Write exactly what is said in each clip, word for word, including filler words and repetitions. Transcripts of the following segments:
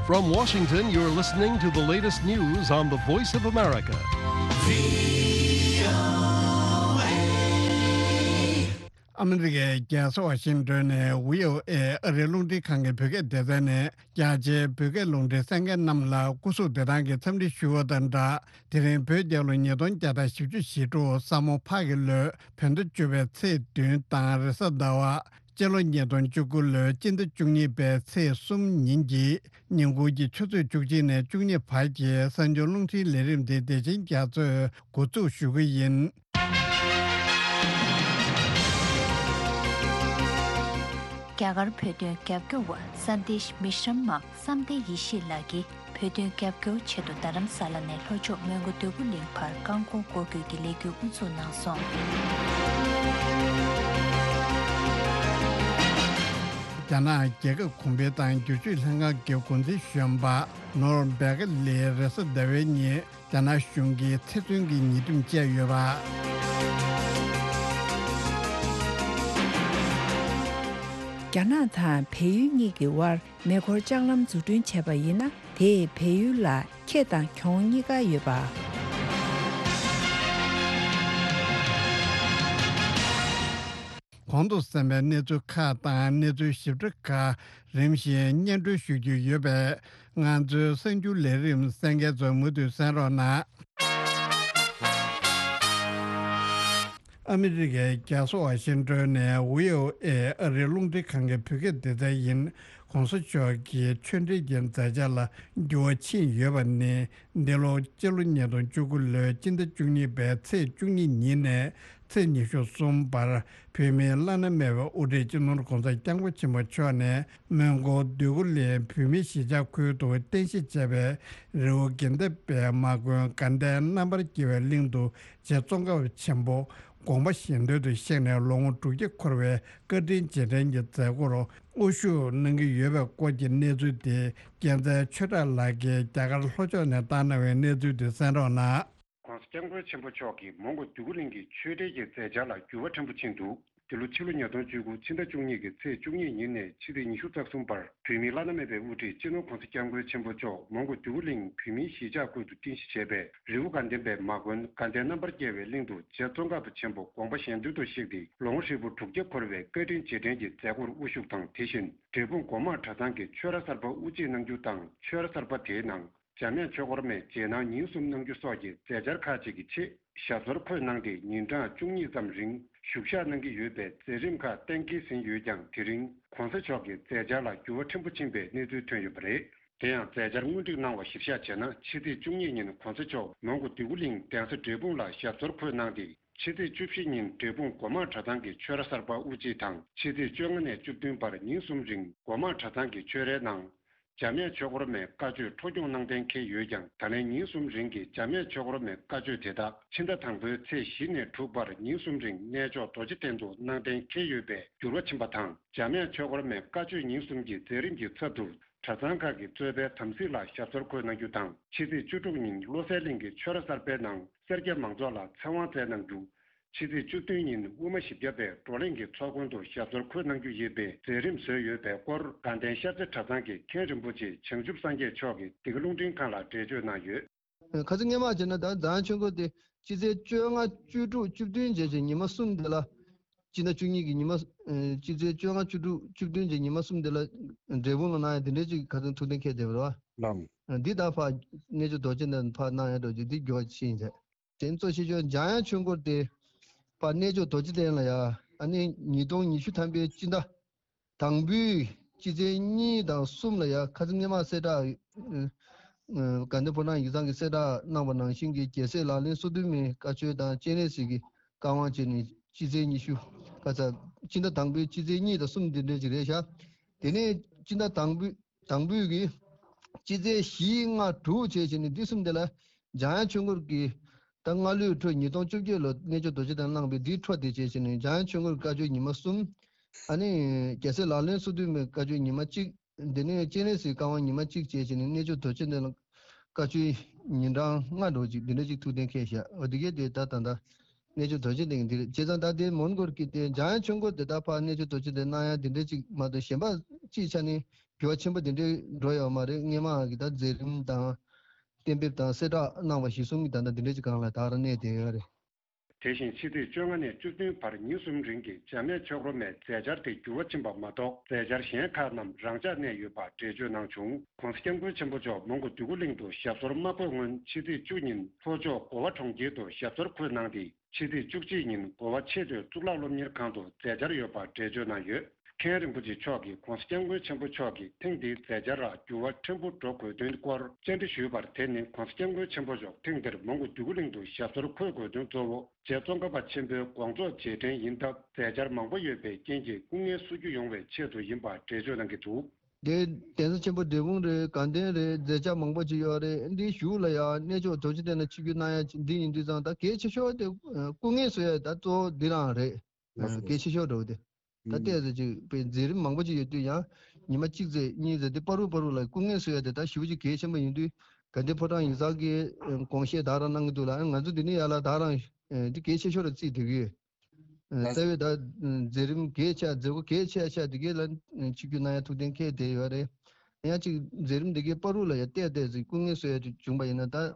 From Washington, you're listening to the latest news on the Voice of America. ཨ་མི་རི་ཀའི་རྒྱལ་ས་ཝ་ཤིང་ཏོན་ནས་བྷི་ཨོ་ཨེ་ཨ་རིའི་རླུང་འཕྲིན་ཁང་གི་བོད་སྐད་སྡེ་ཚན་ནས་རྒྱ་ཆེའི་བོད་སྐད་རླུང་འཕྲིན་གསན་མཁན་རྣམས་ལ་སྐུ་གཟུགས་བདེ་ཐང་གི་འཚམས་འདྲི་ཞུ་བ་དང་སྦྲགས། དེ་རིང་བོད་རྒྱལ་ལོ་ཉིས་སྟོང་བརྒྱ་དང་བཞི་བཅུ་ཞེ་དྲུག་ས་མོ་ཕག་གི་ལོའི་བོད་ཟླ་བཅུ་པའི་ཚེས་བདུན་དང་རེས་གཟའ་ཟླ་བ། སྤྱི་ལོ་ཉིས་སྟོང་བཅུ་དགུ་ལོའི་སྤྱི་ཟླ་བཅུ་གཉིས་པའི་ཚེས་གསུམ་ཉིན་གྱི་ཉིན་གུང་གི་ཆུ་ཚོད་བཅུ་གཅིག་ནས་བཅུ་གཉིས་བར་གྱི་གསར་འགྱུར་རླུང་འཕྲིན་ལས་རིམ་དེ་བདེ་ཆེན་རྒྱ་མཚོས་འགོ་འཛུགས་ཞུ་གི་ཡིན། རྒྱ་གར་བོད་དོན་རྒྱབ་སྐྱོར་བ་སན་དེཤ་མི་ཤམ་མ་བསམ་གཏན་ཡེ་ཤེས་ལགས་ཀྱིས། བོད་དོན་རྒྱབ་སྐྱོར་ཆེད་དུ་རྡ་རམ་ས་ལ་ནས་ལྷོ་ཕྱོགས་མོན་གྷོ་འདོད་རྒུ་གླིང་བར་རྐང་འཁོར་སྐོར་སྐྱོད་ཀྱི་ལས་འགུལ་དབུ་འཛུགས་གནང་སོང་། རྒྱ་ནག་རྒྱལ་ཁབ་གོང་འཕེལ་དང་བསྒྱུར་བཅོས་ལྷན་ཁང་གི་འགོ་འཛིན་གཞོན་པ་ནོར་བེ་ག་ལི་རེས་གཟའ་ཟླ་བའི་ཉིན་རྒྱ་ནག་གཞུང་གིས་ཚེ་བཙོན་གྱི་ཉེས་དོན་བཅད་ཡོད་པ། རྒྱ་ནག་དང་བལ་ཡུལ་གཉིས་ཀྱི་དབར་མེ་འཁོར་ལྕགས་ལམ་འཛུགས་སྐྲུན་བྱས་པ་ཡིན་ན། དེས་བལ་ཡུལ་ལ་ཁེ་དང་གྱོང་གཉིས་ཀ་ཡོད་པ། གོང་དུ་གསན་པའི་གནས་ཚུལ་ཁག་དང་གནས་ཚུལ་ཞིབ་ཕྲ་ཁག་རིམ་བཞིན་སྙན་སྒྲོན་ཞུ་རྒྱུ་ཡོད་པས། ང་ཚོའི་གསར་འགྱུར་ལས་རིམ་གསན་མཁན་ཚོ་མུ་མཐུད་གསན་རོགས་གནང་། ཨ་མི་རི་ཀའི་རྒྱལ་ས་ཝ་ཤིང་ཏོན་ནས་བྷི་ཨོ་ཨེ་ཨ་རིའི་རླུང་འཕྲིན་ཁང་གི་བོད་སྐད་སྡེ་ཚན་ཡིན། ༸གོང་ས་མཆོག་གི་ཆོས་འབྲེལ་གྱི་མཛད་འཆར་ལ་འགྱུར་བ་ཕྱིན་ཡོད་པ་ནི། འདི་ལོ་སྤྱི་ལོ་ཉིས་སྟོང་བཅུ་དགུ་ལོའི་སྤྱི་ཟླ་བཅུ་གཉིས་པའི་ཚེས་བཅུ་གཉིས་ཉིན་ནས་ཚེས་ཉི་ཤུ་གསུམ་བར། བོད་མིའི་བླ་ན་མེད་པའི་དབུ་ཁྲིད་སྤྱི་ནོར་༸གོང་ས་༸སྐྱབས་མགོན་ཆེན་པོ་མཆོག་ནས་མོན་གྷོ་འདོད་རྒུ་གླིང་བོད་མིའི་གཞིས་ཆགས་ཁུལ་དུ་རྟེན་གཞི་བྱས་པའི་རི་བོ་དགེ་ལྡན་པའི་མ་དགོན་དགའ་ལྡན་རྣམ་པར་རྒྱལ་བའི་གླིང་དུ། རྗེ་ཙོང་ཁ་པ་ཆེན་པོ་དགོངས་པ་གཞན་དོན་དུ་གཤེགས་ནས་ལོ་ངོ་དྲུག་བརྒྱ་འཁོར་བའི་བཀའ་དྲིན་རྗེས་དྲན་གྱི་མཛད་སྒོར་དབུ་བཞུགས་གནང་གི་ཡོད་པའི་སྐོར་གྱི་གནས་ཚུལ་དེ། རྒྱལ་མཚན་ཆོས་གྲགས་ལགས་ཀྱིས་རྒྱ་གར་ལྷོ་ཕྱོགས་ནས་བཏང་གནང་བའི་གནས་ཚུལ་དེ་གསན་རོགས་གནང་། ༸གོང་ས་༸སྐྱབས་མགོན་ཆེན་པོ་མཆོག་གིས་མོན་གྷོ་འདོད་རྒུ་གླིང་གི་ཆོས་འབྲེལ་གྱི་མཛད་འཆར་ལ་འགྱུར་བ་ཕྲན་བུ་ཕྱིན་འདུག། འདི་ལོ་ཕྱི་ལོ་ཉིས་སྟོང་བཅུ་དགུ་ཕྱི་ཟླ་བཅུ་གཉིས་ཀྱི་ཚེས་བཅུ་གཉིས་ཉིན་ནས་ཕྱི་ཚེས་ཉི་ཤུ་རྩ་གསུམ་བར་བོད་མིའི་བླ་ན་མེད་པའི་དབུ་ཁྲིད་སྤྱི་ནོར་༸གོང་ས་༸སྐྱབས་མགོན་ཆེན་པོ་མཆོག་མོན་གྷོ་འདོད་རྒུ་གླིང་བོད་མིའི་གཞིས་ཆགས་ཁུལ་དུ་རྟེན་གཞི་བྱས་པའི་རི་བོ་དགའ་ལྡན་པའི་མ་དགོན་དགའ་ལྡན་རྣམ་པར་རྒྱལ་བའི་གླིང་དུ་རྗེ་ཙོང་ཁ་པ་ཆེན་པོ་དགོངས་པ་གཞན་དོན་དུ་གཤེགས་ཏེ་ལོ་ངོ་ཧྲིལ་པོ་དྲུག་བརྒྱ་འཁོར་བའི་བཀའ་དྲིན་རྗེས་དྲན་གྱི་མཛད་སྒོར་དབུ་བཞུགས་དང་། དེ་བཞིན་འབྲས་སྤུངས་སྒོ་མང་གྲྭ་ཚང་གི་ཆོས་ར་གསར་པ་དབུ་འབྱེད་གནང་རྒྱུ་དང་། ཆོས་ར་གསར་པ་དེའི་ནང་འཇམ་དབྱངས་ཆོས་འཁོར་མའི་རྗེས་གནང་ཉིན་གསུམ་གནང་རྒྱུ་སོགས་ཀྱི་མཛད་འཆར་ཁག་ཅིག་གི་ཆེད་ཞབས་སོར་འཁོད་གནང་སྟེ་ཉིན་གྲངས་བཅུ་གཉིས་ཙམ་རིང་བཞུགས་ཞག་གནང་གི་ཡོད་པའི་མཛད་རིམ་ཁག་གཏན་འཁེལ་ཟིན་ཡོད་ཀྱང་། དེ་རིང་༸གོང་ས་མཆོག་གི་མཛད་འཆར་ལ་འགྱུར་བ་ཕྲན་བུ་ཕྱིན་པའི་གནས་ཚུལ་ཐོན་ཡོད་པ་རེད། དེ་ཡང་མཛད་འཆར་སྔོན་སྒྲིག་གནང་བ་གཞིར་བཞག་བྱས་ན། ཕྱི་ཚེས་བཅུ་གཉིས་ཉིན་༸གོང་ས་མཆོག་མོན་གྷོ་འདོད་རྒུ་གླིང་གདན་ས་འབྲས་སྤུངས་ལ་ཞབས་སོར་འཁོད་གནང་སྟེ། ཕྱི་ཚེས་བཅུ་བཞི་ཉིན་འབྲས་སྤུངས་སྒོ་མང་གྲྭ་ཚང་གི་ཆོས་ར་གསར་པ་དབུ་འབྱེད་དང་། ཕྱི་ཚེས་བཅོ་ལྔ་ནས་བཅུ་བདུན་བར་ཉིན་གསུམ་རིང་སྒོ་མང་གྲྭ་ཚང་གི་ཆོས་རའི་ནང་འཇམ་དབྱངས་ཆོས་འཁོར་མའི་བཀའ་ཆོས་འཕྲོ་སྐྱོང་གནང་གཏན་འཁེལ་ཡོད་ཀྱང་། ད་ལན་ཉིན་གསུམ་རིང་གི་འཇམ་དབྱངས་ཆོས་འཁོར་མའི་བཀའ་ཆོས་དེ་དག་ཕྱི་ཟླ་དང་པོའི་ཚེས་བཞི་ནས་དྲུག་བར་ཉིན་གསུམ་རིང་གནས་མཆོག་རྡོ་རྗེ་གདན་དུ་གནང་གཏན་འཁེལ་ཡོད་པས་འགྱུར་བ་ཕྱིན་པ་དང་། འཇམ་དབྱངས་ཆོས་འཁོར་མའི་བཀའ་ཆོས་ཉིན་གསུམ་གྱི་མཛད་རིམ་གྱི་ཚབ་ཏུ། གྲྭ་ཚང་ཁག་གིས་གཙོས་པའི་དམ་སྲི་ལ་ཞབས་སོར་འཁོད་གནང་རྒྱུ་དང་། ཕྱི་ཚེས་བཅུ་དྲུག་ཉིན་བློ་གསལ་གླིང་གི་ཆོས་ར་གསར་པའི་ནང་སེར་སྐྱ་མང་ཚོགས་ལ་ཚེ་དབང་སྩལ་གནང་རྒྱུ། ཕྱི་ཚེས་བཅུ་བདུན་ཉིན་དབུ་མ་བཞི་བརྒྱ་པའི་བགྲོ་གླེང་གི་ཚོགས་མགོན་དུ་ཞབས་སོར་འཁོད་གནང་རྒྱུ་ཡིན་པའི་མཛད་རིམ་བཟོས་ཡོད་པའི་སྐོར། དགའ་ལྡན་ཤར་རྩེ་གྲྭ་ཚང་གི་མཁན་རིན་པོ་ཆེ་བྱང་ཆུབ་སངས་རྒྱས་མཆོག་གིས་འདི་ག་རླུང་འཕྲིན་ཁང་ལ་འགྲེལ་བརྗོད་གནང་ཡོད། ཁ་སང་སྔོན་མ་བྱས་ན་ད་འཇམ་དབྱངས་ཆོས་འཁོར་དེ་སྤྱི་ཚེས་བཅོ་ལྔ་བཅུ་དྲུག་བཅུ་བདུན་བྱས་བྱས་ཉི་མ་གསུམ་དེ་ལ། སྤྱི་ཟླ་བཅུ་གཉིས་ཀྱི་ཉི་མ། ཨ། སྤྱི་ཚེས་བཅོ་ལྔ་བཅུ་དྲུག་བཅུ་བདུན་བྱས་ཉི་མ་གསུམ་དེ་ལ་འབྲས་སྤུངས་ལ་གནང་ཡ་དེ་འདྲའི་ཅིག་ཁ་སང་ཐུགས་གཏན་འཁེལ་བསྡད་པ་རེད་བ། ལགས། འདི་ད་ཕར་གནས་མཆོག་རྡོ་རྗེ་གདན་ཕར་གནང་ཡ་འགྲོ་རྒྱུ་འདི་འགྱུར་བ་ཕྱིན་ཡིན་ཟེར། དེ་ཚོ་ཤེས་ཆོག་འཇམ་དབྱངས་ཆོས་འཁོར་དེ་ཕར་གནས་མཆོག་རྡོ་རྗེ་གདན་ལ་ཡ། ཨ་ནི་ཉིས་སྟོང་ཉི་ཤུ་ཐམ་པའི་སྤྱི་ཟླ་དང་པོའི་སྤྱི་ཚེས་གཉིས་དང་གསུམ་ལ་ཡ། ཁ་སང་སྔོན་མ་གསལ་བསྒྲགས། ཨ། དགའ་ལྡན་ཕོ་བྲང་ཡིག་ཚང་གིས་གསལ་བསྒྲགས་གནང་བ་ནང་བཞིན་གྱི་རྒྱལ་སྲས་ལག་ལེན་སོ་བདུན་མའི་བཀའ་ཆོས་དང་སྤྱན་རས་གཟིགས་ཀྱི་བཀའ་དབང་བྱས་ནས་སྤྱི་ཚེས་ཉི་ཤུ། ཁ་ཚ། སྤྱི་ཟླ་དང་པོའི་སྤྱི་ཚེས་གཉིས་དང་གསུམ་འདི་འདྲ་ཅིག་རེད་ཤག། དེ་ནས་སྤྱི་ཟླ་དང་པོའི་དང་པོའི་གི་སྤྱི་ཚེས་བཞི་ལྔ་དྲུག་བྱས་བྱས་ནས་འདི་གསུམ་དེ་ལ་འཇམ་དབྱངས་ཆོས་འཁོར་གྱི་ད་སྔ་ལོའི་འཕྲོ་ཉིས་སྟོང་བཅོ་བརྒྱད་ལོ་གནས་མཆོག་རྡོ་རྗེ་གདན་གནང་བའི་འདིའི་འཕྲོ་དེ་བྱས་བྱས་ནས་འཇམ་དབྱངས་ཆོས་འཁོར་བཀའ་ཆོས་ཉི་མ་གསུམ། ཨ་ནི་རྒྱལ་སྲས་ལག་ལེན་སོ་བདུན་མའི་བཀའ་ཆོས་ཉི་མ་གཅིག། འདི་ནས་སྤྱན་རས་གཟིགས་བཀའ་དབང་ཉི་མ་གཅིག་བྱས་བྱས་ནས་གནས་མཆོག་རྡོ་རྗེ་གདན་ལ་བཀའ་ཆོས་ཉིན་གྲངས་ལྔ་འགྲོ་ཅིག་འདི་འདྲ་ཅིག་ཐུགས་གཏན་འཁེལ་བཞག། འོ་འདི་གས་དེ་ད་ད་ད། གནས་མཆོག་རྡོ་རྗེ་གདན་འདིར། བྱས་ཙང་ད་ལྟའི་མོན་གྷོ་གི་དེ་འཇམ་དབྱངས་ཆོས་འཁོར་དེ་ད་ཕར་གནས་མཆོག་རྡོ་རྗེ་གདན་གནང་ཡ་དེ་འདྲ་ཅིག་མ་གཏོགས་གཞན་པ་སྤྱིའི་ཆ་ནས་འགྱུར་བ་ཆེན་པོ་དེ་འདྲ་འགྲོ་ཡོད་མ་རེད། སྔས་མ་གི་ད་མཛད་རིམ་དང་གཏན་འབེབས་དང་གསལ་བསྒྲགས་གནང་བ་གཞིར་བཟུང་གི་ད་ལྟ་དེ་འདྲ་ཅིག་སྒང་ལ་ད་རང་གནས་བསྡད་ཡོད་རེད། དེ་བཞིན་ཕྱི་ཚེས་བཅོ་ལྔ་ནས་བཅུ་བདུན་བར་ཉིན་གསུམ་རིང་གི་འཇམ་དབྱངས་ཆོས་འཁོར་མའི་མཛད་འཆར་དེ་འགྱུར་བ་ཕྱིན་པ་མ་གཏོགས། མཛད་འཆར་གཞན་ཁག་རྣམས་རང་འཇགས་གནས་ཡོད་པ་འགྲེལ་བརྗོད་གནང་བྱུང་། ྋགོང་ས་ྋསྐྱབས་མགོན་ཆེན་པོ་མཆོག་མོན་གྷོ་འདོད་རྒུ་གླིང་དུ་ཞབས་སོར་མ་འཁོད་སྔོན། ཕྱི་ཚེས་བཅུ་ཉིན་ལྷོ་ཕྱོགས་གོ་བ་གྲོང་ཁྱེར་དུ་ཞབས་སོར་འཁོད་གནང་སྟེ། ཕྱི་ཚེས་བཅུ་གཅིག་ཉིན་གོ་བ་ཆེས་མཐོའི་གཙུག་ལག་སློབ་གཉེར་ཁང་དུ་མཛད་འཆར་ཡོད་པ་འགྲེལ་བརྗོད་གནང་ཡོད། མཁན་རིན་པོ་ཆེ་མཆོག་གིས་ྋགོང་ས་ྋསྐྱབས་མགོན་ཆེན་པོ་མཆོག་གིས་ཐེངས་འདིའི་མཛད་འཆར་ལ་འགྱུར་བ་ཕྲན་བུ་འགྲོ་དགོས་དོན་སྐོར་བཅར་འདྲི་ཞུས་པར། དེ་ནི་ྋགོང་ས་ྋསྐྱབས་མགོན་ཆེན་པོ་མཆོག་ཐེངས་འདིར་མོན་གྷོ་འདོད་རྒུ་གླིང་དུ་ཞབས་སོར་འཁོད་དགོས་དོན་གཙོ་བོ། རྗེ་ཙོང་ཁ་པ་ཆེན་པོའི་དགོངས་རྫོགས་རྗེས་དྲན་ཡིན་སྟབས། མཛད་འཆར་མང་པོ་ཡོད་པའི་རྐྱེན་གྱིས་སྐུ་ངལ་གསོ་རྒྱུ་ཡོང་བའི་ཆེད་དུ་ཡིན་པ་འགྲེལ་བརྗོད་གནང་གི་འདུག། དེ་གདན་ས་ཆེན་པོ་འབྲས་སྤུངས་རེད། དགའ་ལྡན་རེད། མཛད་འཆར་མང་པོ་ཅིག་ཡོད་རེད། འདི་གཞུག་ལ་ཡང་གནས་མཆོག་རྡོ་རྗེ་གདན་ལ་ཆིབས་བསྒྱུར་གནང་ཡ་འདི་ཡིན་དུས་ཙང་ད་གལ་ཆེ་ཤོས་དེ་སྐུ་ངལ་གསོ་ཡ་ད་གཙོ་བོ་འདི་རང་རེད། ལགས་སོ། གལ་ཆེ་ཤོས་འདྲ་བོ་དེ། ད་ལྟས་ཙམ་ཅིག་པའི་མཛད་རིམ་མང་པོ་ཅིག་ཡོད་དུས་ཡང་ཉི་མ་གཅིག་ཙམ་གཉིས་ཙམ་དེ་བར་དུ་བར་དུ་ལ་སྐུ་ངལ་གསོ་ཡ་དེ་ད་ཞེ་པོ་ཅིག་གལ་ཆེན་པོ་ཡིན་དུས། དགའ་ལྡན་ཕོ་བྲང་ཡིག་ཚང་གིས་དགོངས་བཞེས་དེ་ག་རང་གནང་གི་འདུག་ལ། ང་ཚོ་འདི་ནས་ཡར་ལ་དེ་ག་རང་འདི་གལ་ཆེ་ཤོས་ལ་བརྩིས་བསྡད་ཀྱི་ཡོད། རྩ་བའི་ད་མཛད་རིམ་གལ་ཆེ་མཛད་སྒོ་གལ་ཆེ་ཤོས་དེ་གའི་ལ་ཆིབས་བསྒྱུར་གནང་ཡ་ཐུགས་གཏན་འཁེལ་བསྡད་ཡོད་རེད། ཡང་ཅིག་མཛད་རིམ་དེ་གའི་བར་དུ་ལ་ཡང་བལྟས་བལྟས་ཅིག་སྐུ་ངལ་གསོ་ཡ་དེ་བྱུང་པ་ཡིན་ན་ད།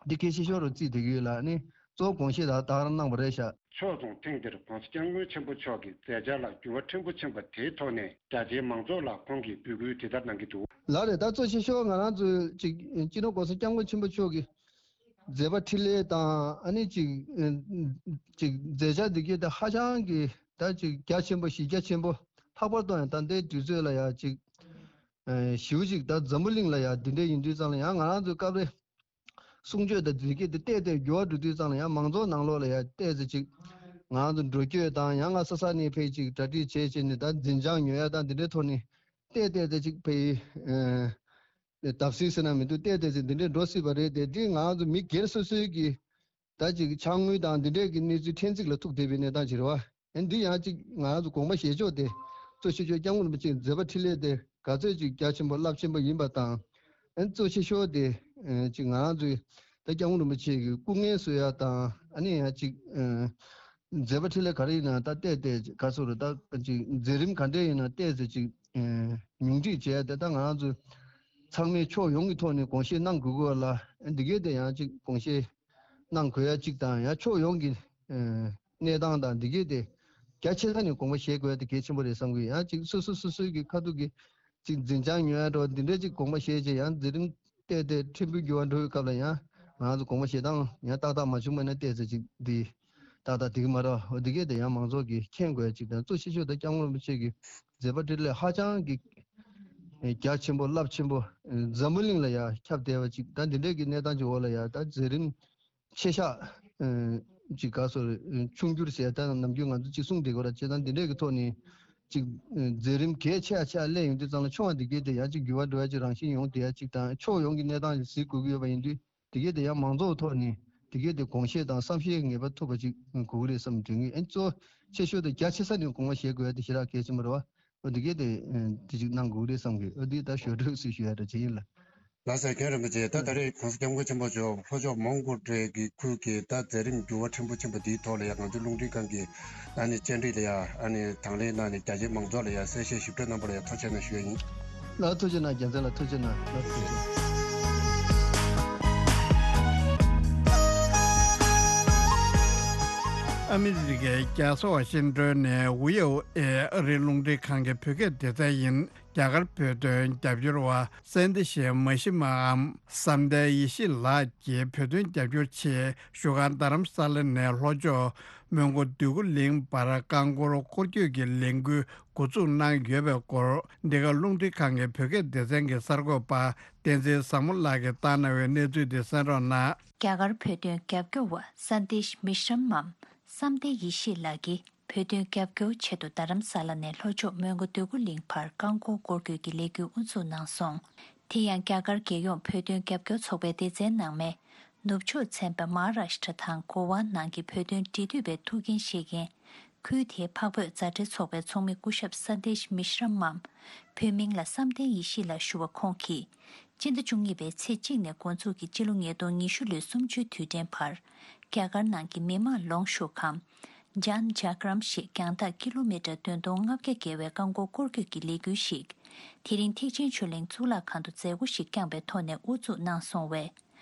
འདི་གལ་ཆེ་ཤོས་རུ་བརྩིས་བསྡད་ཀྱི་ཡོད་ལ། ནི་གཙོ་བོ་དགོངས་བཞེས་དག་དག་རང་གནང་བ་རེད་ཤག། ཕྱོགས་མཚུངས་ཐེངས་འདིར་ྋགོང་ས་ྋསྐྱབས་མགོན་ཆེན་པོ་མཆོག་གི་མཛད་འཆར་ལ་འགྱུར་བ་ཕྲན་བུ་ཕྱིན་པ་དེའི་ཐོག་ནས་རྒྱ་ཆེའི་མང་ཚོགས་ལ་ཁོང་གིས་འབོད་སྐུལ་དེ་ལྟར་གནང་གི་འདུག། ལགས་རེད། ད་གཙོ་ཆེ་ཤོས་ང་རང་ཚོས་ཅིག་སྤྱི་ནོར་ྋགོང་ས་ྋསྐྱབས་མགོན་ཆེན་པོ་མཆོག་གི་མཛད་པ་འཕྲིན་ལས་དང་། ཨ་ནི་ཅིག་ཅིག་མཛད་འཆར་འདི་གའི་ད་ཧ་ཅང་གི་ད་ཅིག་རྒྱ་ཆེན་པོ་གཞི་རྒྱ་ཆེན་པོ། ལྷག་པར་དུ་ཡང་ད་ལྟའི་དུས་ཚོད་ལ་ཡང་ཅིག་ཞེ་པོ་ཅིག་ད་འཛམ་བུ་གླིང་ལ་ཡང་འདི་འདྲ་ཡིན་དུས་ཙང་ལ་ཡང་ང་རང་ཚོའི་སྐབས་རེ། གསུང་ཆོས་དང་འདི་གའི་དེ་བལྟས་བལྟས་འགྱུར་བ་འགྲོ་དུས་ཙང་ལ་ཡང་མང་ཚོགས་ནང་ལོགས་ལ་ཡང་བལྟས་ཚེ་ཅིག་ང་རང་ཚོ་འགྲོ་སྐྱོད་དང་ཡང་ང་ས་ས་ནས་ཕེབས་ཅིག་གྲ་སྒྲིག་བྱས་བྱས་ནས་ད་འཛིན་བྱང་ཉོ་ཡ་དང་འདི་འདྲའི་ཐོག་ནས་བལྟས་བལྟས་ཚེ་ཅིག་ཕེབས། ཨེ་བརྡབ་གསིག་ཟེར་ན་མི་འདུག། བལྟས་བལྟས་ཚེ་འདི་འདྲའི་འགྲོ་སྲིད་པ་རེད་དེ། འདི་ང་རང་ཚོ་མི་སྒེར་སོ་སོའི་གི་ད་ཅིག་ཕྱག་དངུལ་དང་འདི་འདྲས་ཀྱི་གནས་ཚུལ་ཕྲན་ཚེགས་ལ་ཐུག་བསྡད་པའི་གནས་སྟངས་ཅིག་རེད་བ། ཨེ་འདི་ཡང་ཅིག་ང་རང་ཚོ་དགོངས་པ་བཞེས་ཕྱོགས་དེ་གཙོ་ཆེ་ཤོས་སྐྱབས་མགོན་རིན་པོ་ཆེའི་མཛད་པ་འཕྲིན་ལས་དེ་ག་ཚོད་ཅིག་རྒྱ་ཆེན་པོ་རླབས་ཆེན་པོ་ཡིན་པ་དང་། ཨེ་གཙོ་ཆེ་ཤོས་དེ་ཨེ་ཅིག་ང་རང་ཚོའི་ད་སྐྱབས་མགོན་རིན་པོ་ཆེ་གི་སྐུ་ངལ་གསོ་ཡ་དང་། ཨ་ནི་ཡང་ཅིག་ཨེ་མཛད་པ་འཕྲིན་ལས་ག་རེ་ཡིན་ན་ད་བལྟས་བལྟས་ག་ཚོད་རེད། ད་ཅིག་མཛད་རིམ་ག་འདྲས་ཡིན་ན་བལྟས་ཚེ་ཅིག་ཨེ་ཉུང་འཕྲི་བྱས་ཏེ་ད་ང་རང་ཚོ་ཚང་མས་ཕྱོགས་ཡོངས་ཀྱི་ཐོག་ནས་དགོངས་བཞེས་གནང་དགོས་ཀྱི་ཡོད་ལ། ཨེ་འདི་གའི་དེ་ཡང་ཅིག་དགོངས་བཞེས་གནང་དགོས་ཡ་གཅིག་དང་། ཡང་ཕྱོགས་ཡོངས་ཀྱི་ཨེ་གནས་སྟངས་དང་འདི་གའི་དེ་རྒྱ་ཆེ་ས་ནས་དགོངས་པ་བཞེས་དགོས་ཡ་དེ་གལ་ཆེན་པོ་རེད་བསམ་གྱི་ཡོད། ཡང་ཅིག་སོ་སོ་སོ་སོའི་གི་ཁ་ཐུག་གི་ཅིག་འཛིན་བྱང་ཉོ་ཡ་འདྲ་བ་འདི་འདྲའི་ཅིག་དགོངས་པ་བཞེས་བྱས་ཡང་མཛད་རིམ་བལྟས་བལྟས་ཕྲན་བུ་འགྱུར་བ་འགྲོ་བའི་སྐབས་ལ་ཡང་ང་ཚོ་དགོངས་པ་བཞེས་སྟངས་ཡང་ཏག་ཏག་མ་བྱུང་བ་ན་བལྟས་ཚེ་ཅིག་འདི་ཏག་ཏག་འགྲིག་གི་མ་རེད་བ། འོ་འདི་གའི་དེ་ཡང་མང་ཚོགས་ཀྱིས་མཁྱེན་དགོས་ཡ་ཅིག་དང་། གཙོ་ཆེ་ཤོས་དེ་སྐྱབས་མགོན་རིན་པོ་ཆེ་གི་མཛད་པ་འཕྲིན་ལས་ཧ་ཅང་གི་རྒྱ་ཆེན་པོ་རླབས་ཆེན་པོ། འཛམ་བུ་གླིང་ལ་ཡང་ཁྱབ་བསྡད་པ་ཅིག་དང་། འདི་འདྲས་ཀྱི་གནས་སྟངས་ཀྱི་འོག་ལ་ཡང་ད་མཛད་རིམ་ཆེ་ཤག་ཅིག་ག་སོ་ཆུང་འགྱུར་ཟེར་ད་ནམ་རྒྱུན་ང་ཚོ་ཅིག་གསུངས་བསྡད་ཀྱི་ཡོད་ར། བྱས་ཙང་འདི་འདྲས་ཀྱི་ཐོག་ནས་ཅིག་མཛད་རིམ་གལ་ཆེ་ཆེ་སླེབས་ཡོང་དུས་ཙང་ལ་ཆུང་བ་འདི་གའི་དེ་ཡང་ཅིག་འགྱུར་བ་འགྲོ་ཡ་ཅིག་རང་བཞིན་ཡོང་བསྡད་ཡ་ཅིག་དང་། ཕྱོགས་ཡོངས་ཀྱི་གནས་སྟངས་ཅིག་གཟིགས་དགོས་ཀྱི་ཡོད་པ་ཡིན་དུས། དེ་གས་དེ་ཡང་མང་ཚོགས་ཐོག་ནས་དེ་གས་དེ་དགོངས་བཞེས་དང་བསམ་ཤེས་ངེས་པར་ཐུབ་པ་ཅིག་དགོས་ཀྱི་རེད་བསམ་དྲན་གྱི། ཨ་ནི་གཙོ་ཆེ་ཤོས་དེ་རྒྱ་ཆེ་ས་ནས་དགོངས་པ་བཞེས་དགོས་ཡ་དེ་ཞེ་དྲག་གལ་ཆེན་པོ་རེད་བ། འོ་དེ་གས་དེ་དེ་ཅིག་གནང་དགོས་ཀྱི་རེད་བསམ་གི། འོ་དེ་ད་ཞོར་འཕྲོས་སུ་ཞུ་ཡ་འདྲ་ཅིག་ཡིན་ལ། ལགས་སོ། མཁན་རིན་པོ་ཆེ། ད་ད་རེས་གོང་ས་སྐྱབས་མགོན་ཆེན་པོ་མཆོག་ལྷོ་ཕྱོགས་མོན་གྷོ་གྲས་ཀྱི་ཁུལ་གྱི་ད་མཛད་རིམ་འགྱུར་བ་ཕྲན་བུ་ཕྱིན་པ་འདིའི་ཐོག་ལ་ཡང་ང་ཚོའི་རླུང་འཕྲིན་ཁང་གི་ཨ་ནི་བཅར་འདྲི་ལ་ཡང་ཨ་ནི་དང་ལེན་གནང་ནས་རྒྱ་ཆེའི་མང་ཚོགས་ལ་ཡང་གསལ་བཤད་ཞིབ་ཕྲ་གནང་བ་ལ་ཡང་ཐུགས་རྗེ་གནང་ཞུ་ཡ་ཡིན། ལགས་ཐུགས་རྗེ་གནང་། རྒྱལ་མཚན་ལགས་ཐུགས་རྗེ་གནང་། ལགས་ཐུགས་རྗེ་གནང་། ཨ་མི་རི་ཀའི་རྒྱལ་ས་ཝ་ཤིང་ཏོན་ནས་ཝི་ཨོ་ཨེ་ཨ་རིའི་རླུང་འཕྲིན་ཁང་གི་བོད་སྐད་སྡེ་ཚན་ཡིན། རྒྱ་གར་བོད་དོན་རྒྱབ་སྐྱོར་བ་སན་ཏི་ཤེ་མ་ཤི་མའམ་བསམ་གཏན་ཡེ་ཤེས་ལགས་ཀྱིས་བོད་དོན་རྒྱབ་སྐྱོར་ཆེད་བཞུགས་སྒར་རྡ་རམ་ས་ལ་ནས་ལྷོ་ཕྱོགས་མོན་གྷོ་འདོད་རྒུ་གླིང་བར་རྐང་འཁོར་སྐོར་སྐྱོད་ཀྱི་ལས་འགུལ་འགོ་འཛུགས་གནང་ཡོད་པའི་སྐོར། འདི་ག་རླུང་འཕྲིན་ཁང་གི་བོད་སྐད་སྡེ་ཚན་གྱི་གསར་འགོད་པ་བསྟན་འཛིན་བཟང་མོ་ལགས་ཀྱིས་བཏང་གནང་བའི་གནས་ཚུལ་དེ་གསན་རོགས་གནང་། རྒྱ་གར་བོད་དོན་རྒྱབ་སྐྱོར་བ་སན་ཏི་ཤ་མི་ཤི་རམ་མམ་བསམ་གཏན་ཡེ་ཤེས་ལགས་ཀྱིས་བོད་དོན་རྒྱབ་སྐྱོར་ཆེད་དུ་རྡ་རམ་ས་ལ་ནས་ལྷོ་ཕྱོགས་མོན་གྷོ་འདོད་རྒུ་གླིང་བར་རྐང་འཁོར་སྐོར་སྐྱོད་ཀྱི་ལས་འགུལ་དབུ་འཛུགས་གནང་སོང་། དེ་ཡང་རྒྱ་གར་རྒྱལ་ཡོངས་བོད་དོན་རྒྱབ་སྐྱོར་ཚོགས་པའི་སྡེ་ཚན་ནང་མའི་ནུབ་ཕྱོགས་ཚན་པ་མ་ཧཱ་རཱཤ་ཏྲ་དང་གོ་ཝ་ནང་གི་བོད་དོན་འབྲེལ་མཐུད་པའི་ཐུགས་འགན་བཞེས་མཁན། ཁུལ་དེའི་འཕགས་བོད་མཛའ་འབྲེལ་ཚོགས་པའི་ཚོགས་མི་སྐུ་ཞབས་སན་ཏི་ཤ་མི་ཤི་རམ་མམ་བོད་མིང་ལ་བསམ་གཏན་ཡེ་ཤེས་ལགས་ཞུ་བ་ཁོང་གིས། སྤྱི་ཟླ་བཅུ་གཉིས་པའི་ཚེས་གཅིག་ནས་འགོ་འཛུགས་ཀྱིས་སྤྱི་ལོ་ཉིས་སྟོང་ཉི་ཤུ་ལོའི་གསུམ་བཅུའི་དུས་དྲན་བར། རྒྱ་གར་ནང་གི་མི་དམངས་ལོངས་ཞུགས་ཁང་། ཇཱན་ཇཱ་གྷ་རམ་ཞེས་རྒྱང་ཐག་ཀི་ལོ་མི་ཊར་བདུན་སྟོང་ལྔ་བརྒྱ་བརྒལ་བའི་རྐང་འཁོར་སྐོར་སྐྱོད་ཀྱི་ལས་འགུལ་ཞིག་དེ་རིང་ཐེག་ཆེན་ཆོས་གླིང་གཙུག་ལག་ཁང་དུ་མཛད་སྒོ་ཞིག་བསྐྱངས་པའི་ཐོག་ནས་དབུ་འཛུགས་གནང་སོང་བས།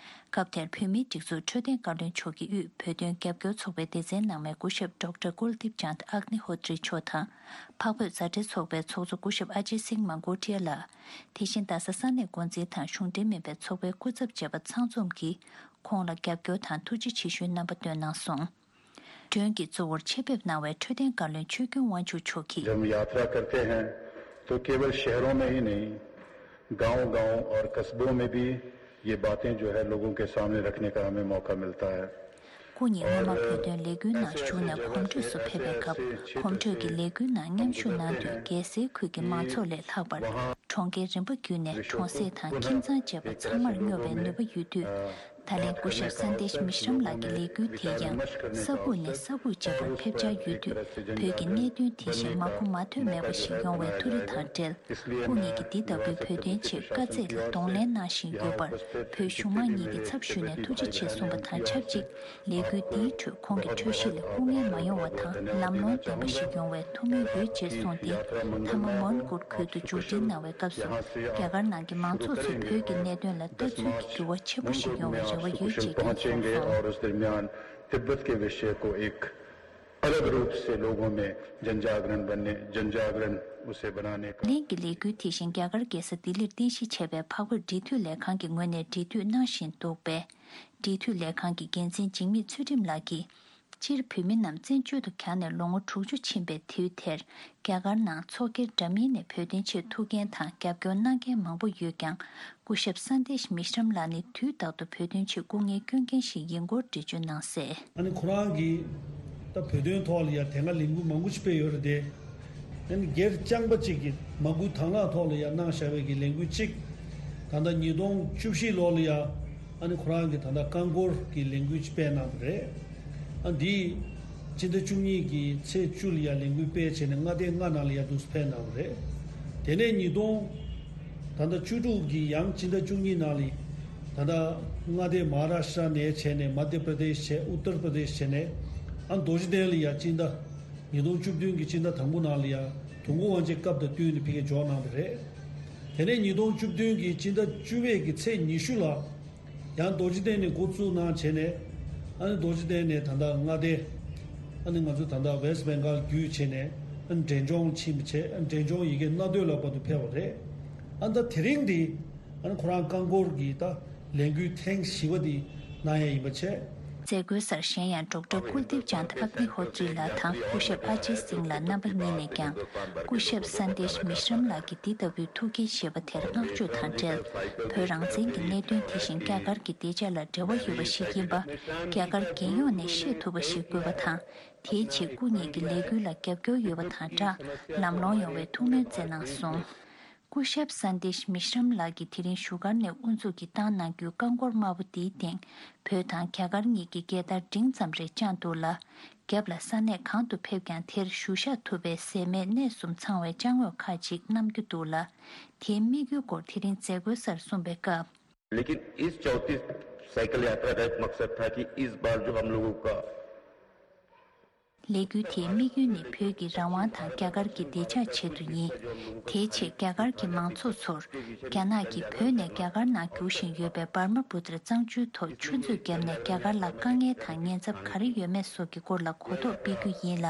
སྐབས་དེར་བོད་མིའི་སྒྲིག་འཛུགས་འཕྲོད་བསྟེན་བཀའ་བློན་མཆོག་གིས་དབུས་བོད་དོན་རྒྱབ་སྐྱོར་ཚོགས་པའི་སྡེ་ཚན་ནང་མའི་སྐུ་ཞབས་ཌོག་ཊར་ཀུལ་དིབ་ཅཱནད་ཨག་ནི་ཧོ་ཏྲི་མཆོག་དང་། འཕགས་བོད་མཛའ་འབྲེལ་ཚོགས་པའི་ཚོགས་གཙོ་སྐུ་ཞབས་ཨ་ཇེ་སིང་མན་གོ་ཏྲི་ཡ་ལགས། དེ་བཞིན་རྡ་ས་ས་གནས་འགོ་འཛིན་དང་གཞུང་འབྲེལ་མིན་པའི་ཚོགས་པའི་སྐུ་ཚབ་བཅས་པ་ཚང་འཛོམས་ཀྱིས་ཁོང་ལ་རྒྱབ་སྐྱོར་དང་ཐུགས་རྗེ་ཆེ་ཞུའི་རྣམ་པ་བཏོན་གནང་སོང་། མགྲོན་གྱི་གཙོ་བོར་ཆེད་ཕེབས་གནང་བའི་འཕྲོད་བསྟེན་བཀའ་བློན་ཆོས་ཀུན་དབང་ཕྱུག་མཆོག་གིས། जब हम यात्रा करते हैं तो केवल शहरों में ही नहीं, गांव-गांव और कस्बों में भी ये बातें जो है लोगों के सामने रखने का हमें मौका मिलता है। སྐུ་ཉིད་སྔོན་མ་བོད་དོན་ལས་འགུལ་ནང་ཞུགས་ནས་གོམ་བགྲོད་སུ་ཕེབས་པའི་སྐབས་གོམ་བགྲོད་ཀྱི་ལས་འགུལ་ནང་མཉམ་ཞུགས་གནང་དུས་རྒྱལ་སའི་ཁུལ་གྱི་མང་ཚོགས་ལས་ལྷག་པར་གྲོང་ཁྱེར་རིམ་པ་བརྒྱུད་ནས་གྲོང་གསེབ་དང་ཁྱིམ་ཚང་བཅས་པ་ཚང་མར་སྙོབ་པའི་ནུས་པ་ཡོད་དུས། ད་ལན་སྐུ་ཞབས་སན་དེཤ་མི་ཤྲམ་ལགས་ཀྱི་ལས་འགུལ་དེ་ཡང་ས་ཁུག་ནས་ས་ཁུག་བཅས་པར་ཕེབས་འཆར་ཡོད་དུས་བོད་ཀྱི་གནད་དོན་དེ་བཞིན་མ་གོ་མ་ཐོས་མེད་པ་ཞིག་ཡོང་བའི་ཐུགས་རེ་དང་འབྲེལ། སྐུ་ཉིད་ཀྱིས་འདི་ལྟ་བུའི་བོད་དོན་ཆེད་དཀའ་ཚེགས་ལ་གདོང་ལེན་གནང་བཞིན་ཡོད་པར་བོད་གཞུང་མང་གཉིས་ཀྱི་ཚབ་ཞུས་ནས་ཐུགས་རྗེ་ཆེ་གསུངས་པ་དང་ཆབས་ཅིག་ལས་འགུལ་འདིའི་ཁྲོད་ཁོང་གི་འཕྲོད་བཞེས་ལ་སྐུ་ངལ་མ་ཡོང་བ་དང་ལམ་ལྷོང་ལྡན་པ་ཞིག་ཡོང་བའི་ཐུགས་སྨོན་ཡོད་ཅེས་གསུངས་ཏེ། མཐའ་མ་མོན་གྷོ་ཁུལ་དུ་མཇུག་སྒྲིལ་གནང་བའི་སྐབས་སུ་རྒྱ་གར་ནང་གི་མང་ཚོགས་ཚོས་བོད་ཀྱི་གནད་དོན་ལ་ལྟ་ཚུལ་གྱི་འགྱུར་བ་ཆེན་པོ་ཞིག་ཡོང་བའི་རེ་བ་ཡོད་ཅེས་ཀྱང་གསུངས་སོང་། तिब्बत के विषय को एक अलग रूप से लोगों में जन जागरण बनने जन जागरण उसे बनाने का ལེན་གྱི་ལས་འགུལ་དེ་བཞིན་རྒྱ་གར་རྒྱལ་ས་ལྡི་ལིར་རྟེན་གཞི་བྱས་པའི་འཕགས་བོད་འབྲེལ་མཐུད་ལས་ཁང་གི་ངོས་ནས་འབྲེལ་མཐུད་གནང་བཞིན་འདུག་པས། འབྲེལ་མཐུད་ལས་ཁང་གི་འགན་འཛིན་འཇིགས་མེད་ཚུལ་ཁྲིམས་ལགས་ཀྱིས། སྤྱིར་བོད་མི་རྣམས་བཙན་བྱོལ་དུ་གྱར་ནས་ལོ་ངོ་དྲུག་ཅུ་ཕྱིན་པའི་དུས་དེར་རྒྱ་གར་ནང་ཚོགས་སྒེར་འདྲ་མིན་ནས་བོད་དོན་ཆེད་ཐུགས་འགན་དང་རྒྱབ་སྐྱོར་གནང་མཁན་མང་པོ་ཡོད་ཀྱང་སྐུ་ཞབས་སན་དེཤ་མི་ཤྲམ་ལགས་ནི་དུས་རྟག་ཏུ་བོད་དོན་ཆེད་སྐུ་ངལ་སྐྱོན་མཁན་ཞིག་ཡིན་སྐོར་འགྲེལ་བརྗོད་གནང་གསལ། ཨ་ནི་ཁོ་རང་གིས་ད་བོད་དོན་ཐོག་ལ་ཡ་དེ་སྔ་ལས་འགུལ་མང་པོ་ཞིག་སྤེལ་ཡོད་རེད་དེ། ཨ་ནི་སྒེར་རྐྱང་པ་གཅིག་གིས་མ་དགུ་དང་བླངས་ཐོག་ལ་ཡ་གནང་བཞག་པའི་གི་ལས་འགུལ་གཅིག་ད་ལྟ་ཉིས་སྟོང་བཅུ་བཞི་ལོ་ལ་ཡ་ཨ་ནི་ཁོ་རང་གིས་ད་ལྟ་རྐང་འཁོར་གྱི་ལས་འགུལ་ཅིག་སྤེལ་གནང་བ་རེད། ཨ་འདིས་སྤྱི་ཟླ་བཅུ་གཉིས་ཀྱི་ཚེས་བཅུ་ལ་ཡ་ལས་འགུལ་སྤེལ་བྱས་ནས་མངའ་སྡེ་ལྔ་ནང་ལ་ཡ་འདུག་སེ་སྤེལ་གནང་བ་རེད། དེ་ནས་ཉིས་སྟོང་ད་ལྟ་བཅུ་དྲུག་གི་ཡང་སྤྱི་ཟླ་བཅུ་གཉིས་ནང་ལ་ད་ལྟ་མངའ་སྡེ་མ་ཧཱ་རཱ་ཤྲ་ནས་བྱས་ནས་མ་དྷྱ་པྲ་དེཤ་བྱས་ཨུ་ཏར་པྲ་དེཤ་བྱས་ནས་ཨ་རྡོ་རྗེ་གདན་ལ་ཡ་སྤྱི་ཟླ་ཉིས་སྟོང་བཅུ་བདུན་གྱི་སྤྱི་ཟླ་དང་པོ་ནང་ལ་ཡ་དུས་འཁོར་དབང་ཆེན་སྐབས་དང་བསྟུན་ནས་ཕ་གིར་འབྱོར་གནང་བ་རེད། དེ་ནས་ཉིས་སྟོང་བཅུ་བདུན་གྱི་སྤྱི་ཟླ་བཅུ་པའི་གི་ཚེས་ཉི་ཤུ་ལ་ཡང་རྡོ་རྗེ་གདན་ནས་འགོ་བཙུགས་གནང་བྱས་ནས་ཨ་ནི་རྡོ་རྗེ་གདན་ནས་ད་ལྟ་མངའ་སྡེ་ཨ་ནི་ང་ཚོ་ད་ལྟ་ཝེ་སི་ཊི་བེང་གྷལ་བརྒྱུད་བྱས་ནས་ཨ་ནི་འབྲས་ལྗོངས་ཕྱིན་པ་བྱས་ཨ་ནི་འབྲས་ལྗོངས་ཡ་གི་མངའ་སྡོད་ལ་བར་དུ་ཕེབས་པ་རེད། ཨ་ནི་ད་དེ་རིང་འདི་ཨ་ནི་ཁོ་རང་རྐང་འཁོར་གྱི་ད་ལས་འགུལ་ཐེངས་བཞི་པ་འདི་གནང་ཡ་ཡིན་པ་བྱས། མཛད་སྒོའི་སར་གཞན་ཡང་ཌོག་ཊར་ཀུལ་དིབ་ཅཱནད་ཨག་ནི་ཧོ་ཏྲི་ལགས་དང་སྐུ་ཞབས་ཨ་ཇེ་སིང་ལགས་རྣམ་པ་གཉིས་ནས་ཀྱང་སྐུ་ཞབས་སན་དེཤ་མི་ཤྲམ་ལགས་ཀྱི་འདི་ལྟ་བུའི་ཐུགས་འགན་བཞེས་པ་དེར་བསྔགས་བརྗོད་དང་འབྲེལ། བོད་རང་བཙན་གྱི་གནད་དོན་དེ་བཞིན་རྒྱ་གར་གྱི་བདེ་འཇགས་ལ་འབྲེལ་བ་ཡོད་པ་ཞིག་ཡིན་པ། རྒྱ་གར་རྒྱལ་ཡོངས་ནས་ཤེས་ཐུབ་པ་ཞིག་དགོས་པ་དང་། དེའི་ཆེད་སྐུ་ཉིད་ཀྱི་ལས་འགུལ་ལ་རྒྱབ་སྐྱོར་ཡོད་པ་དང་སྦྲགས་ལམ་ལྷོང་ཡོང་བའི་ཐུགས་སྨོན་བསྩལ་གནང་སོང་། སྐུ་ཞབས་སན་དེཤ་མི་ཤྲམ་ལགས་ཀྱིས་དེ་རིང་བཞུགས་སྒར་ནས་དབུ་འཛུགས་ཀྱིས་བཏང་གནང་རྒྱུའི་རྐང་འཁོར་དམར་པོ་འདིའི་སྟེང་བོད་དང་རྒྱ་གར་གཉིས་ཀྱི་རྒྱལ་དར་འབྲིང་ཙམ་རེ་དཔྱངས་འདུག་ལ། རྒྱབ་ལ་ས་གནས་གང་དུ་ཕེབས་ཀྱང་དེར་བཞུགས་ཤག་ཐུབ་པའི་ཟད་མེད་གནས་གསུམ་ཚང་བའི་ཅ་དངོས་ཁག་ཅིག་བསྣམས་རྒྱུ་འདུག་ལ། དེའི་དམིགས་ཡུལ་སྐོར་དེ་རིང་མཛད་སྒོའི་སར་གསུངས་པའི་སྐབས། लेकिन इस चौंतीस साइकिल यात्रा का एक मकसद था कि इस बार जो हम लोगों का ལས་འགུལ་དེའི་དམིགས་ཡུལ་ནི་བོད་ཀྱི་རང་དབང་དང་རྒྱ་གར་གྱི་བདེ་འཇགས་ཆེད་དུ་ཡིན། དེའི་ཆེད་རྒྱ་གར་གྱི་མང་ཚོགས་ཚོར་རྒྱ་ནག་གིས་བོད་ནས་རྒྱ་གར་ནང་རྒྱུག་བཞིན་ཡོད་པའི་འབར་མ་པུ་ཏྲ་གཙང་ཆུའི་ཐོག་ཆུ་མཛོད་བརྒྱབ་ནས་རྒྱ་གར་ལ་དཀའ་ངལ་དང་ཉེན་ཚབས་ག་རེ་ཡོད་མེད་སོགས་ཀྱི་སྐོར་ལ་གོ་རྟོགས་སྤེལ་རྒྱུ་ཡིན་ལ།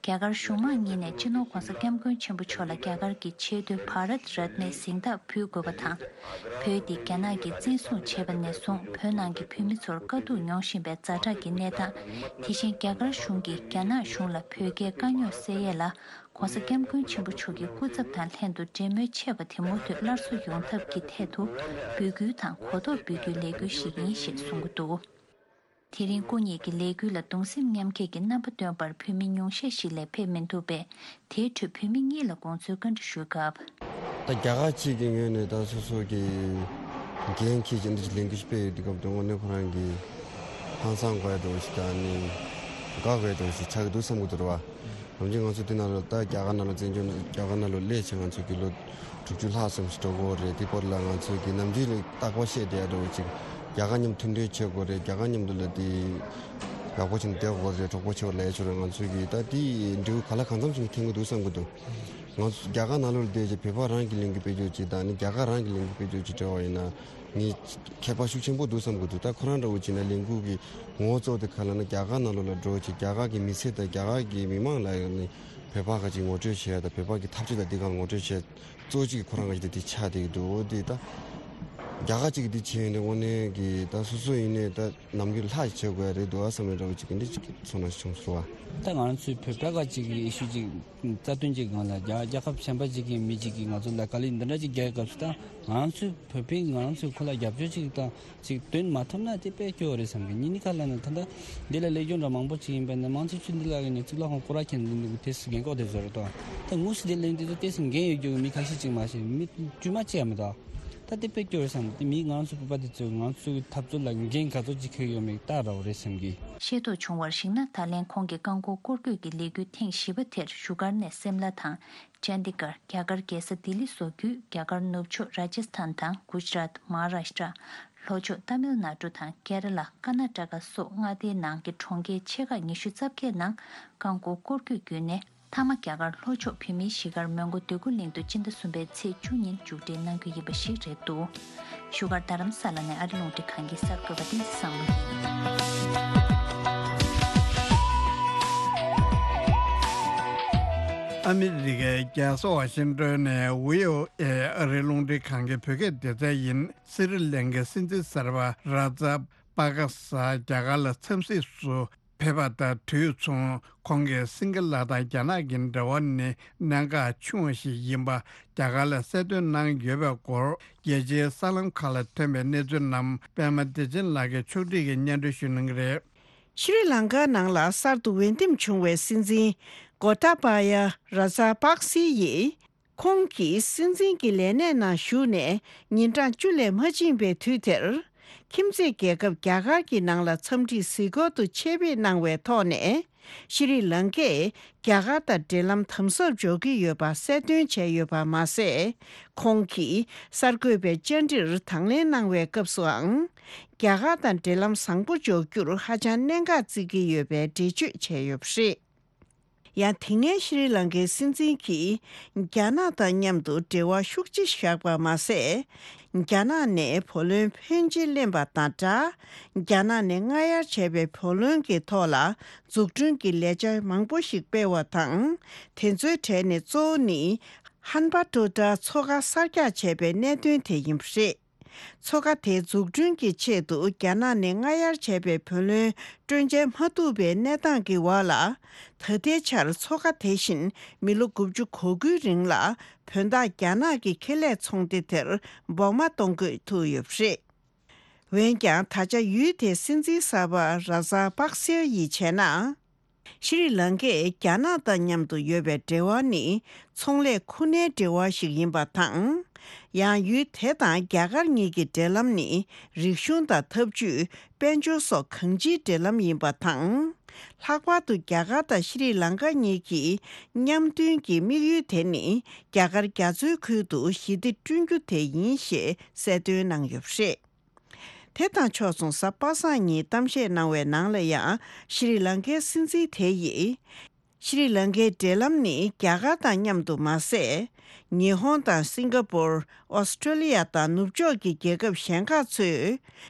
རྒྱ་གར་གཞུང་མང་གཉིས་ནས་སྤྱི་ནོར་༸གོང་ས་༸སྐྱབས་མགོན་ཆེན་པོ་མཆོག་ལ་རྒྱ་གར་གྱི་ཆེས་མཐོའི་བྷ་རཏ་རཏ་ནའི་གཟེངས་རྟགས་ཕུལ་དགོས་པ་དང་། བོད་འདི་རྒྱ་ནག་གིས་བཙན་བཟུང་བྱས་པ་ནས་བཟུང་བོད་ནང་གི་བོད་མི་ཚོར་དཀའ་སྡུག་མྱོང་བཞིན་པའི་ཛ་དྲག་གི་གནས་སྟངས། དེ་བཞིན་རྒྱ་གར་གཞུང་གིས་རྒྱ་ནག་གཞུང་ལ་བོད་རྒྱའི་དཀའ་རྙོག་སེལ་ཡས་ལ་༸གོང་ས་༸སྐྱབས་མགོན་ཆེན་པོ་མཆོག་གི་སྐུ་ཚབ་དང་ལྷན་དུ་འབྲེལ་མོལ་ཆེ་བ་དེ་མུ་མཐུད་སླར་གསོ་ཡོང་ཐབས་ཀྱི་ཐད་དུ་འབོད་སྐུལ་དང་གོ་རྟོགས་འབུལ་རྒྱུའི་ལས་འགུལ་ཞིག་ཡིན་ཞེས་གསུང་གི་འདུག་དེ་རིང་སྐུ་ཉིད་ཀྱི་ལས་འགུལ་ལ་གདུང་སེམས་མཉམ་སྐྱེད་ཀྱི་རྣམ་པ་སྟོན་པར་བོད་མི་ཉུང་ཤས་ཤིག་ལས་ཕེབས་མི་འདུག་པས། དེའི་ཁྲོད་བོད་མི་གཉིས་ལ་དགོངས་ཚུལ་བཀའ་འདྲི་ཞུས་སྐབས། ད་རྒྱ་གར་གཅིག་གི་ངོས་ནས་ད་སོ་སོ་གི་འགན་འཁྱེར་གྱི་འདི་ལས་འགུལ་སྤེལ་ཡོད་དུས་སྐབས་དུས་དངོས་གནས་ཁོ་རང་གི་ཧང་སང་དགོས་ཡ་འདྲ་ཞིག་དང་ནི་དགའ་དགོས་ཡ་འདྲ་ཞིག་ཆགས་ཀྱི་འདུག་བསམ་གྱི་འདུག་རེད་བ། ནམ་རྒྱུན་ང་ཚོ་དེ་ནང་ལ་ད་རྒྱ་གར་ནང་ལ་བཙན་བྱོལ་ནང་རྒྱ་གར་ནང་ལ་སླེབས་བྱས་ང་ཚོ་གི་ལོ་དྲུག་ཅུ་ལྷག་ཙམ་ཞིག་འགྲོ་གི་ཡོད་རེད། དེ་བར་ལ་ང་ཚོ་གི་ནམ་རྒྱུན་ལ་རྟག་པར་བཤད་བསྡད་ཡ་འདྲ་བོ་ཅིག་རྒྱ་གར་མཉམ་མཐུན་འབྲེལ་བྱེད་དགོས་རེད། རྒྱ་གར་མཉམ་དུ་ལ་དེ་ཡག་པོ་བྱས་ནས་བསྡད་དགོས་རེད། གྲོགས་པོ་བྱེད་པ་ལ་ཡ་ཆོག་རེད། ང་ཚོ་གི་ད་དེ་འབྲས་བུ་ག་ལ་གང་འཚམ་ཞིག་འཐེན་གི་འདུག་བསམ་གི་འདུག་ང་ཚོ་རྒྱ་གར་ནང་ལོགས་ལ་བསྡད་བྱས་བོད་པ་རང་གི་ལས་འགུལ་སྤེལ་རྒྱུ་ཅིག་དང་ནི་རྒྱ་གར་རང་གི་ལས་འགུལ་སྤེལ་རྒྱུ་ཅིག་འབྲེལ་བ་ཡིན་ན། ངས་ཁྱད་པར་ཤུགས་ཆེན་པོ་འདུག་བསམ་གྱི་འདུག་ད་ཁོ་རང་འདྲ་བོ་བྱས་ན་ལས་འགུལ་གྱི་ངོ་བོ་གཙོ་བོ་དེ་ག་ལ་ན་རྒྱ་གར་ནང་ལོགས་ལ་འགྲོ་བྱས་རྒྱ་གར་གྱི་མི་ཚེ་དང་རྒྱ་གར་གྱི་མི་མང་ལ་ནི་བོད་པ་ག་ཅིག་ངོ་སྤྲོད་བྱས་དང་བོད་པ་གི་འཐབ་ཇུས་དང་འདི་ག་ལ་ངོ་སྤྲོད་བྱས་གཙོ་བོ་གཅིག་གི་ཁོ་རང་ག་ཅིག་དེ་དེ་ཆགས་བསྡད་ཀྱི་འདུག་འོ་དེ་ད་རྒྱ་གར་གཅིག་གི་དེ་བྱས་ཡོང་དུས་དངོས་གནས་ཀྱི་ད་སོ་སོ་ཡིན་ནའི་ད་ནམ་རྒྱུན་ལྷག་བྱེད་དགོས་ཡ་རེད་འདུག་ཨ་བསམ་པའི་འདྲ་བོ་ཅིག་གི་འདི་ཅིག་ཚོར་སྣང་ཞིག་བྱུང་སོང་བ། ད་ང་ཚོའི་བོད་པ་ག་ཅིག་གི་ཨི་ཤུ་ཅིག་རྩ་དོན་གཅིག་སྒང་ལ་རྒྱ་རྒྱལ་ཁབ་གཞན་པ་གཅིག་གི་མི་གཅིག་གིས་ང་ཚོ་ལ་དཀའ་ལས་འདི་འདྲ་གཅིག་རྒྱག་སྐབས་སུ་ད་ང་ཚོའི་བོད་པས་ང་ཚོས་ཁོ་ལ་རྒྱབ་སྐྱོར་གཅིག་དང་གཅིག་འདོན་མ་ཐུབ་ན་དེ་དཔེ་སྐྱོ་བོ་རེད་བསམ་གི། ཉིན་ནི་ཁ་ལ་ནི་ད་ལྟ་འདི་ལ་སླེབས་སྐྱོན་འདྲ་མང་པོ་ཅིག་ཡིན་པས་ན་མང་ཆེ་ཤོས་འདི་ལ་གི་ནི་གཙུག་ལག་ཁང་སྐོར་ར་ཁྱེར་འདི་འདུག་དེ་སུ་རྒན་གོག་དེ་ཚོ་རེད་དོ། ད་དངོས་སུ་དེ་ལན་དེ་ཚོ་དེ་སུ་རྒན་ཡོད་རྒྱུ་གི་མི་ཁ་ཤས་ཅིག་མ་ཤེས་མི་དཀྱུས་མ་ཅིག་ཡང་མི་འདུག་ད་དེ་དཔེ་སྐྱོ་བོ་རེད་བསམ་གི། དེ་མིས་ང་ཚོ་བོད་པ་དེ་ཚོས་ང་ཚོའི་འཐབ་རྩོད་ལ་འགན་ག་ཚོད་ཅིག་འཁྱེར་ཡོད་མེད་བལྟ་རོགས་རེད་བསམ་གི། ཤེས་རྟོགས་བྱུང་བར་གཞིགས་ན། ད་ལན་ཁོང་གིས་རྐང་འཁོར་སྐོར་སྐྱོད་ཀྱི་ལས་འགུལ་ཐེངས་བཞི་པ་དེར་བཞུགས་སྒར་ནས་སིམ་ལ་དང་། ཅན་དི་གར། རྒྱ་གར་རྒྱལ་ས་ལྡི་ལི་སོགས་བརྒྱུད་རྒྱ་གར་ནུབ་ཕྱོགས་ར་ཇཱ་སི་ཐན་དང་གུ་ཇི་རཱཏ། མ་ཧཱ་རཱཤ་ཏྲ། ལྷོ་ཕྱོགས་ཏཱ་མིལ་ནཱ་ཌུ་དང་ཀེ་ར་ལ། ཀར་ནཱ་ཊ་ཀ་སོགས་མངའ་སྡེའི་ནང་གི་གྲོང་ཁྱེར་ཆེ་ཁག་ཉི་ཤུ་རྩ་བརྒྱད་ནང་རྐང་འཁོར་སྐོར་སྐྱོད་བརྒྱུད་ནས། མཐའ་མ་རྒྱ་གར་ལྷོ་ཕྱོགས་བོད་མིའི་གཞིས་སྒར་མོན་གྷོ་འདོད་རྒུ་གླིང་དུ་སྤྱི་ཟླ་གསུམ་པའི་ཚེས་བཅུ་ཉིན་མཇུག་སྒྲིལ་གནང་རྒྱུ་ཡིན་པ་ཞིག་རེད་འདུག་བཞུགས་སྒར་རྡ་རམ་ས་ལ་ནས་ཨ་རི་རླུང་འཕྲིན་ཁང་གི་གསར་འགོད་པ་བསྟན་འཛིན་བཟང་མོ་ཡིན། ཨ་མི་རི་ཀའི་རྒྱལ་ས་ཝ་ཤིང་ཏོན་ནས་བྷི་ཨོ་ཨེ་ཨ་རིའི་རླུང་འཕྲིན་ཁང་གི་བོད་སྐད་སྡེ་ཚན་ཡིན། སི་རི་ལང་ཀའི་སྲིད་འཛིན་གསར་པ་ར་ཛ་པ་ཀ་ས་རྒྱ་གར་ལ་འཚམས་གཟིགས་སུ་ཕེབས་པ་དང་དུས་མཚུངས་ཁོང་གིས་སིང་ག་ལ་དང་རྒྱ་ནག་གི་འབྲེལ་བ་ནི་གནད་འགག་ཆུང་བ་ཞིག་ཡིན་པ་རྒྱ་གར་ལ་གསལ་སྟོན་གནང་ཡོད་པའི་སྐོར་རྒྱལ་སྤྱིའི་གསར་ལམ་ཁག་ལ་ཐོན་པའི་གནས་ཚུལ་རྣམས་པད་མ་བདེ་ཆེན་ལགས་ཀྱིས་ཕྱོགས་སྒྲིག་གིས་སྙན་སྒྲོན་ཞུ་གནང་གི་རེད། ཤྲི་ལང་ཀ་ནང་ལ་གསར་དུ་འོས་འདེམས་བྱུང་བའི་སྲིད་འཛིན་གོ་ཏཱ་པཱ་ཡ་ར་ཛ་པག་སི་ཡིས། ཁོང་གིས་སྲིད་འཛིན་གྱི་ལས་གནས་ནང་ཞུགས་ནས་ཉིན་གྲངས་བཅུ་ལས་མ་ཕྱིན་པའི་དུས་དེར། ཁྱིམ་མཚེས་རྒྱལ་ཁབ་རྒྱ་གར་གྱི་ནང་ལ་འཚམས་འདྲིའི་གཟིགས་སྐོར་དུ་ཆེད་ཕེབས་གནང་བའི་ཐོག་ནས། ཤྲི་ལང་ཀས་རྒྱ་གར་དང་འབྲེལ་ལམ་དམ་ཟབ་འཇོག་གི་ཡོད་པ་གསལ་སྟོན་བྱས་ཡོད་པ་མ་ཟད། ཁོང་གིས་གསར་འགོད་པའི་བཅར་འདྲིར་དང་ལེན་གནང་བའི་སྐབས་སུའང་། རྒྱ་གར་དང་འབྲེལ་ལམ་བཟང་པོ་འཇོག་རྒྱུར་ཧ་ཅང་གནད་འགག་བརྩི་གི་ཡོད་པའི་འགྲེལ་བརྗོད་བྱས་ཡོད་པ་རེད། ཡང་དེ་སྔའི་ཤྲི་ལང་ཀའི་སྲིད་འཛིན་གྱིས་རྒྱ་ནག་དང་མཉམ་དུ་འབྲེལ་བ་ཤུགས་ཆེ་བཞག་པ་མ་ཟད། རྒྱ་ནག་ནས་བུ་ལོན་ཕོན་ཆེ་ལེན་པ་དང་སྦྲགས། རྒྱ་ནག་ནས་སྔ་གཡར་བྱས་པའི་བུ་ལོན་གྱི་ཐོག་ལ་འཛུགས་སྐྲུན་གྱི་ལས་འཆར་མང་པོ་ཞིག་སྤེལ་བ་དང་། དེ་ཚོའི་གྲས་ནས་གཙོ་བོ་ནི། ཧན་པ་ཏོ་ཏྲ་མཚོ་ཁ་གསར་རྒྱག་བྱས་པའི་གནད་དོན་དེ་ཡིན་པ་རེད། མཚོ་ཁ་དེ་འཛུགས་སྐྲུན་གྱི་ཆེད་དུ་རྒྱ་ནག་ནས་སྔ་གཡར་བྱས་པའི་བུ་ལོན་སྤྲོད་འཇལ་མ་ཐུབ་པའི་གནས་སྟངས་ཀྱི་འོག་ལ། ད་ལྟའི་ཆར་མཚོ་ཁ་དེ་བཞིན་མི་ལོ་དགུ་བཅུ་གོ་དགུའི་རིང་ལ་བོད་འདགས་རྒྱ་ནག་གི་ཁེ་ལས་ཚོང་སྡེ་དེར་འབོགས་མ་གཏོང་དགོས་ཐུག་ཡོད་པ་རེད། འོན་ཀྱང་ད་ཆ་ཡུལ་དེའི་སྲིད་འཛིན་གསར་པ་ར་ཛ་པག་སེ་ཡིས་བྱས་ན། ཤྲི་ལང་ཀས་རྒྱ་ནག་དང་མཉམ་དུ་ཡོད་པའི་འབྲེལ་བ་ནི་ཚོང་ལས་ཁུ་ནའི་འབྲེལ་བ་ཞིག་ཡིན་པ་དང་། ཡང་ཡུལ་དེ་དང་རྒྱ་གར་གཉིས་ཀྱི་འབྲེལ་ལམ་ནི་རིག་གཞུང་དང་འཐབ་ཇུས། དཔལ་འབྱོར་སོགས་གང་ཅིའི་འབྲེལ་ལམ་ཡིན་པ་དང་། ལྷག་པར་དུ་རྒྱ་གར་དང་ཤྲི་ལང་ཀ་གཉིས་ཀྱི་མཉམ་མཐུན་གྱི་དམིགས་ཡུལ་དེ་ནི་རྒྱ་གར་རྒྱ་མཚོའི་ཁུལ་དུ་ཞི་བདེ་བསྐྲུན་རྒྱུ་དེ་ཡིན་ཞེས་གསལ་སྟོན་གནང་ཡོད་པ་རེད། དེ་དང་ཕྱོགས་མཚུངས་གཟའ་པ་སངས་ཉིན་གཏམ་བཤད་གནང་བའི་ནང་ལ་ཡང་ཤྲི་ལང་ཀའི་སྲིད་འཛིན་དེ་ཡིས། ཤྲི་ལང་ཀའི་འབྲེལ་ལམ་ནི་རྒྱ་གར་དང་མཉམ་དུ་མ་ཟད། ཉི་ཧོང་དང་སིང་ག་པོར། ཨོ་སི་ཀྲོ་ལི་ཡ་དང་ནུབ་ཕྱོགས་ཀྱི་རྒྱལ་ཁབ་གཞན་ཁག་ཚོས།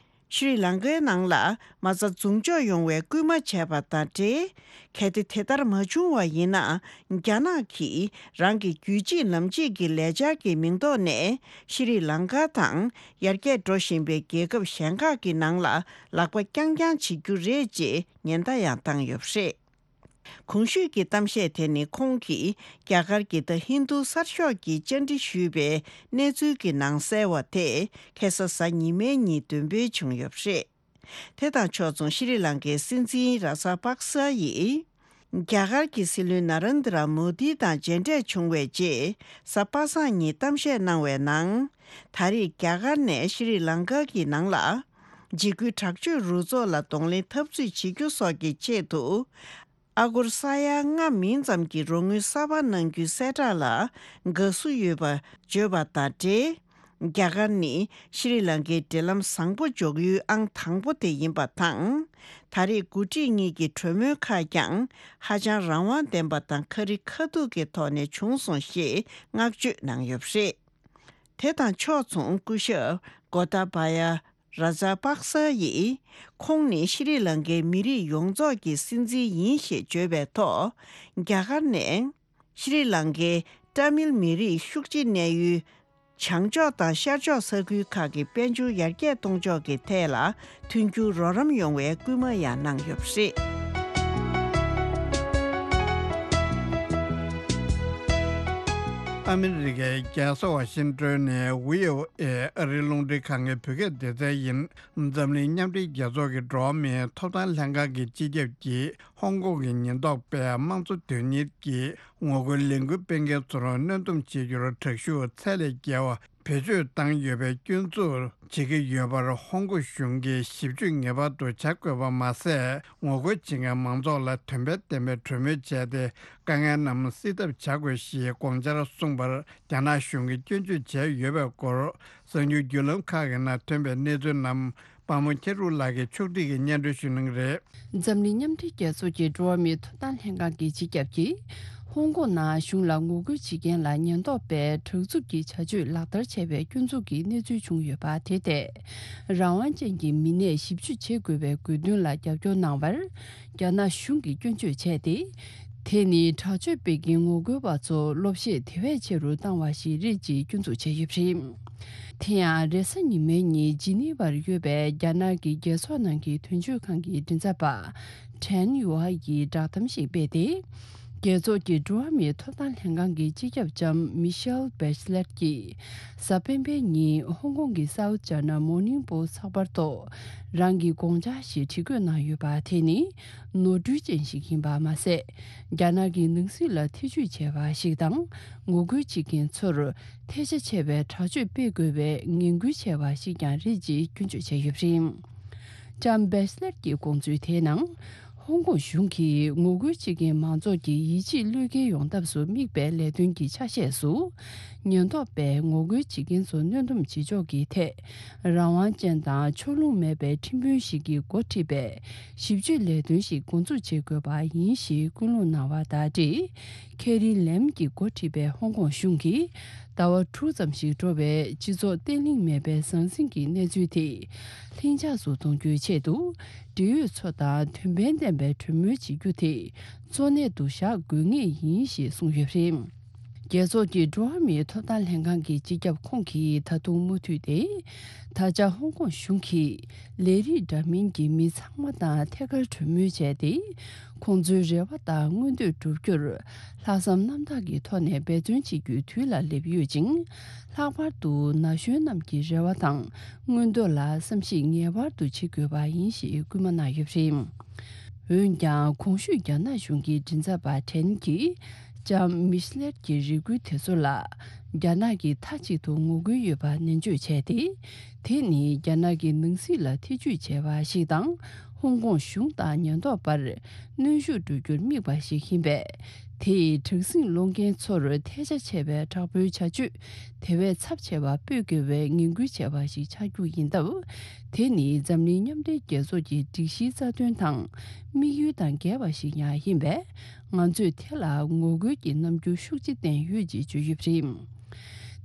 ཤྲི་ལང་ཀའི་ནང་ལ་མ་རྩ་འཛུགས་འཇོག་ཡོང་བའི་སྐུལ་མ་བྱས་པ་དང་འབྲེལ། གལ་ཏེ་དེ་ལྟར་མ་བྱུང་བ་ཡིན་ན། རྒྱ་ནག་གིས་རང་གི་རྒྱུད་གཅིག་ལམ་གཅིག་གི་ལས་འཆར་གྱི་མིང་ཐོག་ནས་ཤྲི་ལང་ཀ་དང་ཡར་རྒྱས་འགྲོ་བཞིན་པའི་རྒྱལ་ཁབ་གཞན་ཁག་གི་ནང་ལ་ལག་པ་རྐྱང་རྐྱང་བྱེད་རྒྱུ་རེད་ཅེས་ཉེན་བརྡ་ཡང་བཏང་ཡོད་པ་རེད། གོང་ཞུས་ཀྱི་གཏམ་བཤད་དེ་ནི་ཁོང་གིས་རྒྱ་གར་གྱི་ད་ཧིན་རྡུ་གསར་ཤོག་གིས་བཅར་འདྲི་ཞུས་པའི་གནས་ཚུལ་གྱི་ནང་གསལ་བ་དེ་ཁ་སང་གཟའ་ཉི་མའི་ཉིན་འདོན་སྤེལ་བྱུང་ཡོད་པ་རེད། དེ་དང་ཕྱོགས་མཚུངས་ཤྲི་ལང་ཀའི་སྲིད་འཛིན་ར་ཛ་པག་ས་ཡིས། རྒྱ་གར་གྱི་སྲིད་བློན་ན་རན་དི་ར་མོ་དི་དང་མཇལ་འཕྲད་བྱུང་བའི་རྗེས། གཟའ་པ་སངས་ཉིན་གཏམ་བཤད་གནང་བའི་ནང་། ད་རེས་རྒྱ་གར་ནས་ཤྲི་ལང་ཀ་གི་ནང་ལ། འཇིགས་སྐུལ་དྲག་སྤྱོད་རུ་ཚོགས་ལ་གདོང་ལེན་འཐབ་རྩོད་བྱེད་རྒྱུ་སོགས་ཀྱི་ཆེད་དུ། ཨ་སྒོར་ས་ཡ་ལྔ་མིན་ཙམ་གྱི་རོགས་དངུལ་གསར་པ་གནང་རྒྱུའི་གསལ་བསྒྲགས་ལ་དགའ་བསུ་ཡོད་པ་བརྗོད་པ་དང་འབྲེལ། རྒྱ་གར་ནི་ཤྲི་ལང་ཀའི་འབྲེལ་ལམ་བཟང་པོ་འཇོག་ཡུལ་ཨང་དང་པོ་དེ་ཡིན་པ་དང་། ད་རེས་འགོ་ཁྲིད་གཉིས་ཀྱི་གྲོས་མོལ་ཁག་ཀྱང་ཧ་ཅང་རང་དབང་ལྡན་པ་དང་ཁ་རི་ཁ་ཐུག་གི་ཐོག་ནས་བྱུང་སོང་ཞེས་བསྔགས་བརྗོད་གནང་ཡོད་པ་རེད། དེ་དང་ཕྱོགས་མཚུངས་སྐུ་ཞབས་གོ་ཏཱ་བ་ཡ་ར་ཛ་པག་ས་ཡིས། ཁོང་ནི་ཤྲི་ལང་ཀའི་མི་རིགས་ཡོངས་རྫོགས་ཀྱི་སྲིད་འཛིན་ཡིན་ཞེས་བརྗོད་པའི་ཐོག་རྒྱ་གར་ནས་ཤྲི་ལང་ཀའི་ཏཱ་མིལ་མི་རིགས་ཤུགས་ཆེ་གནས་ཡུལ་བྱང་ཕྱོགས་དང་ཤར་ཕྱོགས་ས་ཁུལ་ཁག་གི་དཔལ་འབྱོར་ཡར་རྒྱས་གཏོང་ཕྱོགས་ཀྱི་ཐད་ལ་མཐུན་འགྱུར་རོགས་རམ་ཡོང་བའི་སྐུལ་མ་ཡང་གནང་ཡོད་པ་རེད། ཨ་མི་རི་ཀའི་རྒྱལ་ས་ཝ་ཤིང་ཏོན་ནས་བྷི་ཨོ་ཨེ་ཨ་རིའི་རླུང་འཕྲིན་ཁང་གི་བོད་སྐད་སྡེ་ཚན་ཡིན། འཛམ་གླིང་མཉམ་འབྲེལ་རྒྱལ་ཚོགས་ཀྱི་འགྲོ་བ་མིའི་ཐོབ་ཐང་ལྷན་ཁང་གི་སྤྱི་ཁྱབ་ཀྱིས་ཧོང་ཀོང་གི་ཉེན་རྟོག་པས་དམངས་གཙོ་དོན་གཉེར་གྱི་ངོ་རྒོལ་ལས་འགུལ་སྤེལ་མཁན་ཚོར་གནོན་སྡོམ་བྱེད་རྒྱུར་དྲག་ཤུགས་ཚད་ལས་བརྒལ་བ་བེད་སྤྱོད་བཏང་ཡོད་པའི་སྐྱོན་འཛུགས་བྱེད་ཀྱི་ཡོད་པར་ཧོང་ཀོང་གཞུང་གིས་ཞིབ་དཔྱོད་ངེས་པར་དུ་བྱ་དགོས་པ་མ་ཟད། ངོ་རྒོལ་བྱེད་མཁན་མང་ཚོགས་ལ་དོན་ཕན་ལྡན་པའི་གྲོས་མོལ་བྱས་ཏེ། དཀའ་ངལ་རྣམས་སེལ་ཐབས་བྱ་དགོས་ཞེས་དགོངས་འཆར་གསུངས་པར། རྒྱ་ནག་གཞུང་གིས་སྐྱོན་བརྗོད་བྱས་ཡོད་པའི་སྐོར། གསར་འགྱུར་བརྒྱུད་ལམ་ཁག་གི་ནང་ཐོན་པའི་གནས་ཚུལ་རྣམས། པདྨ་མཁྱེན་གྲུབ་ལགས་ཀྱིས་ཕྱོགས་སྒྲིག་གིས་སྙན་སྒྲོན་ཞུ་གནང་གི་རེད། འཛམ་གླིང་མཉམ་འབྲེལ་རྒྱལ་ཚོགས་ཀྱི་འགྲོ་བ་མིའི་ཐོབ་ཐང་ལྷན་ཁང་གི་སྤྱི་ཁྱབ་ཀྱིས། ཧོང་ཀོང་ནང་གཞུང་ལ་ངོ་རྒོལ་བྱེད་མཁན་ལ་ཉེན་རྟོག་པས་དྲག་རྩུབ་ཀྱི་བྱ་སྤྱོད་ལག་བསྟར་བྱས་པའི་སྐྱོན་འཛུགས་ཀྱི་གནས་ཚུལ་བྱུང་ཡོད་པ་དེ་ཐད། རང་དབང་ཅན་གྱི་མི་སྣས་ཞིབ་དཔྱོད་བྱེད་དགོས་པའི་དགོས་འདུན་ལ་རྒྱབ་སྐྱོར་གནང་བར། རྒྱ་ནག་གཞུང་གིས་སྐྱོན་བརྗོད་བྱས་ཏེ། དེ་ནི་དྲག་སྤྱོད་སྤེལ་མཁན་ངོ་རྒོལ་པ་ཚོ་བློ་བཤད་དེ་བས་ཆེ་རུ་བཏང་བ་ཞིག་རེད་ཅེས་སྐྱོན་འཛུགས་བྱས་ཡོད་པ་རེད། དེ་ཡང་རེས་གཟའ་ཉི་མའི་ཉིན་ཇི་ནི་ཝར་ཡོད་པའི་རྒྱ་ནག་གི་རྒྱལ་ཚོགས་ནང་གི་དོན་གཅོད་ཁང་གི་མགྲིན་ཚབ་པ་ཁྲེན་ཡུའེ་ཡིས་བསྒྲགས་གཏམ་ཞིག་སྤེལ་ཏེ། རྒྱལ་ཚོགས་ཀྱི་འགྲོ་བ་མིའི་ཐོབ་ཐང་ལྷན་ཁང་གི་སྤྱི་ཁྱབ་ལྕམ་མི་ཤེལ་བེ་ཆི་ལེཊ་ཀྱིས་གཟའ་སྤེན་པའི་ཉིན་ཧོང་ཀོང་གི་South China Morning Post་ཚགས་པར་ཐོག་རང་གི་དགོངས་འཆར་ཞིག་བྲིས་བཀོད་གནང་ཡོད་པ་དེ་ནི་ནོར་འཁྲུལ་ཅན་ཞིག་ཡིན་པ་མ་ཟད། རྒྱ་ནག་གི་ནང་སྲིད་ལ་ཐེ་ཇུས་བྱས་པ་ཞིག་དང་། ངོ་རྒོལ་བྱེད་མཁན་ཚོར་ཐལ་ཆ་ཆེ་བའི་དྲག་སྤྱོད་སྤེལ་དགོས་པའི་ངན་སྐུལ་བྱས་པ་ཞིག་ཀྱང་རེད་ཅེས་སྐྱོན་བརྗོད་བྱས་ཡོད་པ་རེད། ལྕམ་བེ་ཆི་ལེཊ་ཀྱི་དགོངས་ཚུལ་དེའི་ནང་། ཧོང་ཀོང་གཞུང་གིས་ངོ་རྒོལ་བྱེད་མཁན་མང་ཚོགས་ཀྱི་ཡིད་ཆེས་བློས་འགེལ་ཡོང་ཐབས་སུ་དམིགས་པའི་ལས་དོན་གྱི་ཆ་ཤས་སུ། ཉེན་རྟོག་པས་ངོ་རྒོལ་བྱེད་མཁན་ཚོ་གནོན་སྡོམ་བྱེད་ཕྱོགས་ཀྱི་ཐད། རང་དབང་ཅན་དང་ཕྱོགས་ལྷུང་མེད་པའི་ཁྲིམས་དཔོན་ཞིག་གིས་འགོ་ཁྲིད་པའི་ཞིབ་དཔྱོད་ལས་དོན་ཞིག་འགོ་འཛུགས་བྱེད་དགོས་པ་ཡིན་ཞེས་སྐུལ་སློང་གནང་བ་དང་འབྲེལ། ཁེ་རི་ལེམ་གྱིས་འགོ་ཁྲིད་པའི་ཧོང་ཀོང་གཞུང་གིས་ཟླ་བ་དྲུག་ཙམ་ཞིག་འགྲོ་བའི་སྤྱི་ཚོགས་བརྟན་ལྷིང་མེད་པའི་ཟང་ཟིང་གི་གནས་ཚུལ་དེ་ལྷིང་འཇགས་སུ་གཏོང་རྒྱུའི་ཆེད་དུ། འབྲེལ་ཡོད་ཚོ་དང་དོན་ཕན་ལྡན་པའི་གྲོས་མོལ་བྱེད་རྒྱུ་དེ་གཙོ་གནད་དུ་བཞག་དགོས་ངེས་ཡིན་ཞེས་གསུངས་ཡོད་པ་རེད། རྒྱལ་ཚོགས་ཀྱི་འགྲོ་བ་མིའི་ཐོབ་ཐང་ལྷན་ཁང་གི་སྤྱི་ཁྱབ་ཁོང་གིས་ད་དུང་མུ་མཐུད་དེ། ད་ཆ་ཧོང་ཀོང་གཞུང་གིས་ལས་རིགས་འདྲ་མིན་གྱི་མི་ཚང་མ་དང་ཐད་ཀར་གྲོས་མོལ་བྱས་ཏེ། ཁོང་ཚོའི་རེ་བ་དང་མངོན་འདོད་བསྒྲུབ་རྒྱུར། ལྷག་བསམ་རྣམ་དག་གི་ཐོག་ནས་འབད་བརྩོན་བྱེད་རྒྱུའི་དུས་ལ་སླེབས་ཡོད་ཅིང་། ལྷག་པར་དུ་ན་གཞོན་རྣམས་ཀྱི་རེ་བ་དང་མངོན་འདོད་ལ་བསམ་གཞིག་ངེས་པར་དུ་བྱེད་དགོས་པ་ཡིན་ཞེས་སྐུལ་མ་གནང་ཡོད་པ་རེད། འོན་ཀྱང་གོང་ཞུས་རྒྱ་ནག་གཞུང་གི་མགྲིན་ཚབ་པ་ཁྲེན་གྱིས་ལྕམ་མི་ཤི་ལེར་གྱི་རེ་སྐུལ་དེ་ཚོ་ལ་རྒྱ་ནག་གིས་མཐའ་གཅིག་ཏུ་ངོ་རྒོལ་ཡོད་པ་ནན་བརྗོད་བྱས་ཏེ། དེ་ནི་རྒྱ་ནག་གི་ནང་སྲིད་ལ་ཐེ་ཇུས་བྱས་པ་ཞིག་དང་། ཧོང་ཀོང་གཞུང་དང་ཉེན་རྟོག་པར་གནོན་ཤུགས་སྤྲོད་རྒྱུར་དམིགས་པ་ཞིག་ཡིན་པས། དེས་དྲག་ཟིང་སློང་མཁན་ཚོར་ཐལ་ཆ་ཆེ་བའི་དྲག་པོའི་བྱ་སྤྱོད་དེ་བས་ཚབས་ཆེ་བ་སྤེལ་དགོས་པའི་ངན་སྐུལ་བྱས་པ་ཞིག་ཆགས་རྒྱུ་ཡིན་སྟབས། དེ་ནི་འཛམ་གླིང་མཉམ་འབྲེལ་རྒྱལ་ཚོགས་ཀྱི་སྒྲིག་གཞིའི་རྩ་དོན་དང་དམིགས་ཡུལ་དང་འགལ་བ་ཞིག་ཡང་ཡིན་པས། ང་ཚོས་དེ་ལ་ངོ་རྒོལ་གྱི་རྣམ་འགྱུར་ཤུགས་ཆེ་བསྟན་ཡོད་ཅེས་བརྗོད་ཡོད་པ་རེད།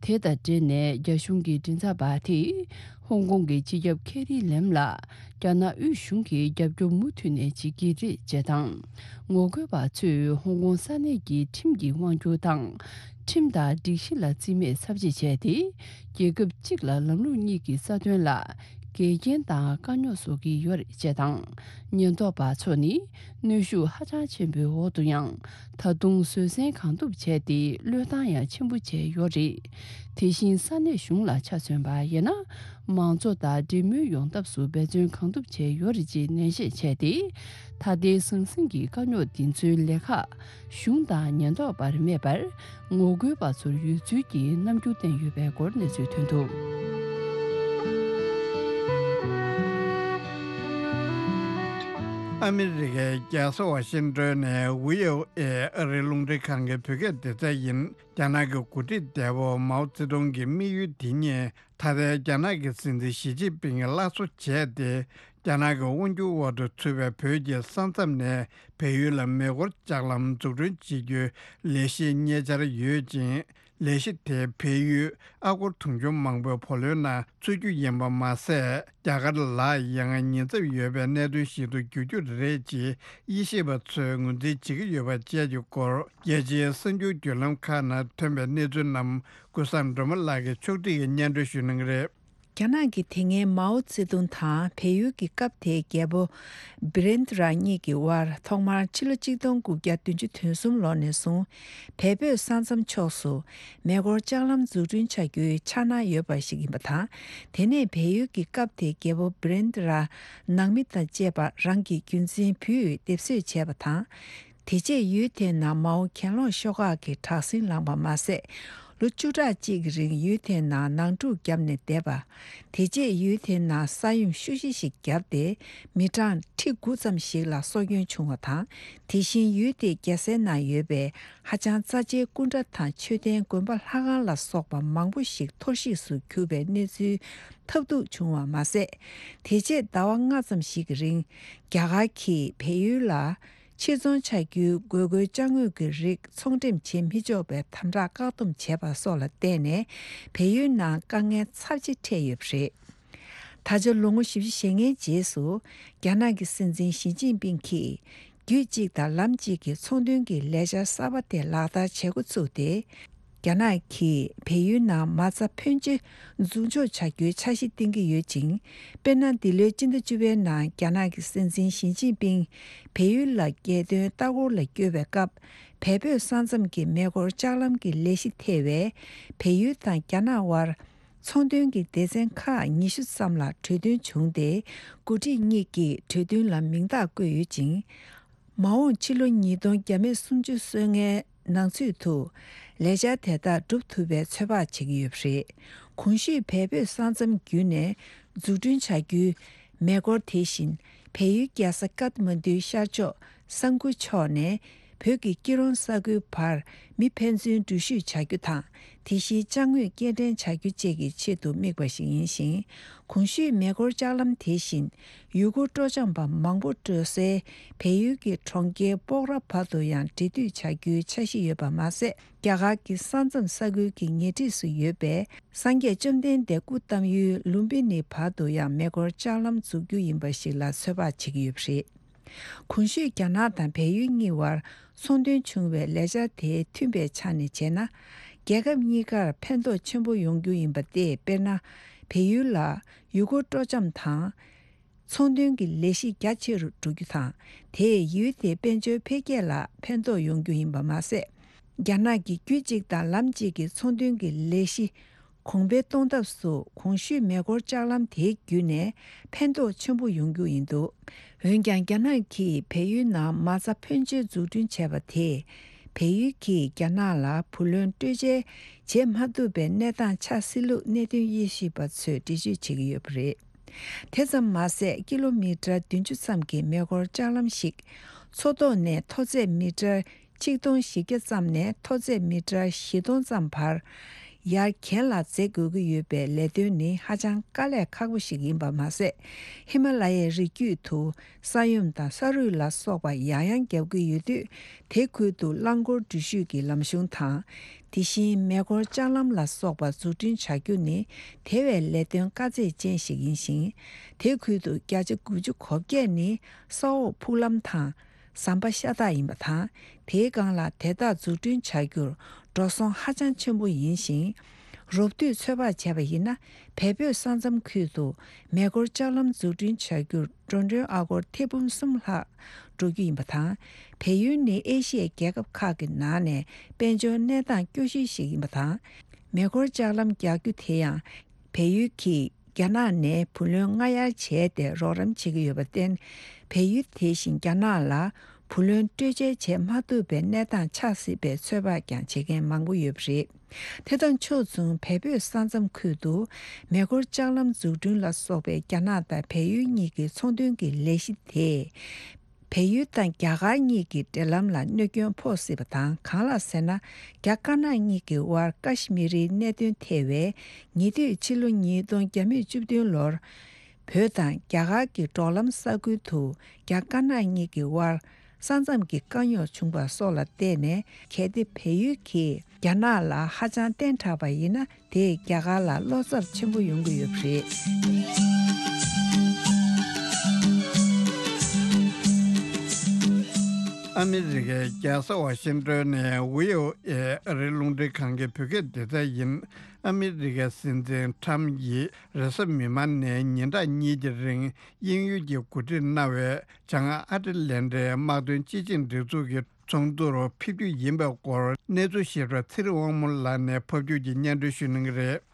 དེ་དང་འབྲེལ་ནས་རྒྱ་གཞུང་གི་མགྲིན་ཚབ་པ་དེས་ཧོང་ཀོང་གི་སྤྱི་ཁྱབ་ཁེ་རི་ལེམ་ལ་རྒྱ་ནག་དབུས་གཞུང་གིས་རྒྱབ་སྐྱོར་མུ་མཐུད་ནས་བྱེད་ཀྱི་རེད་ཅེས་དང་། ངོ་རྒོལ་པ་ཚོས་ཧོང་ཀོང་ས་གནས་ཀྱི་ཁྲིམས་ཀྱི་དབང་སྒྱུར་དང་། ཁྲིམས་དང་སྒྲིག་གཞི་ལ་རྩིས་མེད་ཚབས་ཆེ་བྱས་ཏེ། རྒྱལ་ཁབ་གཅིག་ལ་ལམ་ལུགས་གཉིས་ཀྱི་རྩ་དོན་ལ་འགལ་རྐྱེན་དང་དཀའ་རྙོག་བཟོ་གི་ཡོད་རེད་ཅེས་དང་། ཉེན་རྟོག་པ་ཚོ་ནི་གནོན་ཤུགས་ཧ་ཅང་ཆེན་པོའི་འོག་ཏུ་ཡང་ད་དུང་བཟོད་བསྲན་གང་ཐུབ་བྱས་ཏེ་བློས་བཏང་ཡང་ཆེན་པོ་བྱས་ཡོད་རེད། དེ་བཞིན་ས་གནས་གཞུང་ལ་ཆ་མཚོན་པ་ཡིན་ན། མང་གཙོ་དང་འབྲེལ་མོལ་ཡོང་ཐབས་སུ་འབད་བརྩོན་གང་ཐུབ་བྱས་ཡོད་རེད་ཅེས་ནན་བཤད་བྱས་ཏེ། ད་ལྟའི་ཟང་ཟིང་གི་དཀའ་རྙོག་འདི་ཚོའི་ལས་ཁག་གཞུང་དང་ཉེན་རྟོག་པར་མེད་པར། ངོ་རྒོལ་པ་ཚོར་ཡོད་ཚུལ་གྱི་རྣམ་འགྱུར་བསྟན་ཡོད་པའི་སྐོར་གནས་ཚུལ་ཐོན་འདུག། ཨ་མི་རི་ཀའི་རྒྱལ་ས་ཝ་ཤིང་ཏོན་ནས་བྷི་ཨོ་ཨེ་ཨ་རིའི་རླུང་འཕྲིན་ཁང་གི་བོད་སྐད་སྡེ་ཚན་ཡིན། རྒྱ་ནག་གི་འགོ་ཁྲིད་འདས་པོ་མའོ་ཙེ་ཏུང་གི་དམིགས་ཡུལ་དེ་ཉིད། ད་ལྟའི་རྒྱ་ནག་གི་སྲིད་འཛིན་ཞི་ཅིན་ཕིང་གིས་སླར་གསོ་བྱས་ཏེ། རྒྱ་ནག་གི་དབང་སྒྱུར་འོག་ཏུ་ཚུད་པའི་བོད་ཀྱི་ས་མཚམས་ནས་བལ་ཡུལ་ལ་མེ་འཁོར་ལྕགས་ལམ་འཛུགས་སྐྲུན་བྱེད་རྒྱུའི་ལས་གཞི་གཉེར་འཆར་ཡོད་ཅིང་། ལས་གཞི་དེས་བལ་ཡུལ་ཨ་སྒོར་དུང་ཕྱུར་མང་པོའི་བུ་ལོན་ནང་ཚུད་རྒྱུ་ཡིན་པ་མ་ཟད། རྒྱ་གར་ལ་ཡང་ཉེན་ཚབས་ཡོད་པའི་གནད་དོན་ཞིག་ཏུ་འགྱུར་རྒྱུ་རེད་ཅེས་དབྱེ་ཞིབ་པ་ཚོས་ངོས་འཛིན་བྱེད་ཀྱི་ཡོད་པ་བཅས་ཀྱི་སྐོར། རྒྱལ་སྤྱིའི་གསར་འགྱུར་བརྒྱུད་ལམ་ཁག་ནང་ཐོན་པའི་གནས་ཚུལ་རྣམས་ཀུན་བཟང་སྒྲོལ་མ་ལགས་ཀྱིས་ཕྱོགས་སྒྲིག་གིས་སྙན་སྒྲོན་ཞུ་གནང་གི་རེད། རྒྱ་ནག་གི་དེ་སྔའི་མའོ་ཙེ་ཏུང་དང་བལ་ཡུལ་གྱི་སྐབས་དེའི་རྒྱལ་པོ་བི་རེན་དྲ་གཉིས་ཀྱི་དབར་ཐོག་མར་ཕྱི་ལོ་ཆིག་སྟོང་དགུ་བརྒྱ་བདུན་ཅུ་དོན་གསུམ་ལོ་ནས་བཟུང་བལ་བོད་ས་མཚམས་ཕྱོགས་སུ་མེ་འཁོར་ལྕགས་ལམ་འཛུགས་སྐྲུན་བྱ་རྒྱུའི་འཆར་སྣང་ཡོད་པ་ཞིག་ཡིན་པ་དང་། དེ་ནས་བལ་ཡུལ་གྱི་སྐབས་དེའི་རྒྱལ་པོ་བི་རེན་དྲ་ནང་མི་དང་བཅས་པ་རང་གི་རྒྱུད་འཛིན་བུས་སྡེབ་གསོད་བྱས་པ་དང་། དེ་རྗེས་ཡུལ་དེའི་ནང་མའོ་གྱེན་ལོག་ཤོག་ཁག་གིས་དྲག་ཟིང་ལངས་པ་མ་ཟད། ལོ་བཅུ་ཕྲག་གཅིག་གི་རིང་ཡུལ་དེའི་ནང་ནང་འཁྲུག་བརྒྱབ་ནས་བསྡད་པ། དེ་རྗེས་ཡུལ་དེའི་ནང་ས་ཡོམ་ཤུགས་ཆེ་ཞིག་བརྒྱབ་སྟེ། མི་གྲངས་ཁྲི་དགུ་ཙམ་ཞིག་ལ་སྲོག་སྐྱོན་བྱུང་བ་དང་། དེ་བཞིན་ཡུལ་དེའི་རྒྱལ་སའི་ནང་ཡོད་པའི་ཧ་ཅང་རྩ་ཆེའི་སྐུ་འདྲ་དང་མཆོད་རྟེན་དགོན་པ་ལྷ་ཁང་ལ་སོགས་པ་མང་པོ་ཞིག་འཐོར་བཤིག་ཏུ་གྱུར་པའི་གནས་ཚུལ་ཐབས་སྡུག་བྱུང་བ་མ་ཟད། དེ་རྗེས་ཟླ་བ་ལྔ་ཙམ་ཞིག་གི་རིང་རྒྱ་གར་གྱིས་བལ་ཡུལ་ལ། ཕྱིར་ཚོང་བྱ་རྒྱུའི་དགོས་མཁོའི་ཅ་དངོས་ཀྱི་རིགས་ཚོང་འགྲེམས་བྱེད་མི་ཆོག་པའི་དམ་དྲག་བཀག་སྡོམ་བྱས་པ་སོགས་ལ་བརྟེན་ནས། བལ་ཡུལ་ནང་དཀའ་ངལ་ཚབས་ཆེ་འཕྲད་ཡོད་པ་རེད། ད་ཆ་ལོ་ངོ་བཞི་བཅུ་ཞེ་ལྔའི་རྗེས་སུ། རྒྱ་ནག་གི་སྲིད་འཛིན་ཞི་ཅིན་ཕིང་གིས། རྒྱུད་གཅིག་དང་ལམ་གཅིག་གི་ཚོང་དོན་གྱི་ལས་འཆར་གསར་པ་དེ་ལག་བསྟར་བྱེད་འགོ་ཚུགས་ཏེ། རྒྱ་ནག་གིས་བལ་ཡུལ་ནང་མ་རྩ་ཕོན་ཆེ་འཛུགས་འཇོག་བྱ་རྒྱུའི་འཆར་གཞི་བཏིང་གི་ཡོད་ཅིང་། དཔེར་ན། འདི་ལོའི་སྤྱི་ཟླ་བཅུ་པའི་ནང་རྒྱ་ནག་གི་སྲིད་འཛིན་ཞི་ཅིན་ཕིང་བལ་ཡུལ་ལ་རྒྱལ་དོན་ལྟ་སྐོར་ལ་བསྐྱོད་པའི་སྐབས། བལ་བོད་ས་མཚམས་ཀྱི་མེ་འཁོར་ལྕགས་ལམ་གྱི་ལས་གཞི་ཐེ་བའི་བལ་ཡུལ་དང་རྒྱ་ནག་དབར་ཚོང་དོན་གྱི་སྡེ་ཚན་ཁག་ཉི་ཤུ་ཙམ་ལ་གྲོས་མཐུན་བྱུང་སྟེ། འགོ་ཁྲིད་གཉིས་ཀྱིས་གྲོས་མཐུན་ལ་མིང་རྟགས་བཀོད་ཡོད་ཅིང་། མ་འོངས་ཕྱི་ལོ་ཉིས་སྟོང་བརྒྱ་མེད་སུམ་ཅུ་སོ་ལྔའི་ནང་ཚུད་དུ་ལས་འཆར་དེ་དག་འགྲུབ་ཐུབ་པའི་ཚོད་དཔག་བྱེད་ཀྱི་ཡོད་པ་རེད། གོང་ཞུས་བལ་བོད་ས་མཚམས་བརྒྱུད་ནས་འཛུགས་སྐྲུན་བྱ་རྒྱུའི་མེ་འཁོར་དེ་བཞིན་བལ་ཡུལ་རྒྱལ་ས་ཀཏ་མན་ཌུའི་ཤར་ཕྱོགས་ས་འགུ་ཕྱོགས་ནས་བོད་ཀྱི་སྐྱིད་རོང་ས་ཁུལ་བར་མི་ཕན་ཚུན་འགྲུལ་བཞུད་བྱ་རྒྱུ་དང་། དེ་བཞིན་ཅ་དངོས་སྐྱེལ་འདྲེན་བྱ་རྒྱུ་བཅས་ཀྱི་ཆེད་དུ་དམིགས་པ་ཞིག་ཡིན་ཞིང་། གོང་ཞུས་མེ་འཁོར་ལྕགས་ལམ་དེ་བཞིན་ཡུལ་སྐོར་སྤྲོ་འཆམ་པ་མང་པོ་འགྲོ་སའི་བལ་ཡུལ་གྱི་གྲོང་ཁྱེར་སྤོག་ར་བར་དུ་ཡང་འབྲེལ་མཐུད་བྱ་རྒྱུའི་འཆར་གཞི་ཡོད་པ་མ་ཟད། རྒྱ་གར་གྱི་ས་མཚམས་ས་ཁུལ་གྱི་ཉེ་འཁྲིས་སུ་ཡོད་པའི་སངས་རྒྱས་བཅོམ་ལྡན་འདས་སྐུ་བལྟམས་ཡུལ་ལུམ་བི་ནི་བར་དུ་ཡང་མེ་འཁོར་ལྕགས་ལམ་འཛུགས་རྒྱུ་ཡིན་པ་ཞིག་ལ་ཚོད་དཔག་བྱེད་ཀྱི་ཡོད་པ་རེད། གོང་ཞུས་རྒྱ་ནག་དང་བལ་ཡུལ་གཉིས་བར་ཚོང་དོན་བྱུང་བའི་ལས་འཆར་དེ་མཐུན་པའི་ཆ་ནས་བྱས་ན། རྒྱལ་ཁབ་གཉིས་ཀར་ཕན་ཐོགས་ཆེན་པོ་ཡོང་རྒྱུ་ཡིན་པ་སྟེ། དཔེར་ན། བལ་ཡུལ་ལ་ཡུལ་སྐོར་སྤྲོ་འཆམ་དང་། ཚོང་དོན་གྱི་ལས་གཞི་རྒྱ་ཆེ་རུ་འགྲོ་རྒྱུ་དང་། དེས་ཡུལ་དེའི་དཔལ་འབྱོར་འཕེལ་རྒྱས་ལ་ཕན་ཐོགས་ཡོང་རྒྱུ་ཡིན་པ་མ་ཟད། རྒྱ་ནག་གི་རྒྱུད་གཅིག་དང་ལམ་གཅིག་གི་ཚོང་དོན་གྱི་ལས་གཞི་གོང་འཕེལ་གཏོང་ཐབས་སུ་གོང་ཞུས་མེ་འཁོར་ལྕགས་ལམ་དེ་བརྒྱུད་ནས་ཕན་ཐོགས་ཆེན་པོ་ཡོང་རྒྱུ་ཡིན་འདུག་འོན་ཀྱང་རྒྱ་ནག་གིས་བལ་ཡུལ་ནང་མ་རྩ་ཕོན་ཆེ་འཛུགས་སྐྲུན་བྱས་པ་དེས་བལ་ཡུལ་གྱིས་རྒྱ་ནག་ལ་བུ་ལོན་སྤྲོད་འཇལ་བྱེད་མ་ཐུབ་པའི་གནས་སྟངས་ཆགས་སྲིད་ལུགས་གནད་དོན་དབྱེ་ཞིབ་པ་ཚོས་འགྲེལ་བརྗོད་བྱེད་ཀྱི་ཡོད་པ་རེད། དེ་ཙམ་མ་ཟད། ཀི་ལོ་མི་ཊར་བདུན་ཅུ་ཙམ་གྱི་མེ་འཁོར་ལྕགས་ལམ་ཞིག་མཚོ་ཐོག་ནས་མཐོ་ཚད་མི་ཊར་ཆིག་སྟོང་བཞི་བརྒྱ་ཙམ་ནས་མཐོ་ཚད་མི་ཊར་བཞི་སྟོང་ཙམ་བར་ཡར་གྱེན་ལ་འཛེག་དགོས་ཀྱི་ཡོད་པའི་ལས་དོན་ནི་ཧ་ཅང་དཀའ་ལས་ཁག་པོ་ཞིག་ཡིན་པ་མ་ཟད། ཧི་མ་ལ་ཡའི་རི་རྒྱུད་དུ་ས་ཡོམ་དང་ས་རུད་ལ་སོགས་པ་ཡང་ཡང་བརྒྱབ་ཀྱི་ཡོད་དུས། དེ་ཁུལ་དུ་རླངས་འཁོར་འགྲུལ་བཞུད་ཀྱི་ལམ་གཞུང་དང་། དེ་བཞིན་མེ་འཁོར་ལྕགས་ལམ་ལ་སོགས་པ་འཛུགས་སྐྲུན་བྱ་རྒྱུ་ནི་དེ་བས་ལས་དོན་དཀའ་ཚེགས་ཅན་ཞིག་ཡིན་ཞིང་། དེ་ཁུལ་དུ་བརྒྱ་ཆ་དགུ་བཅུ་གོ་བརྒྱད་ནི་ས་འོག་ཕུག་ལམ་དང་ཟམ་པ་ཤ་སྟག་ཡིན་པ་དང་། དེའི་སྒང་ལ་དེ་དག་འཛུགས་སྐྲུན་བྱ་རྒྱུར་འགྲོ་སོང་ཧ་ཅང་ཆེན་པོ་ཡིན་ཞིང་། རོབ་བསྡུས་ཚོད་དཔག་བྱས་པ་ཡིན་ན། བལ་བོད་ས་མཚམས་ཁུལ་དུ་མེ་འཁོར་ལྕགས་ལམ་འཛུགས་སྐྲུན་བྱ་རྒྱུར་འགྲོ་གྲོན་ཨ་སྒོར་ཐེར་འབུམ་གསུམ་ལྷག་འགྲོ་རྒྱུ་ཡིན་པ་དང་། བལ་ཡུལ་ནི་ཨེ་ཤི་ཡའི་རྒྱལ་ཁབ་ཁག་གི་ནང་ནས་དཔལ་འབྱོར་གནས་སྟངས་སྐྱོ་ཤོས་ཤིག་ཡིན་པ་དང་། མེ་འཁོར་ལྕགས་ལམ་རྒྱག་རྒྱུ་དེ་ཡང་བལ་ཡུལ་གྱིས་རྒྱ་ནག་ནས་བུ་ལོན་སྔ་གཡར་བྱས་ཏེ་རོགས་རམ་བྱེད་ཀྱི་ཡོད་པར་བརྟེན། བལ་ཡུལ་དེ་བཞིན་རྒྱ་ནག་ལ་བུ་ལོན་སྤྲོད་འཇལ་བྱེད་མ་ཐུབ་པའི་གནས་སྟངས་ཆགས་སྲིད་པའི་ཚོད་དཔག་ཀྱང་བྱེད་མཁན་མང་པོ་ཡོད་པ་རེད། དེ་དང་ཕྱོགས་མཚུངས། བལ་བོད་ས་མཚམས་ཁུལ་དུ་མེ་འཁོར་ལྕགས་ལམ་འཛུགས་སྐྲུན་ལ་སོགས་པའི་རྒྱ་ནག་དང་བལ་ཡུལ་གཉིས་ཀྱི་ཚོང་དོན་གྱི་ལས་གཞི་དེས། བལ་ཡུལ་དང་རྒྱ་གར་གཉིས་ཀྱི་འབྲེལ་ལམ་ལ་གནོད་སྐྱོན་ཕོག་སྲིད་པ་དང་། གང་ལགས་ཟེར་ན། རྒྱ་དཀར་ནག་གཉིས་ཀྱི་དབར་ཀ་ཤི་མི་རིའི་གནད་དོན་ཐད་པའི་ཉེ་དུས་ཕྱི་ལོ་ཉིས་སྟོང་བརྒྱ་མེད་བཅུ་བདུན་ལོར། བོད་དང་རྒྱ་གར་གྱི་འབྲོག་ལམ་ས་ཁུལ་དུ་རྒྱ་དཀར་ནག་གཉིས་ཀྱི་དབར་ས་མཚམས་ཀྱི་དཀའ་རྙོག་བྱུང་བ་སོགས་ལ་བརྟེན་ནས། གལ་ཏེ་བལ་ཡུལ་གྱིས་རྒྱ་ནག་ལ་ཧ་ཅང་བརྟན་དྲགས་པ་ཡིན་ན། དེས་རྒྱ་གར་ལ་བློ་འཚབ་ཆེན་པོ་ཡོང་གི་ཡོད་པ་རེད། ཨ་མི་རི་ཀའི་རྒྱལ་ས་ཝ་ཤིང་ཏོན་ནས་བྷི་ཨོ་ཨེ་ཨ་རིའི་རླུང་འཕྲིན་ཁང་གི་བོད་སྐད་སྡེ་ཚན་ཡིན། ཨ་མི་རི་ཀའི་སྲིད་འཛིན་ཁྲམ་ཡིས་རེས་གཟའ་མིག་དམར་ནས་ཉིན་གྲངས་གཉིས་ཀྱི་རིང་དབྱིན་ཡུལ་གྱིས་གོ་སྒྲིག་གནང་བའི་བྱང་ཨ་ཊ་ལན་ཊའི་དམག་དོན་སྤྱི་ཆིངས་སྒྲིག་འཛུགས་ཀྱི་ཚོགས་འདུར་ཕེབས་རྒྱུ་ཡིན་པའི་སྐོར་གནས་ཚུལ་ཞིབ་ཕྲ་ཚེ་རིང་དབང་མོ་ལགས་ནས་ཕབ་སྒྱུར་གྱིས་སྙན་སྒྲོན་ཞུ་གནང་གི་རེད།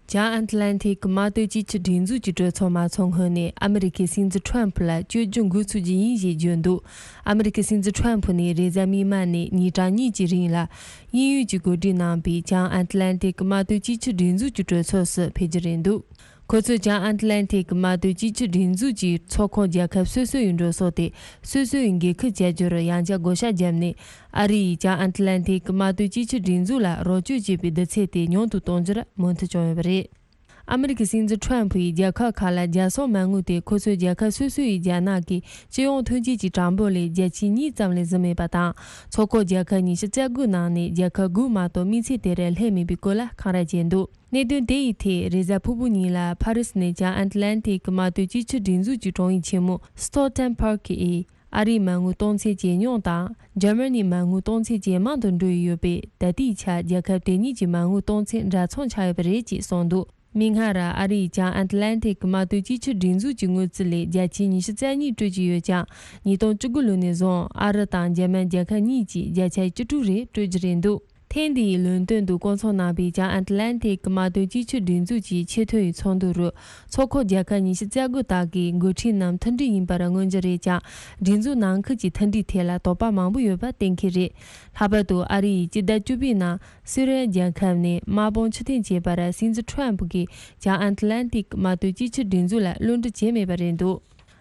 བྱང་ཨན་ཊ་ལན་ཊིག་མ་གཏོགས་གཅིག་གྱུར་སྒྲིག་འཛུགས་ཀྱི་གྲོས་ཚོགས་མ་ཚོགས་སྔོན་ནས་ཨ་མི་རི་ཀའི་སྲིད་འཛིན་ཁྲོམ་ཕུ་ལ་བསྐྱོད་རྒྱུ་འགོ་ཚུགས་རྒྱུ་ཡིན་ཞེས་བརྗོད་འདུག་ཨ་མི་རི་ཀའི་སྲིད་འཛིན་ཁྲོམ་ཕུ་ནི་རེས་གཟའ་མིག་དམར་ནས་ཉིན་གྲངས་གཉིས་ཀྱི་རིང་ལ་དབྱིན་ཡུལ་གྱིས་གོ་སྒྲིག་གནང་པའི་བྱང་ཨན་ཊ་ལན་ཊིག་མ་གཏོགས་གཅིག་གྱུར་སྒྲིག་འཛུགས་ཀྱི་གྲོས་ཚོགས་སུ་ཕེབས་རྒྱུ་རེད་འདུག་ཁོ་ཚོས་བྱང་ཨན་ཊ་ལན་ཊིག་མ་གཏོགས་གཅིག་གྱུར་སྒྲིག་འཛུགས་ཀྱི་ཚོགས་ཁོངས་རྒྱལ་ཁབ་སོ་སོ་ཡི་འགྲོ་སོང་དེ་སོ་སོ་ཡི་འགན་འཁུར་བྱ་རྒྱུར་ཡང་བསྐྱར་བགོ་བཤའ་བརྒྱབ་ནས། ཨ་རི་ཡིས་བྱང་ཨན་ཊ་ལན་ཊིག་མ་གཏོགས་གཅིག་གྱུར་སྒྲིག་འཛུགས་ལ་རོགས་སྐྱོར་བྱེད་པའི་བསྡུར་ཚད་དེ་ཉུང་དུ་གཏོང་རྒྱུར་མོས་མཐུན་བྱུང་ཡོད་པ་རེད། ཨ་མི་རི་ཀའི་སྲིད་འཛིན་ཁྲོམ་ཕུ་ཡིས་རྒྱལ་ཁབ་ཁག་ལ་རྒྱལ་སྲུང་མ་དངུལ་དེ་ཁོ་ཚོའི་རྒྱལ་ཁབ་སོ་སོ་ཡི་རྒྱ་ནག་གི་སྤྱི་ཡོངས་ཐོན་སྐྱེད་ཀྱི་གྲངས་འབོར་ལས་བརྒྱ་ཆའི་གཉིས་ཙམ་ལས་བཟུང་མེད་པ་དང་། ཚོགས་ཁག་རྒྱལ་ཁབ་ཉི་ཤུ་རྩ་དགུ་ནང་ནས་རྒྱལ་ཁབ་དགུ་མ་གཏོགས་དམིགས་ཚད་དེར་སླེབས་མེད་པའི་སྐོར་ལ་འཁང་ར་བྱས་འདུག་གནད་དོན་དེ་ཡི་ཐད་རེས་གཟའ་ཕུར་བུ་ཉིན་ལ་ཕ་རི་སི་ནས་བྱང་ཨན་ཊ་ལན་ཊིག་མ་གཏོགས་གཅིག་གྱུར་སྒྲིག་འཛུགས་ཀྱི་དྲུང་ཡིག་ཆེན་མོ་སི་ཐོ་ཊན་པར་ཀི་ཡིས། ཨ་རིའི་མ་དངུལ་གཏོང་ཚད་ཇེ་ཉུང་དང་། འཇར་མ་ནིའི་མ་དངུལ་གཏོང་ཚད་ཇེ་མང་དུ་འགྲོ་ཡི་ཡོད་པས། ད་ལྟའི་ཆར་རྒྱལ་ཁབ་དེ་གཉིས་ཀྱི་མ་དངུལ་གཏོང་ཚད་འདྲ་མཚུངས་ཆགས་ཡོད་པ་རེད་ཅེས་གསུངས་འདུག་མིག་སྔར་ཨ་རིའི་བྱང་ཨན་ཊ་ལན་ཊིག་མ་གཏོགས་གཅིག་གྱུར་སྒྲིག་འཛུགས་ཀྱི་དངུལ་རྩིས་ལས་བརྒྱ་ཆའི་ཉི་ཤུ་རྩ་གཉིས་སྤྲོད་ཀྱི་ཡོད་ཀྱང་། ཉིས་སྟོང་བཅུ་དགུ་ལོ་ནས་བཟུང་ཨ་རི་དང་འཇར་མན་རྒྱལ་ཁབ་གཉིས་ཀྱིས་བརྒྱ་ཆ་བཅུ་དྲུག་རེ་སྤྲོད་རྒྱུ་རེད་འདུག་ཐེངས་འདིའི་ལོན་ཏོན་དུ་བསྐོང་ཚོགས་གནང་པའི་བྱང་ཨན་ཊ་ལན་ཊིག་མ་གཏོགས་གཅིག་གྱུར་སྒྲིག་འཛུགས་ཀྱི་ཆེས་མཐོའི་ཚོགས་འདུ་རུ། ཚོགས་ཁག་རྒྱལ་ཁབ་ཉི་ཤུ་རྩ་དགུ་དག་གི་འགོ་ཁྲིད་རྣམས་མཐུན་སྒྲིལ་ཡིན་པར་མངོན་གྱི་རེད་ཀྱང་། སྒྲིག་འཛུགས་ནང་ཁུལ་གྱི་མཐུན་སྒྲིལ་ཐད་ལ་དོགས་པ་མང་པོ་ཡོད་པ་གཏན་འཁེལ་རེད། ལྷག་པར་དུ་ཨ་རི་ཡིས་སྤྱི་ཟླ་བཅུ་པའི་ནང་སུ་རན་རྒྱལ་ཁབ་ནས་དམག་དཔུང་ཕྱིར་འཐེན་བྱས་པར་སྲིད་འཛིན་ཁྲོམ་ཕུ་གིས་བྱང་ཨན་ཊ་ལན་ཊིག་མ་གཏོགས་གཅིག་གྱུར་སྒྲིག་འཛུགས་ལ་བློ་འདྲི་བྱས་མེད་པ་རེད་འདུག་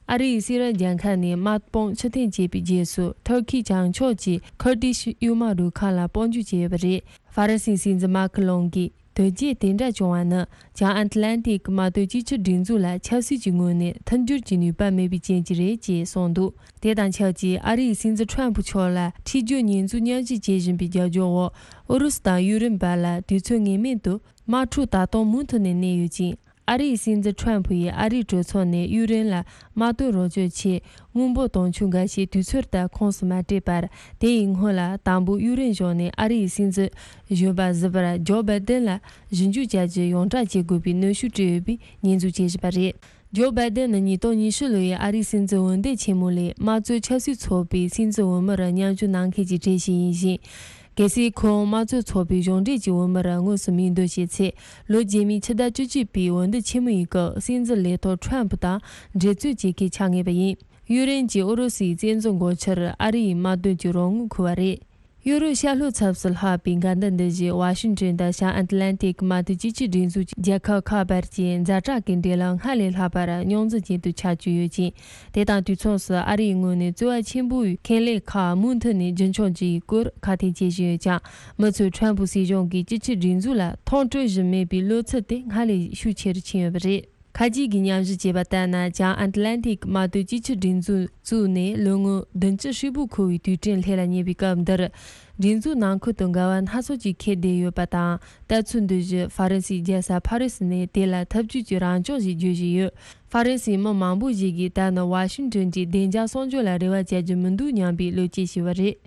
ཨ་རིའི་སི་ར་རྒྱལ་ཁབ་ནས་དམག་དཔུང་ཕྱིར་འཐེན་བྱས་པའི་རྗེས་སུ། ཐུར་ཁེའི་བྱང་ཕྱོགས་ཀྱི་ཁུར་ཏིཤ་ཡུལ་དམག་རུ་ཁག་ལ་དཔུང་འཇུག་བྱས་ཡོད་པ་རེད། ཧྥ་རན་སིའི་སྲིད་འཛིན་མཱ་ཁི་ལོང་གིས། དོལ་རྒྱལ་དེ་འདྲ་བྱུང་བ་ནི། བྱང་ཨན་ཏི་ལན་ཏིག་མ་གཏོགས་གཅིག་གྱུར་སྒྲིག་འཛུགས་ལ་ཆབ་སྲིད་ཀྱི་ངོས་ནས་མཐུན་འགྱུར་གྱི་ནུས་པ་མེད་པའི་རྐྱེན་གྱིས་རེད་ཅེས་གསུངས་འདུག་དེ་དང་ཆབས་ཅིག་ཨ་རིའི་སྲིད་འཛིན་ཁྲོམ་ཕུ་མཆོག་ལ་འཁྲིས་སྦྱོར་ཉེས་འཛུགས་མཉམ་ཞུགས་བྱེད་བཞིན་པའི་རྒྱབ་ལྗོངས་འོག་ཨུ་རུ་སུ་དང་ཡུཀ་རེན་བར་ལ་དུས་ཚོད་ངེས་མེད་དུ་དམག་འཁྲུག་ད་དུང་མུ་མཐུད་ནས་གནས་ཡོད་ཅིང་། ཨ་རིའི་སྲིད་འཛིན་ཁྲོམ་ཕུ་ཡིས་ཨ་རིའི་གྲོས་ཚོགས་ནས་ཡུཀ་རེན་ལ་དམག་དོན་རོགས་སྐྱོར་ཆེད་དངུལ་འབོར་དུང་ཕྱུར་འགའ་ཤས་དུས་ཚོད་ལྟར་ཁོངས་སུ་མ་སྤྲད་པར། དེ་ཡི་སྔོན་ལ་དང་པོ་ཡུཀ་རེན་གཞུང་ནས་ཨ་རིའི་སྲིད་འཛིན་གཞོན་པ་གཟི་དཔལ་ཇོ་བྷའི་ཏིན་ལ་ཞིབ་འཇུག་བྱ་རྒྱུ་ཡོངས་བསྒྲགས་བྱེད་དགོས་པའི་གནོན་ཤུགས་སྤྲད་ཡོད་པའི་ཉེས་འཛུགས་བྱེད་བཞིན་པ་རེད། ཇོ་བྷའི་ཏིན་ནི་ཉིས་སྟོང་ཉི་ཤུ་ལོའི་ཨ་རིའི་སྲིད་འཛིན་འོས་འདེམས་ཆེན་མོ་ལས་དམངས་གཙོའི་ཆབ་སྲིད་ཚོགས་པའི་སྲིད་འཛིན་འོས་མིར་མཉམ་ཞུགས་གནང་མཁན་གྱི་གྲས་ཤིག་ཡིན་ཞིང་། གལ་སྲིད་ཁོང་དམངས་གཙོའི་ཚོགས་པའི་གཞུང་འབྲེལ་གྱི་འོས་མིར་དངོས་སུ་མིང་འདོན་བྱས་ཚེ། ལོ་རྗེས་མའི་ཕྱི་ཟླ་བཅུ་གཅིག་པའི་འོས་འདེམས་ཆེན་མོ་ཡི་སྐབས་སྲིད་འཛིན་ལས་ཐོག་ཁྲོམ་ཕུ་དང་འགྲན་རྩོད་བྱེད་མཁན་ཆགས་ངེས་པ་ཡིན། ཡུཀ་རེན་གྱིས་ཨུ་རུ་སུའི་བཙན་འཛུལ་འགོག་ཕྱིར་ཨ་རི་ཡི་དམག་དོན་གྱི་རོགས་དངུལ་འཁུར་བ་རེད། ཡོ་རོབ་ཤར་ལྷོའི་ཚབ་ཏུ་ལྷག་པའི་འགལ་ཟླ་འདི་བཞིན་ཝ་ཤིང་ཏོན་དང་བྱང་ཨན་ཏི་ལན་ཏིག་མ་གཏོགས་གཅིག་གྱུར་སྒྲིག་འཛུགས་ཀྱི་རྒྱལ་ཁབ་ཁག་བར་གྱི་ཛ་དྲག་གི་འབྲེལ་ལམ་སྔར་ལས་ལྷག་པར་རྙོག་འཛིང་ཅན་དུ་ཆགས་ཀྱི་ཡོད་ཅིང་། དེ་དང་དུས་མཚུངས་སུ་ཨ་རིའི་ངོས་ནས་རྩོལ་བ་ཆེན་པོའི་ཁེ་ལས་ཁག་མུ་མཐུད་ནས་རྒྱུན་འཁྱོངས་བྱེད་ཡུལ་སྐོར་ཁ་གཏད་བྱེད་བཞིན་ཡོད་ཀྱང་། མི་ཚོས་ཁྲོམ་ཕུ་སྲིད་གཞུང་གིས་གཅིག་གྱུར་སྒྲིག་འཛུགས་ལ་མཐོང་སྤྲོད་བཞིན་མེད་པའི་བློ་འཚབ་དེ་སྔར་ལས་ཤུགས་ཆེ་རུ་ཕྱིན་ཡོད་པ་རེད། ཁ་ཅིག་གིས་ཉམས་ཞིབ་བྱས་པ་ལྟར་ན། བྱང་ཨན་ཏི་ལན་ཏིག་མ་གཏོགས་གཅིག་གྱུར་སྒྲིག་འཛུགས་བཙུགས་ནས་ལོ་ངོ་བདུན་ཅུ་ཧྲིལ་པོ་འཁོར་བའི་དུས་དྲན་སླེབས་ལ་ཉེ་བའི་སྐབས་འདིར། སྒྲིག་འཛུགས་ནང་ཁུལ་དུ་འགལ་བ་སྣ་ཚོགས་ཀྱིས་ཁྱེར་བསྡད་ཡོད་པ་དང་། ལྟ་ཚུལ་འདི་བཞིན་ཧྥ་རན་སིའི་རྒྱལ་ས་ཕ་རི་སི་ནས་དེ་ལ་ཐབས་ཇུས་ཀྱི་རང་སྐྱོང་ཞིག་བརྗོད་བཞིན་ཡོད། ཧྥ་རན་སིའི་མི་མང་པོ་ཞིག་གིས་ད་ནི་ཝ་ཤིང་ཏོན་གྱི་བདེ་འཇགས་སྲུང་སྐྱོབ་ལ་རེ་བ་བྱ་རྒྱུ་མི་འདུག་སྙམ་པའི་བློ་སྐྱེད་བྱས་པ་རེད།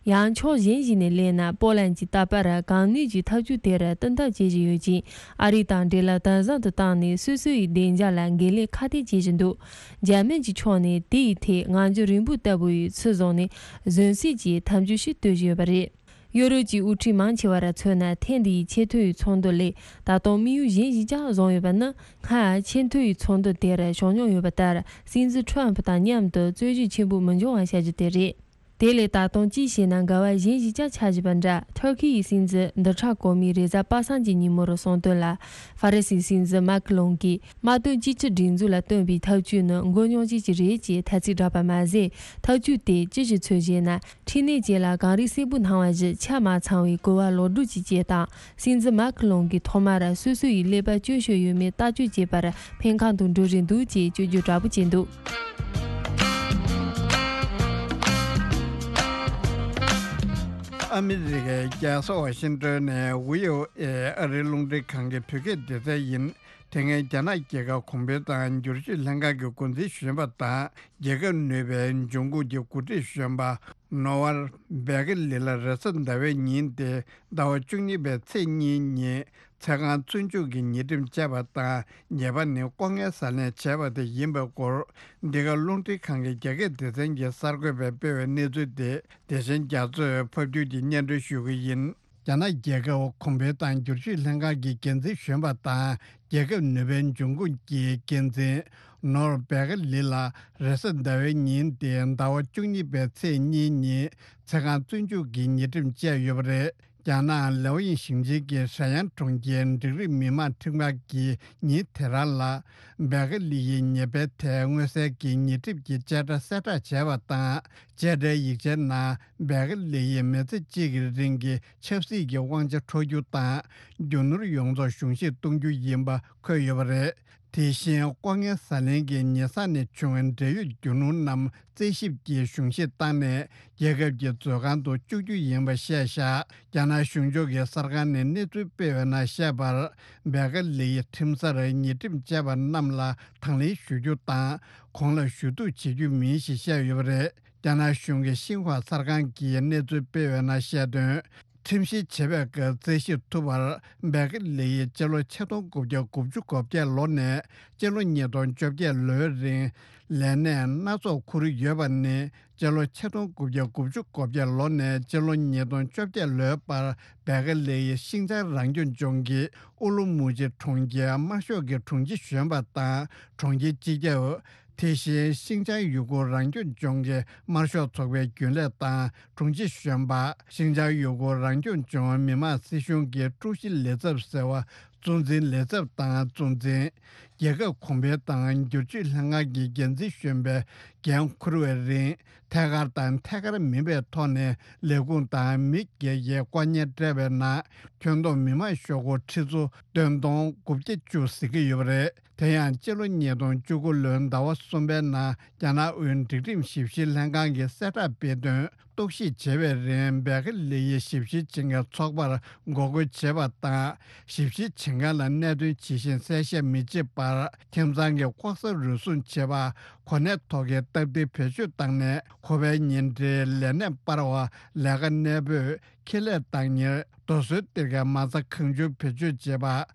ཡང་ཕྱོགས་གཞན་ཞིག་ནས་གླེང་ན། པོ་ལན་གྱི་རྟག་པར་གང་ནུས་ཀྱིས་ཐབས་ཇུས་དེར་བསྟུན་ཐབས་བྱེད་བཞིན་ཡོད་ཅིང་། ཨ་རི་དང་འབྲེལ་ལམ་དམ་ཟབ་ཏུ་བཏང་ནས། སོ་སོ་ཡི་བདེ་འཇགས་ལ་འགན་ལེན་ཁ་གཏད་བྱེད་བཞིན་འདུག་འཇར་མན་གྱི་ཕྱོགས་ནས་དེ་ཡི་ཐད་ངང་རྒྱུད་རིང་པོ་ལྟ་བུ་ཡི་ཚུལ་བཟུང་ནས། གཟོན་སྲིད་ཀྱི་དམ་ཆོས་ཤིག་གཏོད་བཞིན་ཡོད་པ་རེད། ཡོ་རོབ་ཀྱི་དབུ་ཁྲིད་མང་ཆེ་བར་མཚོན་ན། ཐེངས་འདིའི་ཆེས་མཐོའི་ཚོགས་འདུ་ལས་ད་དུང་དམིགས་ཡུལ་གཞན་ཞིག་ཀྱང་བཟུང་ཡོད་པ་ནི། སྔར་ཆེས་མཐོའི་ཚོགས་འདུ་དེར་ཞུགས་མྱོང་ཡོད་པ་ལྟར། སྲིད་འཛིན་ཁྲོམ་ཕུ་དང་མཉམ་དུ་རྩོད་གཞི་ཆེན་པོ་མི་འབྱུང་བ་བྱ་རྒྱུ་དེ་རེད། དེ་ལས་ད་དུང་ཅི་ཞེ་ན་འགལ་བ་གཞན་ཞིག་ཀྱང་ཆགས་བཞིན་པ་འདྲ། ཐུར་ཁེ་ཡི་སྲིད་འཛིན་འདི་ཕྲག་གོང་མའི་རེས་གཟའ་པ་སངས་ཀྱི་ཉིན་མོར་གསུངས་དོན་ལ། ཧྥ་རན་སིའི་སྲིད་འཛིན་མཱ་ཁི་ལོང་གིས་དམག་དོན་གཅིག་གྱུར་སྒྲིག་འཛུགས་ལ་བཏོན་པའི་ཐབས་ཇུས་ནི་མགོ་རྙོག་ཅན་ཞིག་རེད་ཅེས་ཐ་ཚིག་བསྒྲགས་པ་མ་ཟད། ཐབས་ཇུས་དེ་ཅི་ཞིག་འཚོལ་ཞེ་ན། འཕྲིན་ལས་ཅན་ལ་གངས་རིའི་སྲས་པོ་སྣང་བ་བཞིན་ཆ་མ་ཚང་བའི་གོ་བ་ལོག་སྒྲུབ་ཀྱི་སྐྱེས་དང་། སྲིད་འཛིན་མཱ་ཁི་ལོང་གིས་ཐོག་མར་སོ་སོ་ཡི་ཀླད་པ་སྐྱོན་ཤོར་ཡོད་མེད་ལྟ་སྐྱོང་བྱེད་པར་འཕེན་ཁང་དུ་འགྲོ་རིན་འདུག་ཅེས་བཅོས་བསྒྱུར་དྲག་པོ་བྱས་འདུག་ཨ་མི་རི་ཀའི་རྒྱལ་ས་ཝ་ཤིང་ཏོན་ནས་ཝི་ཨོ་ཨེ་ཨ་རིའི་རླུང་འཕྲིན་ཁང་གི་བོད་སྐད་སྡེ་ཚན་ཡིན། དེ་སྔའི་རྒྱ་ནག་རྒྱལ་ཁབ་གོང་འཕེལ་དང་བསྒྱུར་བཅོས་ལྷན་ཁང་གི་འགོ་འཛིན་གཞོན་པ་དང་། རྒྱལ་ཁབ་ནུས་པའི་འབྱུང་ཁུངས་ཀྱི་འགོ་ཁྲིད་གཞོན་པ་ནོ་ཝར་བེ་ཀེ་ལི་ལ་རེས་གཟའ་ཟླ་བའི་ཉིན་ཏེ་ཟླ་བ་བཅུ་གཉིས་པའི་ཚེས་གཉིས་ཉིན་ཚེ་གང་བཙོན་འཇུག་གི་ཉེས་ཁྲིམས་བཅད་པ་དང་། ཉེས་པ་ནི་ལྐོག་རྔན་ཟ་ལེན་བྱས་པ་དེ་ཡིན་པའི་སྐོར། འདི་ག་རླུང་འཕྲིན་ཁང་གི་རྒྱ་སྐད་སྡེ་ཚན་གྱིས་གསར་འགོད་པས་སྤེལ་བའི་གནས་ཚུལ་དེ་དེ་བཞིན་རྒྱ་མཚོས་ཕབ་སྒྱུར་གྱིས་སྙན་སྒྲོན་ཞུ་གི་ཡིན། རྒྱ་ནག་རྒྱལ་ཁབ་གོང་འཕེལ་དང་བསྒྱུར་བཅོས་ལྷན་ཁང་གི་འགན་འཛིན་གཞོན་པ་དང་། རྒྱལ་ཁབ་ནུས་པའི་འབྱུང་ཁུངས་ཀྱི་འགན་འཛིན་ནོར་བེ་ཀ་ལི་ལ་རེས་གཟའ་ཟླ་བའི་ཉིན་ཏེ་ཟླ་བ་བཅུ་གཉིས་པའི་ཚེས་གཉིས་ཉིན་ཚེ་གང་བཙོན་འཇུག་གི་ཉེས་ཁྲིམས་བཅད་ཡོད་པ་རེད། རྒྱ་ནག་ལེའོ་ཡིན་ཞིང་ཆེན་གྱི་ཧྲེ་ཡན་གྲོང་ཁྱེར་འབྲིང་རིམ་མི་དམངས་ཁྲིམས་ཁང་གིས་ཉིན་དེ་རང་ལ་བེ་ཀ་ལི་ཡི་ཉེས་པའི་ཐད་མངོན་གསལ་གྱི་ཉེས་ཁྲིམས་ཀྱི་བཅད་ཁྲ་གསལ་བསྒྲགས་བྱས་པ་དང་། བཅད་ཁྲའི་ཡིག་ཆའི་ནང་བེ་ཀ་ལི་ཡིས་མི་ཚེ་གཅིག་གི་རིང་གི་ཆབ་སྲིད་ཀྱི་དབང་ཆ་འཕྲོག་རྒྱུ་དང་། རྒྱུ་ནོར་ཡོངས་རྫོགས་གཞུང་བཞེས་གཏོང་རྒྱུ་ཡིན་པ་འཁོད་ཡོད་པ་རེད། དེ་བཞིན་ལྐོག་རྔན་ཟ་ལེན་གྱི་ཉེས་བསགས་ནས་བྱུང་བའི་འབྲེལ་ཡོད་རྒྱུ་ནོར་རྣམས་རྩད་ཞིབ་ཀྱིས་གཞུང་བཞེས་བཏང་ནས་རྒྱལ་ཁབ་ཀྱི་མཛོད་ཁང་དུ་བཅུག་རྒྱུ་ཡིན་པ་བཤད་བཞག་རྒྱ་ནག་གཞུང་ཕྱོགས་ཀྱི་གསར་ཁང་ནས་གནས་ཚུལ་སྤེལ་བའི་ནང་བཤད་པར། བེ་ཀ་ལི་ཡི་ཁྲིམས་སར་ཉེས་ཁྲིམས་བཅད་པ་རྣམས་ལ་དང་ལེན་ཞུ་རྒྱུ་དང་། གོང་ལ་ཞུ་གཏུག་བྱེད་རྒྱུ་མིན་ཞེས་བཤད་ཡོད་པ་རེད། རྒྱ་ནག་གཞུང་གི་ཤིན་ཧྭ་གསར་ཁང་གིས་གནས་ཚུལ་སྤེལ་བའི་ནང་བཤད་དོན། ཁྲིམས་བཤེར་བྱེད་པའི་སྐབས་རྩད་ཞིབ་ཐུབ་པར། བེ་ཀེ་ལི་ཡིས་སྤྱི་ལོ་ཆིག་སྟོང་དགུ་བརྒྱ་དགུ་བཅུ་གོ་བརྒྱད་ལོ་ནས་སྤྱི་ལོ་ཉིས་སྟོང་བཅོ་བརྒྱད་ལོའི་རིང་ལས་གནས་སྣ་ཚོགས་འཁུར་ཡོད་པ་ནི། སྤྱི་ལོ་ཆིག་སྟོང་དགུ་བརྒྱ་དགུ་བཅུ་གོ་བརྒྱད་ལོ་ནས་སྤྱི་ལོ་ཉིས་སྟོང་བཅོ་བརྒྱད་ལོའི་བར་བེ་ཀེ་ལི་ཡིས་ཤིང་ཅང་རང་སྐྱོང་ལྗོངས་ཀྱི་ཨུ་ལུ་མུ་ཅི་གྲོང་ཁྱེར་དམར་ཤོག་གི་དྲུང་ཆེ་གཞོན་པ་དང་གྲོང་ཁྱེར་སྤྱི་ཁྱབ། དེ་བཞིན་ཤིང་ཅང་ཡུ་གུར་རང་སྐྱོང་ལྗོངས་ཀྱི་དམར་ཤོག་ཚོགས་པའི་རྒྱུན་ལས་དང་དྲུང་ཆེ་གཞོན་པ། ཤིང་ཅང་ཡུ་གུར་རང་སྐྱོང་ལྗོངས་མི་དམངས་སྲིད་གཞུང་གི་ཀྲུའུ་ཞི་ལས་ཚབ་ཟེར་བ་གཙོ་འཛིན་ལས་ཚབ་དང་གཙོ་འཛིན། རྒྱལ་ཁབ་གོང་འཕེལ་དང་བསྒྱུར་བཅོས་ལྷན་ཁང་གི་འགན་འཛིན་གཞོན་པའི་འགན་འཁུར་བའི་རིང་ཐད་ཀར་དང་ཐད་ཀར་མིན་པའི་ཐོག་ནས་ལས་ཁུངས་དང་མི་སྒེར་གྱི་བཀའ་ཉན་སྤྲད་པའི་ནང་ཁྱོན་བསྡོམས་མི་དམངས་ཤོག་སྒོར་ཁྲི་ཚོ་བདུན་སྟོང་དགུ་བརྒྱ་བཅུ་ཟིན་གྱི་ཡོད་པ་རེད། དེ་ཡང་སྤྱི་ལོ་ཉིས་སྟོང་བཅུ་དགུ་ལོའི་ཟླ་བ་གསུམ་པའི་ནང་རྒྱ་ནག་དབུས་སྒྲིག་ཁྲིམས་ཞིབ་བཤེར་ལྷན་ཁང་གིས་གསལ་བསྒྲགས་སྤེལ་དོན། རྟོག་ཞིབ་བྱེད་པའི་རིང་བེ་ཀེ་ལི་ཡིས་ཞིབ་བཤེར་བྱེད་མཁན་ཚོགས་པར་འགོག་རྒོལ་བྱེད་པ་དང་། ཞིབ་བཤེར་བྱེད་མཁན་ལ་གནད་དོན་ཇི་བཞིན་གསལ་བཤད་མི་བྱེད་པར། ཁྱིམ་ཚང་གི་ལྐོག་ཟ་རུལ་སུངས་བྱེད་པ། གོ་གནས་ཐོག་གི་སྟབས་བདེ་བེད་སྤྱོད་བཏང་ནས་ཁོ་པའི་ཉེ་འབྲེལ་ལས་གནས་སྤར་བ། ལས་ཀ་གནས་སྤོས། ཁེ་ལས་བདག་གཉེར། རྡོ་སོལ་གཏེར་ཁའི་མ་རྩ་གང་བྱུང་བེད་སྤྱོད་བྱེད་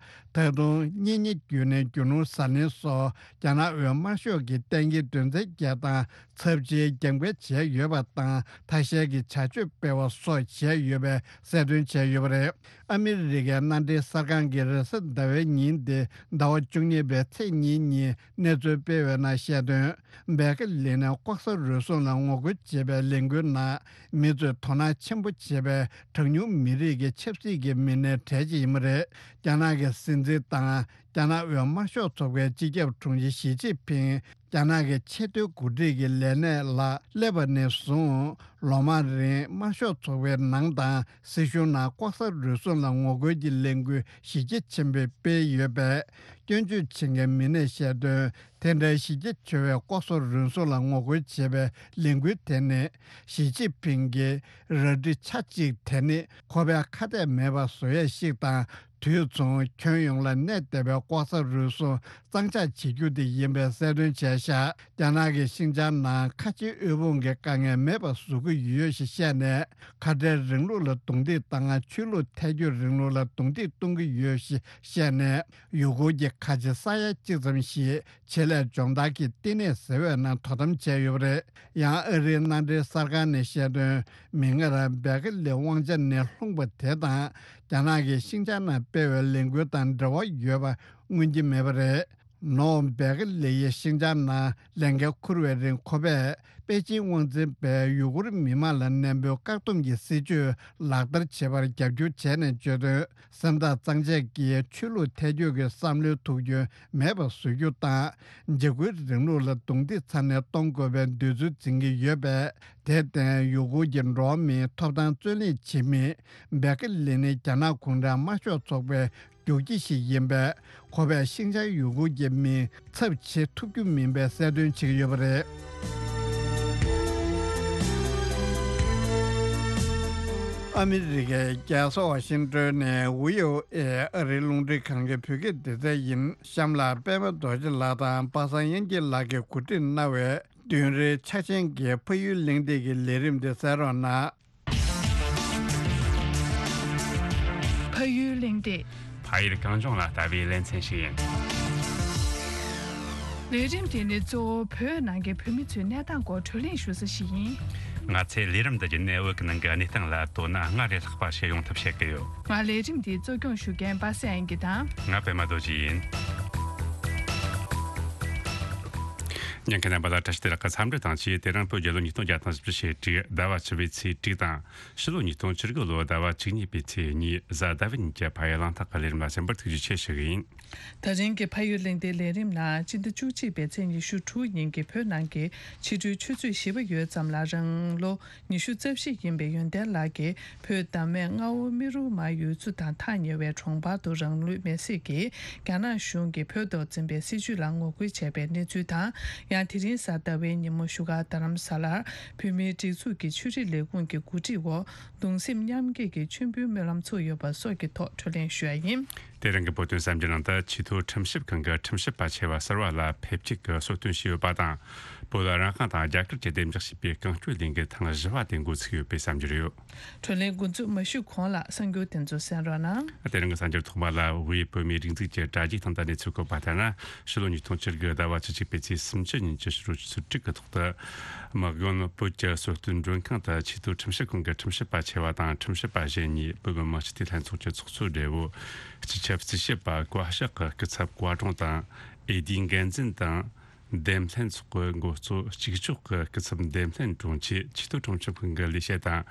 པ། ད་དུང་གཉེན་ཉེ་བརྒྱུད་ནས་རྒྱུ་ནོར་ཟ་ལེན་སོགས་རྒྱ་ནག་དབུས་དམར་ཤོག་གི་གཏན་འཁེལ་དོན་ཚན་བརྒྱད་དང་ཚབས་ཆེའི་རྒྱབ་འགལ་བྱས་ཡོད་པ་དང་ཐ་ཤལ་གྱི་བྱ་སྤྱོད་སྤེལ་བ་སོགས་བྱས་ཡོད་པའི་གསལ་སྟོན་བྱས་ཡོད་པ་རེད། ཨ་མི་རི་ཀའི་མནའ་འབྲེལ་གསར་ཁང་གིས་རེས་གཟའ་ཟླ་བའི་ཉིན་ཏེ་ཟླ་བ་བཅུ་གཉིས་པའི་ཚེས་གཉིས་ཉིན་གནས་ཚུལ་སྤེལ་བའི་ནང་བཤད་དོན། བེ་ཀེ་ལི་ནི་ལྐོག་ཟ་རུལ་སུངས་ལ་ངོ་རྒོལ་བྱེད་པའི་ལས་འགུལ་ནང་མི་ཚོས་དོ་སྣང་ཆེན་པོ་བྱེད་པའི་གྲངས་ཉུང་མི་རིགས་ཀྱི་ཆབ་སྲིད་ཀྱི་མི་སྣའི་གྲས་ཤིག་ཡིན་པ་རེད། རྒྱ་ནག་གི་སྲིད་འཛིན་དང་རྒྱ་ནག་དབུས་དམར་ཤོག་ཚོགས་པའི་སྤྱི་ཁྱབ་དྲུང་ཆེ་ཞི་ཅིན་ཕིང་རྒྱ་ནག་གི་ཆེས་མཐོའི་འགོ་ཁྲིད་ཀྱི་ལས་གནས་ལ་སླེབས་པ་ནས་བཟུང་ལོ་མང་རིང་དམར་ཤོག་ཚོགས་པའི་ནང་དང་སྲིད་གཞུང་ནང་ལྐོག་ཟ་རུལ་སུངས་ལ་ངོ་རྒོལ་གྱི་ལས་འགུལ་གཞི་རྒྱ་ཆེན་པོས་སྤེལ་ཡོད་པས། སྐྱོན་བརྗོད་བྱེད་མཁན་མི་སྣས་བཤད་དོན། དེ་འདྲའི་གཞི་རྒྱ་ཆེ་བའི་ལྐོག་ཟ་རུལ་སུངས་ལ་ངོ་རྒོལ་བྱེད་པའི་ལས་འགུལ་དེ་ནི། ཞི་ཅིན་ཕིང་གི་རལ་གྲི་ཆ་གཅིག་དེ་ནི་ཁོ་པའི་ཁ་གཏད་མེད་པ་བཟོ་ཡས་ཤིག་དང་། དུས་མཚུངས་ཁྱོན་ཡོངས་ལ་གནས་བསྡད་པའི་ལྐོག་ཟ་རུལ་སུངས་གཙང་ཕྱགས་བྱེད་རྒྱུ་དེ་ཡིན་པའི་གསལ་སྟོན་བྱས་ཤག་རྒྱ་ནག་གིས་ཤིན་ཅང་ནང་ཁ་ཆེའི་དབུལ་ཕོངས་ཀྱི་དཀའ་ངལ་མེད་པ་བཟོ་གི་ཡོད་ཞེས་བཤད་ནས། ཁ་བྲལ་རིང་ལུགས་ལ་རྡུང་རྡེག་བཏང་། ཆོས་ལུགས་ཐལ་འགྱུར་རིང་ལུགས་ལ་རྡུང་རྡེག་གཏོང་གི་ཡོད་ཞེས་བཤད་ནས། ཡུ་གུར་གྱི་ཁ་ཆེ་ས་ཡ་གཅིག་ཙམ་ཞིག་ཆེད་ལས་སྦྱོང་བརྡར་གྱི་བསྟི་གནས་ཟེར་བའི་ནང་དོ་དམ་བྱས་ཡོད་པ་རེད། ཡང་ཨ་རིའི་མནའ་འབྲེལ་གསར་ཁང་ནས་བཤད་དོན། མིག་སྔར་བེ་ཀེ་ལི་དབང་ཆ་ནས་ལྷུང་བ་དེ་དང་། རྒྱ་ནག་གིས་ཤིན་ཅང་ནང་སྤེལ་བའི་ལས་འགུལ་དང་འབྲེལ་བ་ཡོད་པ་མངོན་གྱི་མེད་པ་རེད། ནོ་བྷེལ་གྱི་ལེགས་ཡིག་ཤིང་བྱང་ནང་ལས་འགན་འཁུར་བའི་རིང་ཁོ་པས་པེ་ཅིན་དབང་འཛིན་པས་ཡུ་གུར་མི་མང་ལ་གནས་སྤོའི་བཀག་སྡོམ་གྱི་སྲིད་ཇུས་ལག་བསྟར་བྱེད་པར་རྒྱབ་སྐྱོར་བྱས་ནས་བརྗོད་དོན། སེམས་ཐག་གཙང་བཅད་ཀྱིས་ཆོས་ལུགས་ཐལ་འགྱུར་གྱི་བསམ་བློའི་ཐུགས་འདུན་མེད་པར་བཟོ་རྒྱུ་དང་། འཇིགས་སྐུལ་རིང་ལུགས་ལ་རྡུང་རྡེག་ཚ་ནན་གཏོང་དགོས་པའི་འདོད་ཚུལ་འཛིན་གྱི་ཡོད་པས། དེར་བརྟེན་ཡུ་གུར་གྱི་འགྲོ་བ་མིའི་ཐོབ་ཐང་རྩོད་ལེན་བྱེད་མི་བྷེ་ཀི་ལི་ནི་རྒྱ་ནག་གུང་ཁྲན་དམར་ཤོག་ཚོགས་པའི་རྒྱུག་ཁྱི་ཞིག་ཡིན་པས། ཁོ་པས་ཤིན་ཅང་ཡུ་གུར་གྱི་མིང་ཚབ་བྱེད་ཐུབ་རྒྱུ་མིན་པའི་གསལ་སྟོན་བྱེད་ཀྱི་ཡོད་པ་རེད། ཨ་མི་རི་ཀའི་རྒྱལ་ས་ཝ་ཤིང་ཏོན་ནས་ཝི་ཨོ་ཨེ་ཨ་རིའི་རླུང་འཕྲིན་ཁང་གི་བོད་སྐད་སྡེ་ཚན་ཡིན། གཤམ་ལ་པད་མ་རྡོ་རྗེ་ལགས་དང་པ་སངས་དབྱངས་སྐྱིད་ལགས་ཀྱིས་གོ་སྒྲིག་གནང་བའི་བདུན་རེའི་འཆར་ཅན་གྱི་ཕ་ཡུལ་གླེང་སྟེགས་ཀྱི་ལས་རིམ་དེ་གསན་རོགས་གནང་། ཕ་ཡུལ་གླེང་སྟེགས། ཕ་ཡུལ་གངས་ལྗོངས་ལ་ལྟ་བའི་ལེ་ཚན་ཞིག་ཡིན། ལས་རིམ་དེ་ནི་གཙོ་བོ་བོད་ནང་གི་བོད་མི་ཚོའི་གནས་སྟངས་སྐོར་བགྲོ་གླེང་ཞུ་ས་ཞིག་ཡིན། ང་ཚོས་ལས་རིམ་འདི་བརྒྱུད་ནས་བོད་ཀྱི་ནང་གི་གནས་སྟངས་ལ་དོ་སྣང་སྔར་ལས་ལྷག་པ་བྱེད་ཡོང་ཐབས་བྱེད་ཀྱི་ཡོད། ང་ལས་རིམ་འདི་གཙོ་སྐྱོང་ཞུ་མཁན་པ་སངས་དབྱངས་སྐྱིད་དང་། ང་པད་མ་རྡོ་རྗེ་ཡིན། ཉན་མཁན་རྣམ་པ་ལ་བཀྲ་ཤིས་བདེ་ལེགས་ཀྱི་འཚམས་འདྲི་དང་བཅས། དེ་རིང་བོད་རྒྱལ་ལོ་ཉིས་སྟོང་བརྒྱ་དང་བཞི་བཅུ་ཞེ་དྲུག་ཟླ་བ་བཅུ་པའི་ཚེས་དྲུག་དང་། ཕྱི་ལོ་ཉིས་སྟོང་བཅུ་དགུ་ལོ་ཟླ་བ་བཅུ་གཉིས་པའི་ཚེས་གཉིས་གཟའ་ཟླ་བའི་ཉིན་གྱི་ཕ་ཡུལ་གླེང་སྟེགས་ཀྱི་ལས་རིམ་ལ་གསན་པར་ཐུགས་རྗེ་ཆེ་ཞུ་གི་ཡིན། ད་རིང་གི་ཕ་ཡུལ་གླེང་སྟེགས་ལས་རིམ་ནང་སྤྱི་ཟླ་བཅུ་གཅིག་པའི་ཚེས་ཉི་ཤུ་དྲུག་ཉིན་གྱི་བོད་ནང་གི་ཕྱི་དྲོའི་ཆུ་ཚོད་བཞི་པ་ཡོལ་ཙམ་ལ་རང་ལོ་ཉི་ཤུ་རྩ་བཞི་ཡིན་པའི་ཡོན་ཏན་ལགས་ཀྱིས་བོད་བདག་མེད་མངའ་འོག་རྨེ་རུ་མ་ཡུལ་ཚོ་དང་ཐག་ཉེ་བའི་གྲོང་པ་དུ་རང་ལུས་མེར་སྲེག་གིས་རྒྱ་ནག་གཞུང་གིས་བོད་ཐོག་འཛིན་པའི་སྲིད་བྱུས་ལ་ངོ་རྒོལ་བྱས་པའི་གནས་ཚུལ་དང་། ཡང་དེ་རིང་གཟའ་ཟླ་བའི་ཉིན་མོ་བཞུགས་སྒར་རྡ་རམ་ས་ལར་བོད་མིའི་སྒྲིག་འཛུགས་ཀྱི་ཆོས་རིག་ལས་ཁུངས་ཀྱི་འགོ་ཁྲིད་འོག་གདུང་སེམས་མཉམ་སྐྱེད་ཀྱི་མཆོད་འབུལ་སྨོན་ལམ་ཚོགས་ཡོད་པ་སོགས་ཀྱི་ཐོག་བགྲོ་གླེང་ཞུ་ཡ་ཡིན། དེ་རིང་གི་བོད་དོན་གསར་འགྱུར་ནང་དུ་ཆེས་མཐོའི་ཁྲིམས་ཞིབ་ཁང་གི་ཁྲིམས་ཞིབ་པ་ཆེ་བ་གསར་བ་ལ་ཕེབས་སྐྱེལ་གྱི་གསོལ་སྟོན་ཞུས་ཡོད་པ་དང་། བོད་ལ་རང་དབང་དང་རྒྱ་གར་གྱི་བདེ་འཇགས་ཞེས་པའི་གང་སྐྱོད་ལས་འགུལ་ཐེངས་བཞི་བ་དེ་འགོ་ཚུགས་ཡོད་པའི་གསར་འགྱུར་ཡོད། བགྲོ་གླེང་འགོ་འཛུགས་མ་ཞུས་གོང་ལ་གསར་འགྱུར་དེ་ཚོ་གསན་རོགས་གནང་། དེ་རིང་གི་གསར་འགྱུར་ཐོག་མ་ལ། དབུས་བོད་མིའི་སྒྲིག་འཛུགས་ཀྱི་དྲ་རྒྱའི་སྟེང་དུ་གནས་ཚུལ་བཀོད་པ་ལྟར་ན། ཕྱི་ལོ་ཉིས་སྟོང་བཅུ་དགུ་ཟླ་བ་བཅུ་གཅིག་པའི་ཚེས་སུམ་ཅུ་ཉིན་གྱི་ཕྱི་དྲོ་ཆུ་ཚོད་དྲུག་གི་ཐོག་ཏུ། དམག་དཔོན་བོད་ཀྱི་གསོལ་སྟོན་མགྲོན་ཁང་དུ་ཆེས་མཐོའི་ཁྲིམས་ཞིབ་ཁང་གི་ཁྲིམས་ཞིབ་པ་ཆེ་བ་དང་ཁྲིམས་ཞིབ་པ་གཞན་གཉིས། བོད་མི་མང་སྤྱི་འཐུས་ལྷན་ཚོགས་ཀྱི་ཚོགས་གཙོ་སྦྲེལ་པོ། སྤྱི་ཁྱབ་རྩིས་ཞིབ་པ་བཀའ་ཤག་གི་སྐུ་ཚབ་བཀའ་དྲུང་དང་། ཨེ་ཌི་འགན་འཛིན་དང་། འདེམས་ལྷན་ཚོགས་ཀྱི་འགོ་གཙོ་གཅིག་ལྕོགས་ཀྱི་སྐུ་ཚབ་འདེམས་ལྷན་དྲུང་ཆེ། ཆེས་མཐོའི་ཁྲིམས་ཞིབ་ཁང་གི་ལས་བྱེད་དང་།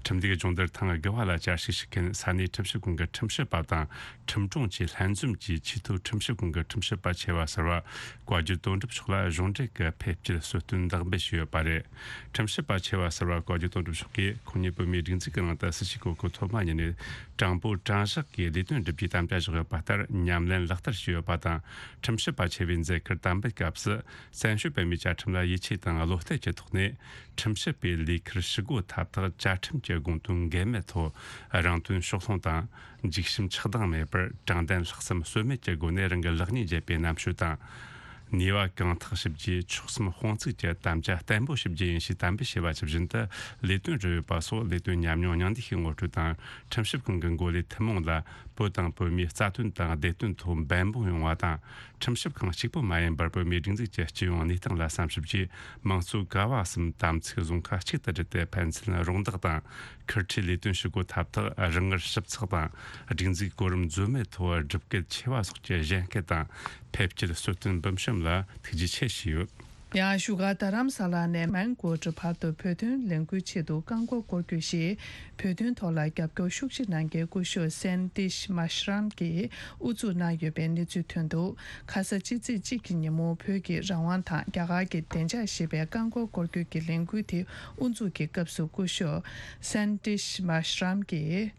ཁྲིམས་སྡེའི་སྦྱོང་བརྡར་ཐེངས་དགུ་བ་ལ་བཅར་ཞིབ་ཞུ་མཁན་ས་གནས་ཁྲིམས་ཞིབ་ཁང་གི་ཁྲིམས་ཞིབ་པ་དང་ཁྲིམས་དྲུང་བཅས་ལྷན་འཛོམས་ཀྱིས་ཆེས་མཐོའི་ཁྲིམས་ཞིབ་ཁང་གི་ཁྲིམས་ཞིབ་པ་ཆེ་བ་ཟུར་པ་བཀའ་བརྒྱུད་དོན་གྲུབ་མཆོག་ལ་གཞུང་འབྲེལ་གྱི་ཕེབས་སྐྱེལ་གསོལ་སྟོན་བདག་འབུལ་ཞུས་ཡོད་པ་རེད། ཁྲིམས་ཞིབ་པ་ཆེ་བ་ཟུར་པ་བཀའ་བརྒྱུད་དོན་གྲུབ་མཆོག་གིས་ཁོང་ཉིད་བོད་མིའི་སྒྲིག་འཛུགས་ཀྱི་ནང་དུ་སྲིད་ཇུས་གོ་སྐབས་ཐོག་མ་ཉིད་ནས་དྲང་པོ་དྲང་བཞག་གིས་ལས་དོན་བསྒྲུབ་རྒྱུའི་དམ་བཅའ་བཞག་ཡོད་པ་ལྟར་ཉམས་ལེན་ལག་བསྟར་བྱས་ཡོད་པ་དང་། ཁྲིམས་ཞིབ་པ་ཆེ་བའི་མཛད་ཁུར་དམ་འབུལ་སྐབས་སུ། བཙན་བྱོལ་བོད་མིའི་བཅའ་ཁྲིམས་ལ་ཡིད་ཆེས་དང་བློ་གཏད་ཀྱི་ཐོག་ནས། ཁྲིམས་ཞིབ་པའི་ལས་ཁུར་ཞུ་སྒོ་ཐབས་ཐག་བཅའ་ཁྲིམས་ཀྱི་དགོངས་དོན་འགལ་མེད་ཐོག་རང་དོན་ཕྱོགས་ལྷུང་དང་། འཇིགས་ཞུམ་ཆགས་སྡང་མེད་པར་དྲང་བདེན་ལྷག་བསམ་ཟོལ་མེད་ཀྱི་སྒོ་ནས་རང་གི་ལེགས་ཉེས་འབྱེད་པའི་རྣམ་དཔྱོད་དང་། ནུས་པ་གང་ཐག་ཞིབ་རྒྱས་ཆོད་སེམས་དཔུང་ཚོགས་ཀྱི་དམ་བཅའ་བརྟན་པོ་ཞིབ་རྒྱས་ཡིན་ཞེས་དམ་འབུལ་བྱས་པ་ཇི་བཞིན་དུ་ལས་དོན་རུ་ཡོད་པ་སོགས་ལས་དོན་ཉམས་མྱོང་མཉམ་འདེགས་ཀྱི་ངོ་སྤྲོད་དང་། ཁྲིམས་ཞིབ་ཁང་གི་འགོ་ལས་ཐུན་མོང་ལ་བོད་དང་བོད་མིའི་རྩ་དོན་དང་བདེ་དོན་ཐོག་འབད་འབུངས་ཡོང་བ་དང་། ཁྲིམས་ཞིབ་ཁང་གཅིག་པུ་མ་ཡིན་པར་བོད་མིའི་སྒྲིག་འཛུགས་ཀྱི་སྤྱི་ཡོངས་གནས་སྟངས་ལ་བསམ་ཞིབ་ཀྱིས་མང་གཙོའི་ཀ་བ་གསུམ་དམ་ཚིག་བཟུང་ཁ་གཅིག་ཏུ་སྒྲིལ་ཏེ་ཕན་ཚུན་རོགས་འདེགས་དང་། ཁུར་ཁྲིའི་ལས་དོན་ཞུ་སྒོ་ཐབས་ཐག་རིང་ངར་ཞིབ་ཚགས་དང་། སྒྲིག་འཛུགས་གོ་རིམ་འཛོལ་མེད་ཐོག་སྒྲུབ་སྐུལ་ཆེ་བ་སོགས་ཀྱི་གཞན་སྐད་དང་ཕེབས་སྐྱེལ་གསོལ་སྟོན་འབུལ་བཤམས་ལ་ཐུགས་རྗེ་ཆེ་ཞུས་ཡོད། ཡང་བཞུགས་སྒར་རྡ་རམ་ས་ལ་ནས་མན་གོ་ཊ་བར་དུ་བོད་དོན་ལས་འགུལ་ཆེད་དུ་རྐང་འཁོར་སྐོར་སྐྱོད་ཞེས་བོད་དོན་ཐོག་ལ་རྒྱབ་སྐྱོར་ཤུགས་ཆེ་གནང་མཁན་སྐུ་ཞབས་སན་ཏིཤ་མ་ཤ་རམ་གྱིས་དབུ་འཛུགས་གནང་ཡོད་པའི་གནས་ཚུལ་ཐོན་འདུག་ཁ་ས་སྤྱི་ཚེས་གཅིག་གི་ཉིན་མོ་བོད་ཀྱི་རང་དབང་དང་རྒྱ་གར་གྱི་བདེ་འཇགས་ཞེས་པའི་རྐང་འཁོར་སྐོར་སྐྱོད་ཀྱི་ལས་འགུལ་དེ་དབུ་འཛུགས་ཀྱི་སྐབས་སུ་སྐུ་ཞབས་སན་ཏིཤ་མ་ཤ་རམ་གྱིས།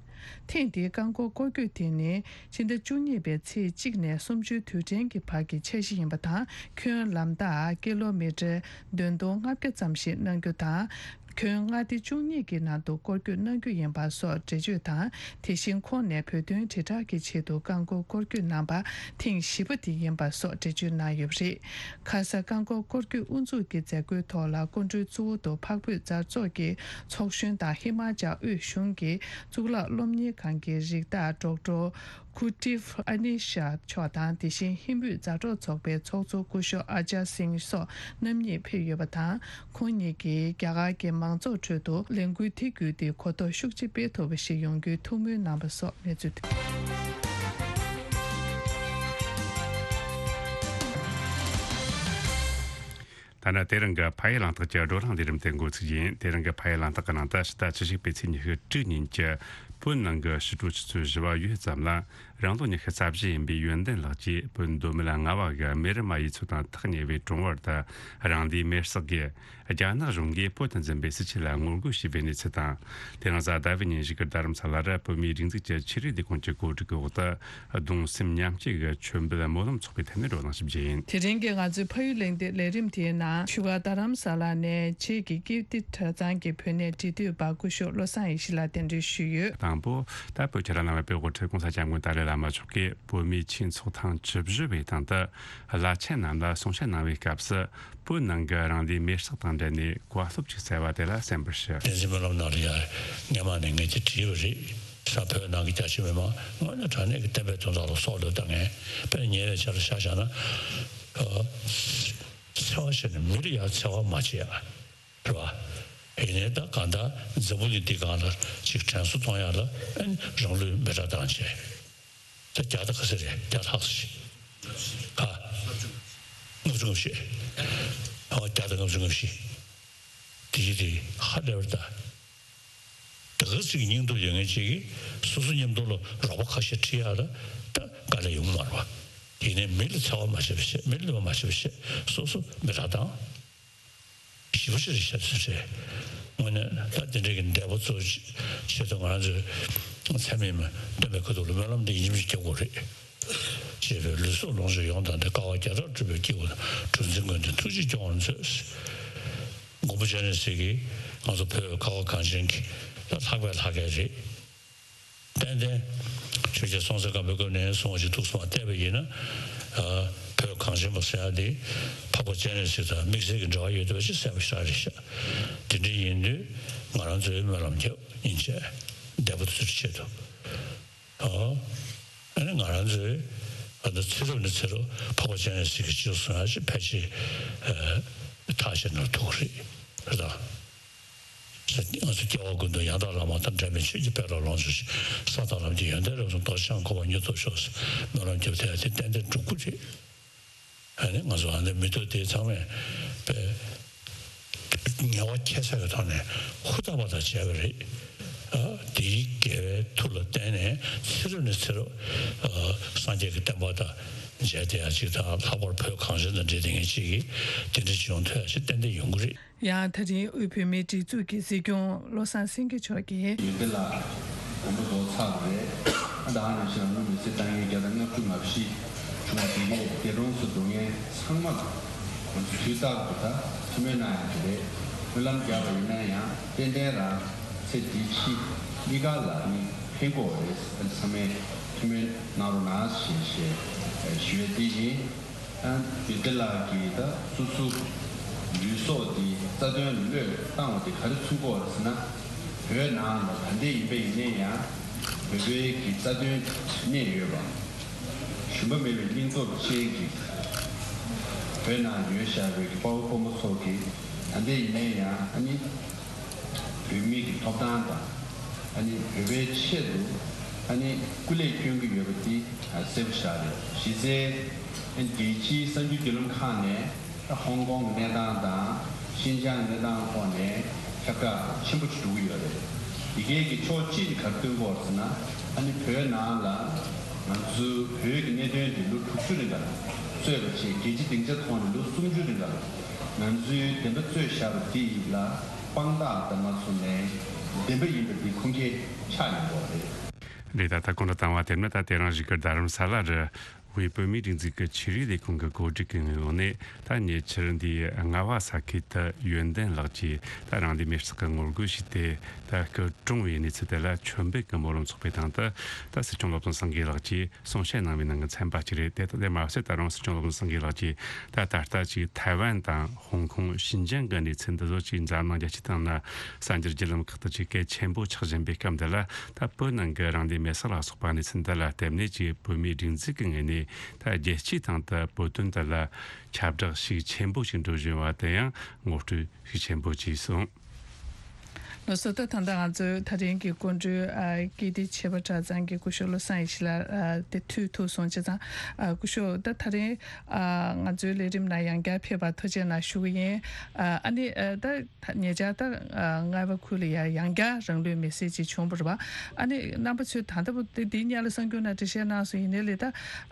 ཐེངས་འདིའི་རྐང་འཁོར་སྐོར་སྐྱོད་དེ་ནི་ཕྱི་ཟླ་བཅུ་གཉིས་པའི་ཚེས་གཅིག་ནས་སུམ་ཅུའི་དུས་དྲན་གྱི་བར་གྱི་འཆར་གཞི་ཡིན་པ་དང་། ཁྱོན་ལམ་ཐག་ཀི་ལོ་མི་ཊར་བདུན་སྟོང་ལྔ་བརྒྱ་ཙམ་ཞིག་གནང་རྒྱུ་དང་། ཁྱོན་མངའ་སྡེ་བཅུ་གཉིས་ཀྱི་ནང་དུ་སྐོར་སྐྱོད་གནང་རྒྱུ་ཡིན་པ་སོགས་འགྲེལ་བརྗོད་དང་། དེ་བཞིན་ཁོང་ནས་བོད་དོན་དྲིལ་བསྒྲགས་ཀྱི་ཆེད་དུ་རྐང་འཁོར་སྐོར་སྐྱོད་གནང་པ་ཐེངས་བཞི་པ་དེ་ཡིན་པ་སོགས་འགྲེལ་བརྗོད་གནང་ཡོད་པ་རེད། ཁ་ས་རྐང་འཁོར་སྐོར་སྐྱོད་དབུ་འཛུགས་ཀྱི་མཛད་སྒོའི་ཐོག་ལ་སྐུ་མགྲོན་གཙོ་བོ་དུ་འཕགས་བོད་མཛའ་ཚོགས་ཀྱི་ཚོགས་གཞོན་དང་ཧི་མ་ཅལ་དབུས་གཞུང་གི་གཙུག་ལག་སློབ་གཉེར་ཁང་གི་རིགས་བདག་ཌོག་ཊར་ཁུ་ཏིབ་ཨ་ནི་ཤ་མཆོག་དང་། དེ་བཞིན་ཧིན་བོད་མཛའ་གྲོགས་ཚོགས་པའི་ཚོགས་གཙོ་སྐུ་ཞབས་ཨ་ཅར་སིང་སོགས་རྣམ་གཉིས་ཕེབས་ཡོད་པ་དང་། ཁོང་གཉིས་ཀྱིས་རྒྱ་གར་གྱི་མང་ཚོགས་ཁྲོད་དུ་ལས་འགུལ་དེ་བརྒྱུད་དེ་གོ་རྟོགས་ཤུགས་ཆེ་སྤེལ་ཐུབ་པ་ཞིག་ཡོང་རྒྱུའི་ཐུགས་སྨོན་གནང་བ་སོགས་གནས་ཚུལ་ཐོན། ཐ་ན་དེ་རིང་གི་ཕ་ཡུལ་གླེང་སྟེགས་ཀྱི་བགྲོ་གླེང་ལས་རིམ་དེ་འགོ་ཚུགས་ཡིན། དེ་རིང་གི་ཕ་ཡུལ་གླེང་སྟེགས་ཀྱི་ནང་དུ་ཕྱི་ཟླ་བཅུ་གཅིག་པའི་ཚེས་ཉི་ཤུ་དྲུག་ཉིན་གྱི་བོད་ནང་གི་ཕྱི་དྲོ་ཆུ་ཚོད་བཞི་པ་ཡོལ་ཙམ་ལ། རང་ལོ་ཉི་ཤུ་རྩ་བཞི་ཡིན་པའི་ཡོན་ཏན་ལགས་ཀྱིས་བོད་མདོ་སྨད་རྔ་བ་གི་མེ་རི་མ་ཡུལ་ཚོ་དང་ཐག་ཉེ་བའི་གྲོང་བར་དུ་རང་ལུས་མེར་བསྲེགས་ཀྱིས། རྒྱ་ནག་གཞུང་གིས་བོད་དུ་འཛིན་པའི་སྲིད་བྱུས་ལ་ངོ་རྒོལ་བྱས་པའི་གནས་ཚུལ་དང་། དེ་རིང་གཟའ་ཟླ་བའི་ཉིན་བཞུགས་སྒར་རྡ་རམ་ས་ལ་རུ་བོད་མིའི་སྒྲིག་འཛུགས་ཀྱི་ཆོས་རིག་ལས་ཁུངས་ཀྱི་གོ་སྒྲིག་གི་འོག་ཏུ། གདུང་སེམས་མཉམ་སྐྱེད་ཀྱི་མཆོད་འབུལ་སྨོན་ལམ་ཚོགས་པའི་ཐད་ནས་བགྲོ་གླེང་ཞིག་བྱས་ཡིན། དེ་རིང་གི་ང་ཚོའི་ཕ་ཡུལ་གླེང་སྟེགས་ལས་རིམ་དེའི་ནང་བཞུགས་སྒར་རྡ་རམ་ས་ལ་ནས་བྱེས་ཀྱི་ཀིརྟི་གྲྭ་ཚང་གི་བོད་གནས་འབྲེལ་མཐུད་པ་སྐུ་ཞབས་བློ་བཟང་ཡེ་ཤེས་ལགས་གདན་འདྲེན་ཞུས་ཡོད། དང་པོ། ད་བོད་ཁྱེད་རང་རྣམ་པའི་དབུ་ཁྲིད་༸གོང་ས་༸སྐྱབས་མགོན་ཏཱ་ལའི་བླ་མ་མཆོག་གིས་བོད་མིའི་ཆོས་ཚོགས་ཐེངས་བཅུ་བཞི་པའི་སྟེང་དུ་བླ་ཆེན་རྣམས་ལ་གསུང་བཤད་གནང་བའི་སྐབས་སུ། བོད་ནང་གི་རང་ལུས་མེར་བསྲེགས་དང་འབྲེལ་ནས་བཀའ་སློབ་ཅིག་སྩལ་བ་དེ་ལ་གསན་པར་ཞུ། བསྟན་འཛིན་སྨོན་ལམ་ནང་ལ་ཡ། སྔས་མ་ནས་ངས་དེ་བྲིས་པ་རེད། ས་བོད་ནང་གི་རྒྱ་ཆེ་མི་མང་དངོས་གནས་དྲང་གནས་ཀྱི་བསྟན་པའི་དོན་དག་ལ་སྲོག་བློས་བཏང་མཁན། དཔེར་ན་ཉེ་བའི་ཆར་ལ་ཆ་བཞག་ན། ཨ། འཚེ་བ་བྱས་ནས་མི་ལ་ཡང་འཚེ་བ་མ་བྱེད་ཡ། རེད་བ། ཡིན་ནའི་ད་གང་ལྟར་འཛམ་བུ་གླིང་འདི་སྒང་ལ་ཅིག་དྲན་གསོ་གཏོང་ཡ་ལ་ཨ་ནི་རང་ལུས་མེ་སྲེག་བཏང་བྱས། ད་བརྒྱ་དང་ག་ཚོད་རེད། བརྒྱ་ལྷག་ཙམ་ཞིག་ག་ལྔ་བཅུ་ང་བཞི། ཨ། བརྒྱ་དང་ལྔ་བཅུ་ང་བཞི། དེ་ཡི་དེ་ཧ་ལས་པར་ད། ད་ག་ཚོད་ཀྱི་སྙིང་སྟོབས་ཡོད་མཁན་ཅིག་གིས་སོ་སོ་མཉམ་དུ་ལ་རོགས་པ་ཁ་ཤས་ཁྲིད་ཡ་ལ་ད་དཀའ་ལས་ཡོང་མ་རེད་བ། ཡིན་ནའི་མི་ལ་འཚེ་བ་མ་བྱེད་པ་བྱེད། མི་ལ་གནོད་པ་མ་བྱེད་པ་བྱེད། སོ་སོ་མེ་སྲེག་བཏང་། ཞེ་པོ་ཅིག་རེད་ཤག་ཟེར་བྱས། དངོས་གནས་ད་དེ་འདྲའི་གི་འདས་པོ་ཚོ་ཆེད་དུ་ང་རང་ཚོའི་ཚད་མེད་མ་སྟོན་པའི་ཁ་ཐུག་ལ་སྨོན་ལམ་འདི་ཡིན་གཅིག་མིན་གཅིག་རྒྱག་དགོས་རེད། ཅེས་པའི་ལུས་སྲོག་ལོངས་སྤྱོད་ཡོངས་དང་ནི། དཀའ་བ་བརྒྱ་ཕྲག་སྒྲུབ་པའི་སྐྱེས་བུ་དང་། གྲུ་འཛིན་མགོན་དེ་ཐུགས་རྗེས་སྐྱོང་བར་མཛོད། མགོན་པོ་སྤྱན་རས་གཟིགས་ཀྱིས་ང་ཚོ་བོད་ཁ་བ་གངས་ཅན་གྱི་ད་ལྷག་པའི་ལྷ་སྐལ་རེད། ཏན་ཏན་ཆོས་རྒྱལ་སྲོང་བཙན་སྒམ་པོའི་སྐབས་ནས་བཟུང་བ་ཞིག་ཐུགས་བསམ་བཏད་པ་ཡིན་ན། ཨ། བོད་གངས་ཅན་པ་ཟེར་ཡ་འདི་འཕགས་པ་སྤྱན་རས་གཟིགས་དང་དམིགས་བསལ་གྱི་འབྲེལ་བ་ཡོད་བསྡད་པ་ཞིག་གསལ་པོ་ཞེ་དྲག་རེད་ཤག་དེ་འདྲ་ཡིན་དུས་ང་རང་ཚོས་སྨོན་ལམ་རྒྱབ་ཡིན་ཆད་འདས་པོ་དེ་ཚོའི་ཆེད་དུ། ཨོ། ཨ་ནི་ང་རང་ཚོས་ཨ་ནི་ཚེ་རབས་ནས་ཚེ་རབས་འཕགས་པ་སྤྱན་རས་གཟིགས་ཀྱི་སྤྱི་གསུང་ཡ་ཞིག་ཕལ་ཆེར་ཨ་ཐག་བཅད་ན་ཐུག་རེད། རེད་ད། ང་ཚོ་སྐྱེ་བ་ཀུན་ཏུ་ཡང་དག་བླ་མ་དང་། འབྲལ་མེད་ཆོས་ཀྱི་དཔལ་ལ་ལོངས་སྤྱོད་ཅིང་། ས་དང་ལམ་གྱི་ཡོན་ཏན་རབ་གསུངས། རྡོ་རྗེ་འཆང་ཁོ་པ་མྱུར་ཐོབ་ཤོག་ཟེར་སྨོན་ལམ་རྒྱབ་བསྡད་ཡ་དེ་ཏན་ཏན་འགྲུབ་ཀྱི་རེད། ཨ་ནི་ང་ཚོ་ཨ་ནི་མི་ཐོག་དེ་ཚང་མས་པའི་ངལ་བ་ཁྱད་བསད་ཀྱི་ཐོག་ནས་ཧུར་ཐག་པ་དང་བྱས་པ་རེད། ཨ། དེའི་དགེ་བའི་མཐུ་ལ་བརྟེན་ནས་ཚེ་རབས་ནས་ཚེ་རབས། ཨ། སངས་རྒྱས་ཀྱི་བསྟན་པ་དང་མཇལ་བསྡད་ཡ་ཅིག་དང་། ལྷག་པར་བོད་གངས་ཅན་དང་འབྲེལ་བསྡད་མཁན་ཅིག་གིས་དེ་འདྲ་ཅིག་ཡོང་ཐུབ་ཡ་ཅིག་ཏན་ཏན་ཡོང་གི་རེད། ཡང་ད་རིང་དབུས་བོད་མིའི་སྒྲིག་འཛུགས་ཀྱི་སྲིད་སྐྱོང་བློ་བཟང་སེང་གེ་མཆོག་གིས། ཡོན་ཏན་ལགས་དགོངས་པ་རྫོགས་ཚར་བ་རེད། ཨ། ད་ག་ནང་བཞིན་ལ་དངུལ་མེད་ཚེ་ཏང་ཡོན་བརྒྱ་དང་ལྔ་བཅུ་ང་བཞི་བྱུང་བ་དེ་གས་འདས་གྲོངས་སུ་འགྲོ་མཁན་ཚང་མ་ལ་ང་ཚོ་དུས་རྟག་ཏུ་ད་ཐུགས་སྨོན་གནང་ཡ་དེ་རེད། སྨོན་ལམ་བརྒྱབ་པ་ཡིན་ན་ཡང་ཏན་ཏན་རང་ཚེ་འདི་ཕྱི་གཉིས་ཀ་ལ་ནི་ཕན་གྱི་ཡོད་རེད། ཨ་ནི་ཚང་མས་ཐུགས་སྨོན་གནང་རོགས་གནང་ཞེས་ཞེས་ཞུ་ཡ་དེ་ཡིན། ཡོན་ཏན་ལགས་ཀྱིས་ད་སོ་སོ་ལུས་སྲོག་འདི་རྩ་དོན་བློས་བཏང་བ་དེ་ག་རེ་མཚོན་གྱི་ཡོད་རེད་ཟེར་ན། བོད་ནང་ལ་ག་འདྲ་ཡིན་པ་ཡིན་ནའི་ཡང་བོད་པའི་གི་རྩ་དོན་གནས་ཡོད་པ། ཞུམ་པ་མེད་པའི་སྙིང་སྟོབས་ཅན་གྱི་བོད་ནང་ཡོད་བཞག་པའི་གི་དཔའ་བོ་དཔའ་མོ་ཚོ་གིས་ག་འདྲ་ཡིན་ནའི་ཡང་ཨ་ནི། བོད་མི་གི་ཐོབ་ཐང་དང་། ཨ་ནི་བོད་པའི་ཆེད་དུ་ཨ་ནི་སྐུ་ལས་བསྐྱོན་གྱི་ཡོད་པ་འདི་གསལ་པོ་ཞེ་དྲག་རེད། གཞི་རྩའི་རྒྱལ་སྤྱིའི་གསར་འགྱུར་བརྒྱུད་ལམ་ཁག་ནས་ཧོང་ཀོང་གི་གནས་སྟངས་དང་ཤིན་ཅང་གི་གནས་སྟངས་ཐོག་ནས་ཁྱབ་བསྒྲགས་ཆེན་པོ་ཞིག་འགྲོ་གི་ཡོད་རེད། འདི་གའི་གི་ཕྱོགས་གཅིག་ནས་ག་རེ་སྟོན་གྱི་ཡོད་རེད་ཟེར་ན། ཨ་ནི་བོད་ནང་ལ་ང་ཚོའི་བོད་ཀྱི་གནད་དོན་འདི་ལོ་དྲུག་ཅུ་རིང་ག་ལ་རྩོད་པ་བྱས། རྒྱལ་སྤྱིའི་སྡིངས་ཆ་ཐོག་ནས་ལོ་སུམ་ཅུ་རིང་ག་ལ་ང་ཚོའི་བདེན་པ་རྩོད་བཞག་པ་འདི་ལ་དཔང་རྟགས་དང་མ་མཚུངས་ནས་བདེན་པ་ཡིན་པ་འདི་ཁུངས་སྐྱེལ་ཆགས་ཡོང་གི་ཡོད་རེད། རེད། ད་ལྟ་གོང་དུ་བཏང་བ་དེ་ནི་ད་དེ་རིང་བཞུགས་སྒར་རྡ་རམ་ས་ལ་རུ་དབུས་བོད་མིའི་སྒྲིག་འཛུགས་ཀྱི་ཆོས་རིག་ལས་ཁུངས་ཀྱི་གོ་སྒྲིག་གི་ངོས་ནས། ད་ཉེ་ཆར་འདིའི་རྔ་བ་ས་ཁུལ་དུ་ཡོན་ཏན་ལགས་ཀྱིས་ད་རང་ལུས་མེར་བསྲེགས་ཀྱི་ངོ་རྒོལ་ཞུས་ཏེ། ད་སྐུ་གྲོངས་པའི་གནས་ཚུལ་དེ་ལ་མཆོད་འབུལ་གྱི་སྨོན་ལམ་ཚོགས་པའི་སྟེང་དུ། ད་སྲིད་སྐྱོང་བློ་བཟང་སེང་གེ་ལགས་ཀྱིས་གསུང་བཤད་གནང་བའི་ནང་གི་ཚན་པ་གཅིག་རེད། དེ་ལྟ་དེ་མ་ཟད་ད་རུང་སྲིད་སྐྱོང་བློ་བཟང་སེང་གེ་ལགས་ཀྱིས་ད་ད་ལྟ་ཅིག་ཐའེ་ཝན་དང་ཧོང་ཀོང་། ཤིན་ཅང་གི་གནས་ཚུལ་འདི་ཚོ་ཅིག་འཛམ་གླིང་རྒྱལ་སྤྱི་སྟེང་ན་གསར་འགྱུར་བརྒྱུད་ལམ་ཁག་ཏུ་ཅིག་གལ་ཆེན་པོ་ཆགས་བཞིན་པའི་སྐབས་འདི་ལ། ད་བོད་ནང་གི་རང་ལུས་མེར་བསྲེགས་ལ་སོགས་པ་གནས་ཚུལ་འདི་ལ་བརྟེན་ནས་ཅིག་བོད་མིའི་སྒྲིག་འཛུགས་ཀྱི་ངོས་ནས་ད་རྒྱལ་སྤྱིའི་སྟེང་དུ་བོད་དོན་འདི་ལ་ཁྱབ་བསྒྲགས་ཤུགས་ཆེན་པོ་ཞིག་འགྲོ་བཞིན་པ་དེ་ཡང་ངོ་སྤྲོད་ཤུགས་ཆེན་པོ་བྱས་སོང་། ལགས་སོ། ད་ད་ལྟ་ང་ཚོའི་ད་རིང་གི་སྐུ་མགྲོན་ཨ་ཀིརྟི་བྱེས་པ་གྲྭ་ཚང་གི་སྐུ་ཞབས་བློ་བཟང་ཡེ་ཤེས་ལགས་ཨ་དེ་ཐུག་ཐུབ་སོང་བྱས་ཙང་། ཨ་སྐུ་ཞབས་ད་ད་རིང་ཨ་ང་ཚོའི་ལས་རིམ་ནང་ཡང་བསྐྱར་ཕེབས་པར་ཐུགས་རྗེ་གནང་ཞུ་གི་ཡིན། ཨ་ཨ་ནི་ཨ་ད་ད་ཉེ་ཆར་ད་ཨ་རྔ་བ་ཁུལ་ལ་ཡང་ཡང་བསྐྱར་རང་ལུས་མེར་སྲེག་ཅིག་བྱུང་བ་རེད་པ། ཨ་ནི་རྣམ་པ་ཚོས་ད་ལྟ་བུ་དེ་འདིའི་སྔོན་ལ་གསར་འགྱུར་ནང་འགྲེལ་བཤད་གནང་སོང་། ཡིན་ནའི་ལས་ད་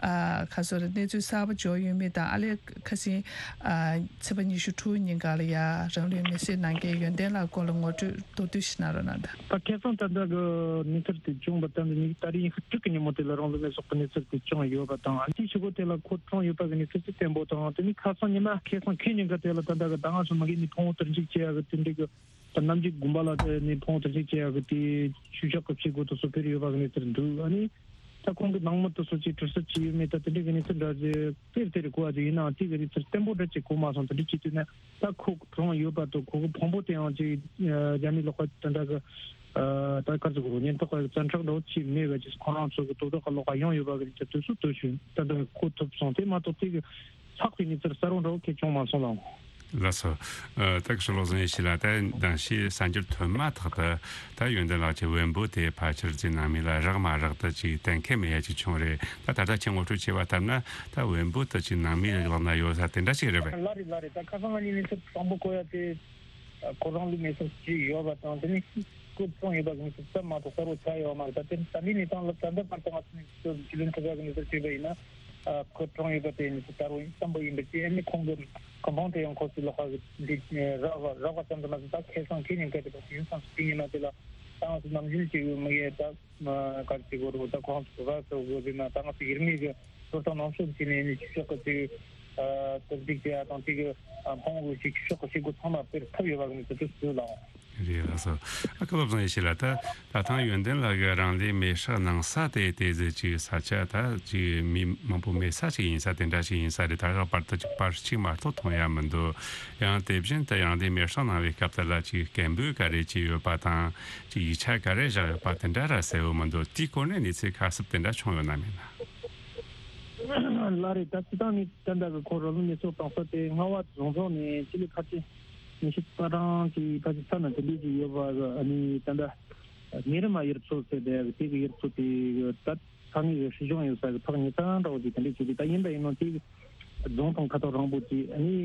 ཨ་ག་སོ་རེད། གནས་ཚུལ་གསར་པ་འབྱོར་ཡོད་མེད་དང་ཨ་ལས་ཁ་སང་ཨ་ཚེས་པ་ཉི་ཤུ་དྲུག་ཉིན་ག་ལ་ཡ་རང་ལུས་མེར་སྲེག་གནང་མཁན་ཡོན་ཏན་ལགས་སྐོར་ལ་ངོ་སྤྲོད་མདོར་བསྡུས་ཤིག་གནང་རོགས་གནང་དང་། ད་ཁ་སང་ད་ལྟ་གི་གནས་ཚུལ་དེ་བྱུང་བ་ད་ནི་ད་རེས་ཉི་ཤུ་དྲུག་གི་ཉིན་མོ་དེ་ལ་རང་ལུས་མེར་སྲེག་གི་གནས་ཚུལ་དེ་བྱུང་ཡོད་པ་དང་། ཨ་ནི་ཞུ་སྒོ་དེ་ལ་ཁོ་གྲོངས་ཡོད་པ་གི་གནས་ཚུལ་དེ་བརྟན་པོ་དང་། དེ་ནི་ཁ་སང་ཉི་མ་ཁ་སང་ཁེ་ཉིན་ག་དེ་ལ་ད་ལྟ་གི་ད་ང་ཚོ་མ་གི་ནི་ཕུང་བོ་དུར་འཇུག་བྱེད་ཡ་གི་དེ་འདྲའི་གི་ད་གནམ་རྒྱུད་དགོན་པ་ལ་ནི་ཕུང་བོ་དུར་འཇུག་བྱེད་ཡ་གི་དེ་ཆོས་ཕྱོགས་གི་བྱེད་སྒོ་དེ་ཚོ་སྤེལ་ཡོད་པ་གི་གནས་ཚུལ་འདུག་ཨ་ནི། ད་ཁོང་གི་ནང་མི་དེ་ཚོ་ཅིག་གྲི་སུ་ཅི་ཡོད་མེད་ད་དེ་འདྲའི་གི་གནས་ཚུལ་འདྲ་ཅིག་དེར་དེར་གོ་བ་ཅིག་ཡིན་ནའང་དེ་གི་གནས་ཚུལ་བརྟན་པོ་འདྲ་ཅིག་གོ་མ་སོང་། དེ་འདྲ་ཅིག་དུས་ན་ད་ཁོ་གྲོངས་ཡོད་པ་དང་ཁོ་གི་ཕུང་པོ་དེའང་ཅིག་རྒྱ་མི་ལོག་པ་དེ་འདྲ་གི་ད་གར་ཚུགས་རོ་ཉེན་རྟོག་པ་གི་བཙན་ཁྲག་འདྲ་བོ་ཅིག་མེད་པ་ཅིག་ཁོ་རང་ཚོ་གི་དོ་བདག་གི་ལོག་པ་ཡོང་ཡོད་པ་གི་གནས་ཚུལ་དེ་ཚོ་དུ་ཞུ་ད་ལྟ་གོ་ཐུབ་སོང་། དེ་མ་གཏོགས་དེ་གི་ཚགས་པའི་གནས་ཚུལ་གསལ་པོ་འདྲ་བོ་ཁྱེད་བྱུང་མ་སོང་ལགས། ལགས་སོ། ཨ་ད་གི་ཤོ་ལོ་ཟན་ཡེ་ཤེས་ལགས། ད་དང་ཤི་གསར་འགྱུར་ཐོན་མ་ཐག་ཏུ་ད་ཡོན་ཏན་ལགས་ཀྱི་བེམ་པོ་དེ་ཕལ་ཆེར་ཅིག་ནང་མི་ལ་རག་མ་རག་ད་ཅིག་གཏན་འཁེལ་མེད་ཡ་ཅིག་བྱུང་རེད། ད་ད་ལྟ་ཁྱེད་ངོ་སྤྲོད་བྱས་པ་ལྟར་ན་ད་བེམ་པོ་དེ་ཅིག་ནང་མི་ལག་ན་ཡོད་ས་དེ་འདྲ་ཅིག་རེད་པས། ལགས་རེད་ལགས་རེད། ད་ཁ་སང་ང་གཉིས་གནས་ཚུལ་དང་པོ་གོ་ཡ་དེ་ཁོ་རང་ལུས་མེར་སྲེག་བྱས་ཡོད་པ་དང་དེ་ནི་ཁོ་གྲོངས་ཡོད་པ་གི་གནས་ཚུལ་ཙམ་མ་གཏོགས་གསལ་པོ་ཆགས་ཡོད་མ་རེད། ད་དེ་ད་ལྟའི་གནས་སྟངས་ལ་ད་ལྟ་བར་དུ་ང་ཚོ་ནས་ཚུར་རྒྱུས་ལོན་ཐུབ་ཡ་གི་གནས་ཚུལ་བྱས་པ་ཡིན་ན། ཨ་ཁོ་གྲོངས་ཡོད་པ་དེ་ནི་གསལ་པོ་ཡིན་བསམ་པ་ཡིན་པ་ཅི་ཨ་ནི་ཁོང་གི་ཁང་པ་དེ་ཡང་ཁོ་ཚོའི་ལོགས་ཀ་གི་འདི་རག་པ་རག་པ་ཙམ་དུ་མ་ཟད་ད་ཁ་སང་ཁེ་ཉིན་སྐད་དེ་བ་ཡིན་ཙང་དེ་ཉིན་མ་དེ་ལ་ད་ང་ཚོ་ནམ་རྒྱུན་གཅིག་ཡོད་མི་ཡས་ད་གར་གཅིག་གོ་རུ་ད་ཁོང་ཚོ་ག་ཚོ་གོ་རུ་ན་ད་ང་ཚོ་ཡིར་མི་གི་ལོ་ཏང་ནང་སོ་ཅི་ནས་ནི་ཆུ་ཤོག་གི་ཅིག་ཨ་ཏོག་ཅིག་ཅི་ཨ་དང་ཅིག་ཨ་ཕོང་གི་ཅིག་ཆུ་ཤོག་གི་ཤིག་གུ་ཚང་མ་སྤེལ་ཐུབ་ཡོད་པ་གི་ནི་དེ་ཚོ་སུ་ལའང་། རེད་ལགས་སོ། ཨ་ཁ་བབ་བཟང་ཡེ་ཤེས་ལགས། ད་ད་ཐང་ཡོན་ཏན་ལགས་ཀྱིས་རང་ལུས་མེར་སྲེག་གནང་ས་དེ་དེ་ཟེར་ཅིག་ས་ཆ་ད་ཅིག་མི་མང་པོ་མེད་ས་ཅིག་ཡིན་ས་དེ་འདྲ་ཞིག་ཡིན་ས་རེད། ད་ག་བར་དུ་ཅིག་པར་ཅིག་མ་གཏོགས་མཐོང་ཡ་མི་འདུག་ཡང་དེ་བཞིན་དུ་རང་ལུས་མེར་སྲེག་གནང་བའི་སྐབས་དེ་ལ་ཅིག་སྐད་འབོད་ག་རེ་ཅིག་ཡོད་པ་དང་ཅིག་ཡིག་ཆ་ག་རེ་བཞག་ཡོད་པ་དེ་འདྲ་ར་གསལ་བོ་མི་འདུག་དེའི་སྐོར་ནས་གནས་ཚུལ་ག་ཚོད་དེ་འདྲ་བྱུང་ཡོད་ན་མེད་ན། ལགས་རེད། ད་སྤྱི་བཏང་ནས་ད་ལྟ་གི་ཁོ་རང་ལུས་མེར་སྲེག་བཏང་ས་དེ་རྔ་བ་རྫོང་ཚོགས་ནས་སྤྱི་ལེ་ཕལ་ཆེར་ཉི་ཤུ་རྩ་གྲངས་ཀྱི་ཕལ་ཆེར་ས་ན་དེ་འདྲས་ཅིག་ཡོད་པ་གི་ཨ་ནི་ད་ལྟ་ཉེ་རི་མ་ཡུལ་ཚོ་ཟེར་བའི་དེ་གི་ཡུལ་ཚོ་དེ་གི་ད་ས་ངེས་ཀྱི་སྲིད་གཞུང་ཡོད་ས་གི་ཐག་ཉེ་ས་འདྲ་བོ་ཅིག་དེ་འདྲས་ཅིག་རེད། ད་ཡིན་པ་ཡིན་ནོ་དེ་གི་རྫོང་དང་ཁ་ཐོག་རིང་པོ་ཅིག་ཨ་ནི་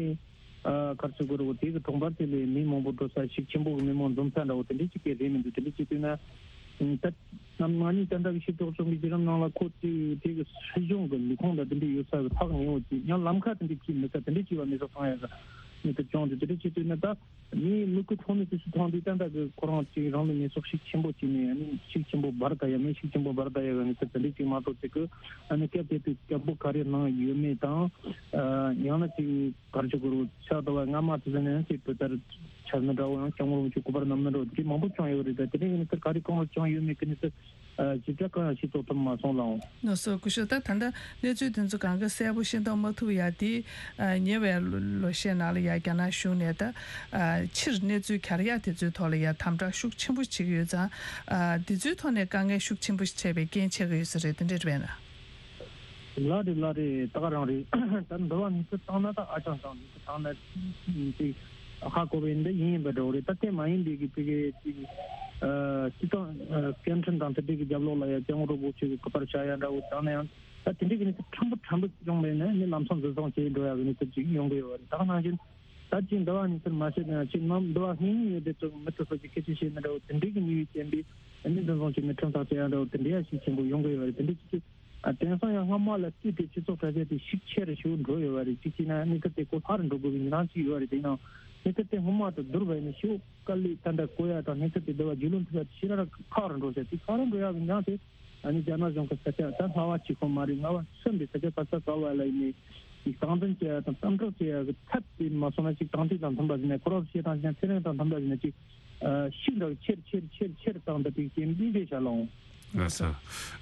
ཨ་གར་ཚུགས་དགོས་རེད་བོ། དེ་གི་གྲོང་པ་དེ་ལས་མི་མང་པོ་འགྲོ་ས་ཞིག་ཆེན་པོ་གི་མི་མང་འཛོམས་ས་འདྲ་བོ་དེ་འདྲས་ཅིག་གི་རེད་མི་འདུག་དེ་འདྲས་ཅིག་དུས་ན་ད་ནམ་ང་གཉིས་ད་ལྟ་གི་ཤེས་རྟོགས་བྱུང་གི་བརྒྱུད་རིམ་ནང་ལ་ཁོ་ཚོས་དེ་གི་སྲིད་གཞུང་གི་ལས་ཁུངས་དང་དེ་འདྲས་ཡོད་ས་གི་ཐག་ཉེ་བོ་ཅིག་ཡང་ལམ་ཁ་དེ་འདྲས་ཅིག་མེད་ས་དེ་འདྲས་ཅིག་བ་མེད་ས་མཐོང་ཡ་གི་མི་ཐུབ་བྱུང་དུས་དེ་འདྲས་ཅིག་དུས་ན་ད། ངས་མི་ཁུ་ཁྲོ་ནི་དུས་སུ་མཐོང་དུས་ད་ལྟ་གི་ཁོ་རང་ཅིག་རང་ལུས་མེ་སྲེག་ཤུགས་ཆེན་པོ་བྱས་ནས་ཨ་ནི་ཤུགས་ཆེན་པོ་འབར་ད་ཡ་མེད་ཤུགས་ཆེན་པོ་འབར་ད་ཡ་གི་ནི་ཚེ་དེ་འདྲས་ཅིག་མ་གཏོགས་ཅིག་གི་ཨ་ནི་སྐད་དེ་དུས་སྐད་འབོད་ག་རེ་གནང་ཡོད་མེད་དང་། ཡང་ན་ཅིག་གར་ཅིག་གུ་རུ་ཕྱག་ཏུ་བ་སྔ་མ་དུ་ཟིན་ནས་ཅིག་བུ་ལྟར་འཆར་ནི་འདྲ་བོ་ཡང་སྐྱབས་མགོན་རིན་པོ་ཆེ་སྐུ་པར་བསྣམས་ནི་འདྲ་བོ་དེ་འདྲས་མང་པོ་བྱུང་ཡོད་རེད། ད་དེ་འདྲས་གི་ནི་ཚེ་ག་རེ་གང་ལ་བྱུང་ཡོད་མེད་གི་ནི་ཚེ། ཨ་ཞིབ་ཕྲ་གང་ཡང་ཤེས་རྟོགས་ཐུབ་མ་སོང་ལགས། ལགས་སོ། སྐུ་ཞབས། ད་ད་ལྟ་གནས་ཚུལ་དེ་ཚོ་གང་ག་གསལ་པོ་ཤེས་རྟོགས་མ་ཐུབ་ཡ་དེ་ཨ་ཉེ་བའི་ལོ་ལོ་ཤས་ནང་ལ་ཡ་རྒྱ་ནག་གཞུང་ནས་ད་ཨ་ཕྱིར་གནས་ཚུལ་གྱར་ཡ་དེ་ཚོའི་ཐོག་ལ་ཡ་དམ་དྲག་ཤུགས་ཆེན་པོ་བྱེད་ཀྱི་ཡོད་ཙང་། ཨ་དེ་ཚོའི་ཐོག་ནས་དཀའ་ངལ་ཤུགས་ཆེན་པོ་འཕྲད་པའི་རྐྱེན་ཆགས་ཀྱི་ཡོད་ས་རེད། དེ་འདྲ་རེད་པས་ན། ལགས་རེད་ལགས་རེད། ད་ག་རང་རེད། ད་འདི་བ་གནས་ཚུལ་བཏང་ན་ད་ཨ་ཅང་ཅང་གནས་ཚུལ་བཏང་ན་ཅིག་ཧ་གོ་བའི་འདི་ཡིན་ཡིན་པ་འདྲ་བོ་རེད། ད་དེ་མ་ཡིན་པའི་གི་ཕ་གི་ཅིག་ཨ་སྤྱི་བཏང་ཨ་སྐད་འཕྲིན་དང་དེ་འདྲའི་གི་རྒྱབ་ལོགས་ལ་ཡ་སྐྱབས་མགོན་རིན་པོ་ཆེ་གི་སྐུ་པར་བཞག་ཡ་འདྲ་བོ་བཏང་ན་ཡང་ད་དེ་འདྲའི་གི་གནས་ཚུལ་ཕྲན་བུ་ཕྲན་བུ་ཅིག་བྱུང་བས་ན་ནི་ལམ་སང་འཛིན་བཟུང་བྱས་འགྲོ་ཡ་གི་གནས་ཚུལ་ཅིག་ཡོང་གི་ཡོད་རེད། ད་ག་ནང་བཞིན་ད་ཅིག་འདི་བ་གནས་ཚུལ་མ་ཤེས་ན་ཅིག་ནམ་འདི་བ་གནས་ཡོད་དེ་ཚོ་མི་ཚོ་ཚོ་ཅིག་སྐད་ཆ་བཤད་ན་འདྲ་བོ་དེ་འདྲའི་གི་ནུས་པའི་རྐྱེན་པས་ནི་འཛིན་བཟུང་བྱས་ནས་ཁྲིམས་ཐག་བཅད་ཡ་འདྲ་བོ་དེ་འདྲའི་ཡ་ཤུགས་ཆེན་པོ་ཡོང་གི་ཡོད་རེད། དེ་འདྲའི་ཅིག་ཅིག་ཨ་དེང་སང་ཡང་སྔ་མ་ལ་བལྟས་ཏེ་སྤྱི་ཚོགས་དྲ་རྒྱ་དེ་ཤུགས་ཆེ་རུ་ཞིག་འགྲོ་ཡོད་པ་རེད། གཅིག་བྱས་ན་གནས་ཚུལ་དེ་གོ་ལྷག་རུ་འགྲོ་དགོས་པའི་ཉེན་ཁ་ཅིག་ཡོད་རེད། དེ་ཡང་གནས་ཚུལ་དེ་སྔོན་མ་དང་བསྡུར་བ་ཡིན་ན་ཞེ་པོ་དཀའ་ལས་ད་འདྲ་གོ་ཡ་དང་གནས་ཚུལ་དེ་འདི་བ་རྒྱུས་ལོན་ཐུབ་ཡ་དེ་ཞེ་དྲག་ཁག་རུ་འགྲོ་ས་དེ་ཁག་རུ་འགྲོ་ཡ་གི་ཉེན་ཁ་དེ་ཨ་ནི་རྒྱ་ནག་གཞུང་གི་ས་ཆ་ད་རྔ་བ་གཅིག་པོ་མ་རེད། རྔ་བ་གསུམ་པའི་ས་ཆ་ད་ས་ག་བ་ལ་ཡིན་ནའི་ཅིག་སྟངས་འཛིན་བྱེད་ཡ་དང་གཏམ་བསྒྲགས་བྱེད་ཡ་གི་ཐབས་དེ་མ་སོང་ན་ཅིག་དྲང་ཐིག་དང་མཐུན་པ་ཟིན་ནས་ཁོ་རང་བཤད་སྟངས་ཅིག་ཚེ་རིང་དང་མཐུན་པ་ཟིན་ན་ཅིག་ཤུགས་རག་ཆེར་ཆེར་ཆེར་ཆེར་བཏང་ད་དེ་གི་མི་རེ་བྱ་ལོང་། ལགས་སོ།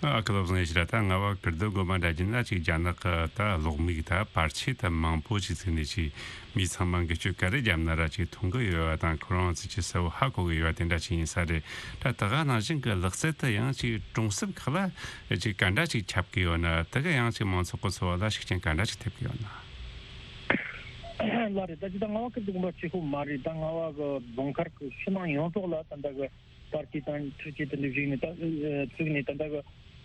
ཨ་ཁུ་བློ་བཟང་ཡེ་ཤེས་ལགས། ད་རྔ་བ་ཀིརྟི་དགོན་པ་འདྲ་བྱས་ན་ཅིག་རྒྱ་ནག་གི་ད་གློག་མིག་ད་པར་ཆས་ད་མང་པོ་ཅིག་བཙུགས་ནས་ཅིག་མི་ཚང་མ་འགུལ་སྐྱོད་ག་རེ་བརྒྱབ་ན་ར་ཅིག་མཐོང་གི་ཡོད་པ་དང་ཁོ་རང་ཚོས་ཅིག་གསལ་བོ་ཧ་གོ་གི་ཡོད་པ་དེ་འདྲ་ཅིག་ཡིན་ས་རེད། ད་ད་ག་ནང་བཞིན་གི་ལག་རྩལ་དེ་ཡང་ཅིག་གྲོང་གསེབ་ཁག་ལ་ཅིག་ག་འདྲ་ཅིག་ཁྱབ་གི་ཡོད་ན། དེ་ག་ཡང་ཅིག་མང་ཚོགས་ཀྱི་འཚོ་བ་ལ་ཤུགས་རྐྱེན་ག་འདྲ་ཅིག་ཐེབས་གི་ཡོད་ན། ལགས་རེད། ད་ཅི་ད་རྔ་བ་ཁུལ་དུ་ངོ་མ་གཅིག་པོ་མ་རེད། ད་རྔ་བ་གི་རྫོང་མཁར་གི་ཕྱི་ནང་ཡོངས་རྫོགས་ལ་ད་ལྟ་གི་པར་སྐྲུན་དང་འཕྲུལ་ཆས་དེ་འདྲ་བཞུགས་ནས་ད་ཨ་བཙུགས་ནས་ད་ལྟ་གི་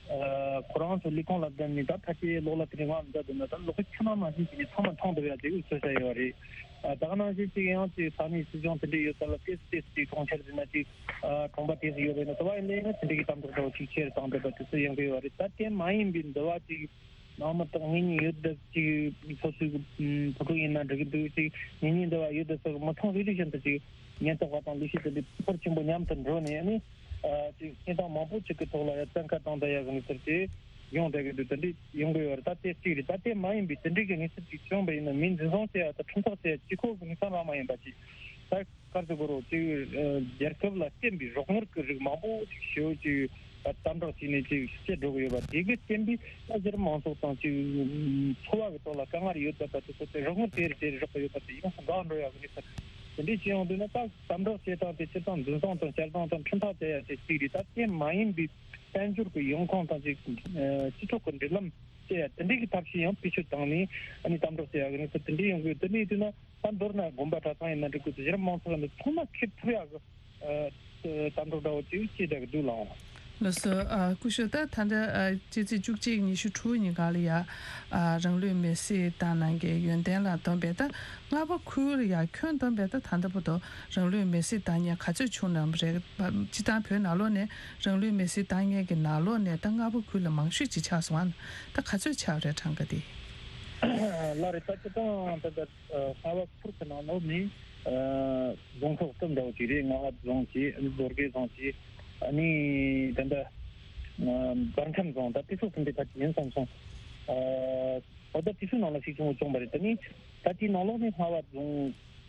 ཨ་ཁོ་རང་ཚོ་ལས་ཁུངས་ལ་བསྡད་ནས་ད་ཕལ་ཆེར་གློག་ཀླད་དེ་འདྲ་མངགས་མཛད་འདུག་ན་ད་གློག་ཁྱི་ནང་ནང་བཞིན་བྱས་ནས་ཚང་མ་མཐོང་ཐུབ་ཡ་དེ་འུ་ཚོ་བྱ་ཡོད་རེད། ཨ་ད་ག་ནང་བཞིན་ཅིག་ཡང་ཅིག་ས་གནས་སྲིད་གཞུང་དེ་འདྲ་ཡོད་ས་ལ་ཏོག་ཙམ་ཏོག་ཙམ་ཅིག་གྲོང་ཁྱེར་ཟེར་ན་ཅིག་ཨ་གྲོང་པ་དེ་ཚོ་ཡོད་པ་ཡིན་ན། དེ་བ་ཡིན་ན་ཡང་དེ་འདྲ་གི་དམ་དྲག་འདྲ་བོ་ཅིག་ཆེ་རུ་བཏང་བསྡད་པ་དེ་ཚོ་ཡོང་གི་ཡོད་རེད། ད་དེ་མ་ཡིན་པའི་འདི་བ་ཅིག་ནང་མི་དང་གཉེན་ཉེ་ཡོད་བསྡད་ཅིག་སོ་སོའི་སྤུ་གུ་ཡིན་ན་འགྲིག་གི་འདུག་ཅིག་གཉེན་ཉེ་འདི་བ་ཡོད་བསྡད་སོགས་མི་ཚང་རེ་རེ་བཞིན་དུ་ཅིག་ཉེན་རྟོག་པ་དང་ལས་བྱེད་དེ་འདྲའི་ཕོར་ཆེན་པོ་མཉམ་དུ་འགྲོ་ནས་ཨ་ནི་ཅིག་གནས་སྟངས་མང་པོ་ཅིག་གི་ཐོག་ལ་ཡ་བཙན་བཀའ་བཏང་བསྡད་ཡ་གི་གནས་ཚུལ་དེ་ཡོང་བསྡད་ཀྱི་འདུག་དེ་འདྲའི་ཡོང་གི་ཡོད་རེད། ད་དེ་གཅིག་རེད། ད་དེ་མ་ཡིན་པའི་དེ་འདྲའི་གི་གནས་ཚུལ་ཅིག་བྱུང་བ་ཡིན་ན་མི་འཛིན་བཟུང་བྱེད་ཡ་དང་ཁྲིམས་ཐག་བཅད་ཡ་གཅིག་ཁོ་གི་གནས་སྟངས་རང་མ་ཡིན་པ་ཅིག་ད། ག་རེ་ཟེར་དགོས་རེད། ཅིག་ཨ་རྒྱལ་ཁབ་ལ་བརྟེན་པའི་རོགས་དངུལ་གྱི་རིགས་མང་པོ་ཅིག་ཞེ་པོ་ཅིག་ཨ་དམ་དྲག་བྱས་ནས་ཅིག་སྤྱད་འགྲོ་གི་ཡོད་པ་དེ་གིས་བརྟེན་པའི་ཨ་གཞི་རིམ་མང་ཚོགས་དང་ཅིག་འཚོ་བ་གི་ཐོག་ལ་དཀའ་ངལ་ཡོད་པ་དང་དེ་ཚོ་དེ་རོགས་དངུལ་དེ་རེ་དེ་རེ་རག་གི་ཡོད་པ་དེ་ཡོངས་སུ་འགག་འགྲོ་ཡ་གི་གནས་ཚུལ་དེ་འདྲས་བྱས་ཡོང་དུས་ན། ད་དམ་དྲག་བྱེད་སྟངས་དེ་སྤྱིར་བཏང་འཛིན་བཟུང་དང་སྐྱེལ་སྟངས་དང་ཁྲིམས་ཐག་བཅད་ཡ་དེ་གཅིག་རེད། ད་དེ་མ་ཡིན་པའི་དཔལ་འབྱོར་གྱི་ཡོང་ཁུངས་དང་ཅིག་ཨ་སྤྱི་ཚོགས་ཀྱི་འབྲེལ་ལམ་བཅད་ཡ་དེ་འདྲའི་གི་ཐབས་ཤེས་ཡང་བེད་སྤྱོད་བཏང་ནས་ཨ་ནི་དམ་དྲག་བྱེད་ཡ་གི་གནས་ཚུལ་དེ་འདྲའི་ཡོང་གི་ཡོད། དེ་འདྲ་ཡིན་དུས་ན་ད་མདོར་ན་དགོན་པ་གྲྭ་ཚང་ཡིན་ན་འགྲིག་གི་འདུག་གཞི་རིམ་མང་ཚོགས་ཡིན་ན་ཚང་མ་ཁེབས་ཐུབ་ཡ་གི་ཨ་དམ་དྲག་འདྲ་བོ་ཅིག་བྱེད་བསྡད་ཀྱི་འདུག་ལགས། ལགས་སོ། ཨ་སྐུ་ཞབས། ད་ད་ལྟ་ཨ་སྤྱི་ཚེས་བཅུ་གཅིག་ཉི་ཤུ་དྲུག་ཉིན་གང་ལ་ཡ་ཨ་རང་ལུས་མེར་སྲེག་བཏང་གནང་མཁན་ཡོན་ཏན་ལགས་བསྡོམས་པས་ད་རྔ་བ་ཁུལ་ལ་ཡ་ཁྱོན་བསྡོམས་པས་ད་ད་ལྟ་བར་དུ་རང་ལུས་མེར་སྲེག་བཏང་མཁན་ག་ཚོད་བྱུང་གནང་བ་རེད། སྤྱིར་བཏང་བོད་ནང་ལོགས་ནས་རང་ལུས་མེར་སྲེག་བཏང་མཁན་གྱི་ནང་ལོགས་ནས་ད་རྔ་བ་ཁུལ་ལ་མང་ཤོས་ཅིག་ཆགས་སོང་ཨ། ད་ག་ཚོད་ཆགས་རེད་གྲངས་ཀ་དེ། ལགས་རེད། ད་སྤྱིར་བཏང་ད་ལྟ་རྔ་བ་ཁུལ་གྱི་ནང་ལོགས་ནས་ཨ་རྫོང་ཁག་གསུམ་འདྲ་བོ་ཅིག་རེད། རྔ་བ་རྫོང་ཅིག་ཨ་ནི་རྡོ་རྗེ་རྫོང་ཅིག་ཨ་ནི་ད་ལྟ་ཨ་བར་ཁམས་རྫོང་ད་དེ་ཚོ་གསུམ་དེ་ཕལ་ཆེར་ཡིན་བསམ་སོང་། ཨ་འོ་ད་དེ་ཚོའི་ནང་ལ་ཤུགས་ཆེན་པོ་བྱུང་བ་རེད། ད་ནི་ད་དེའི་ནང་ལོགས་ནས་རྔ་བ་རྫོང་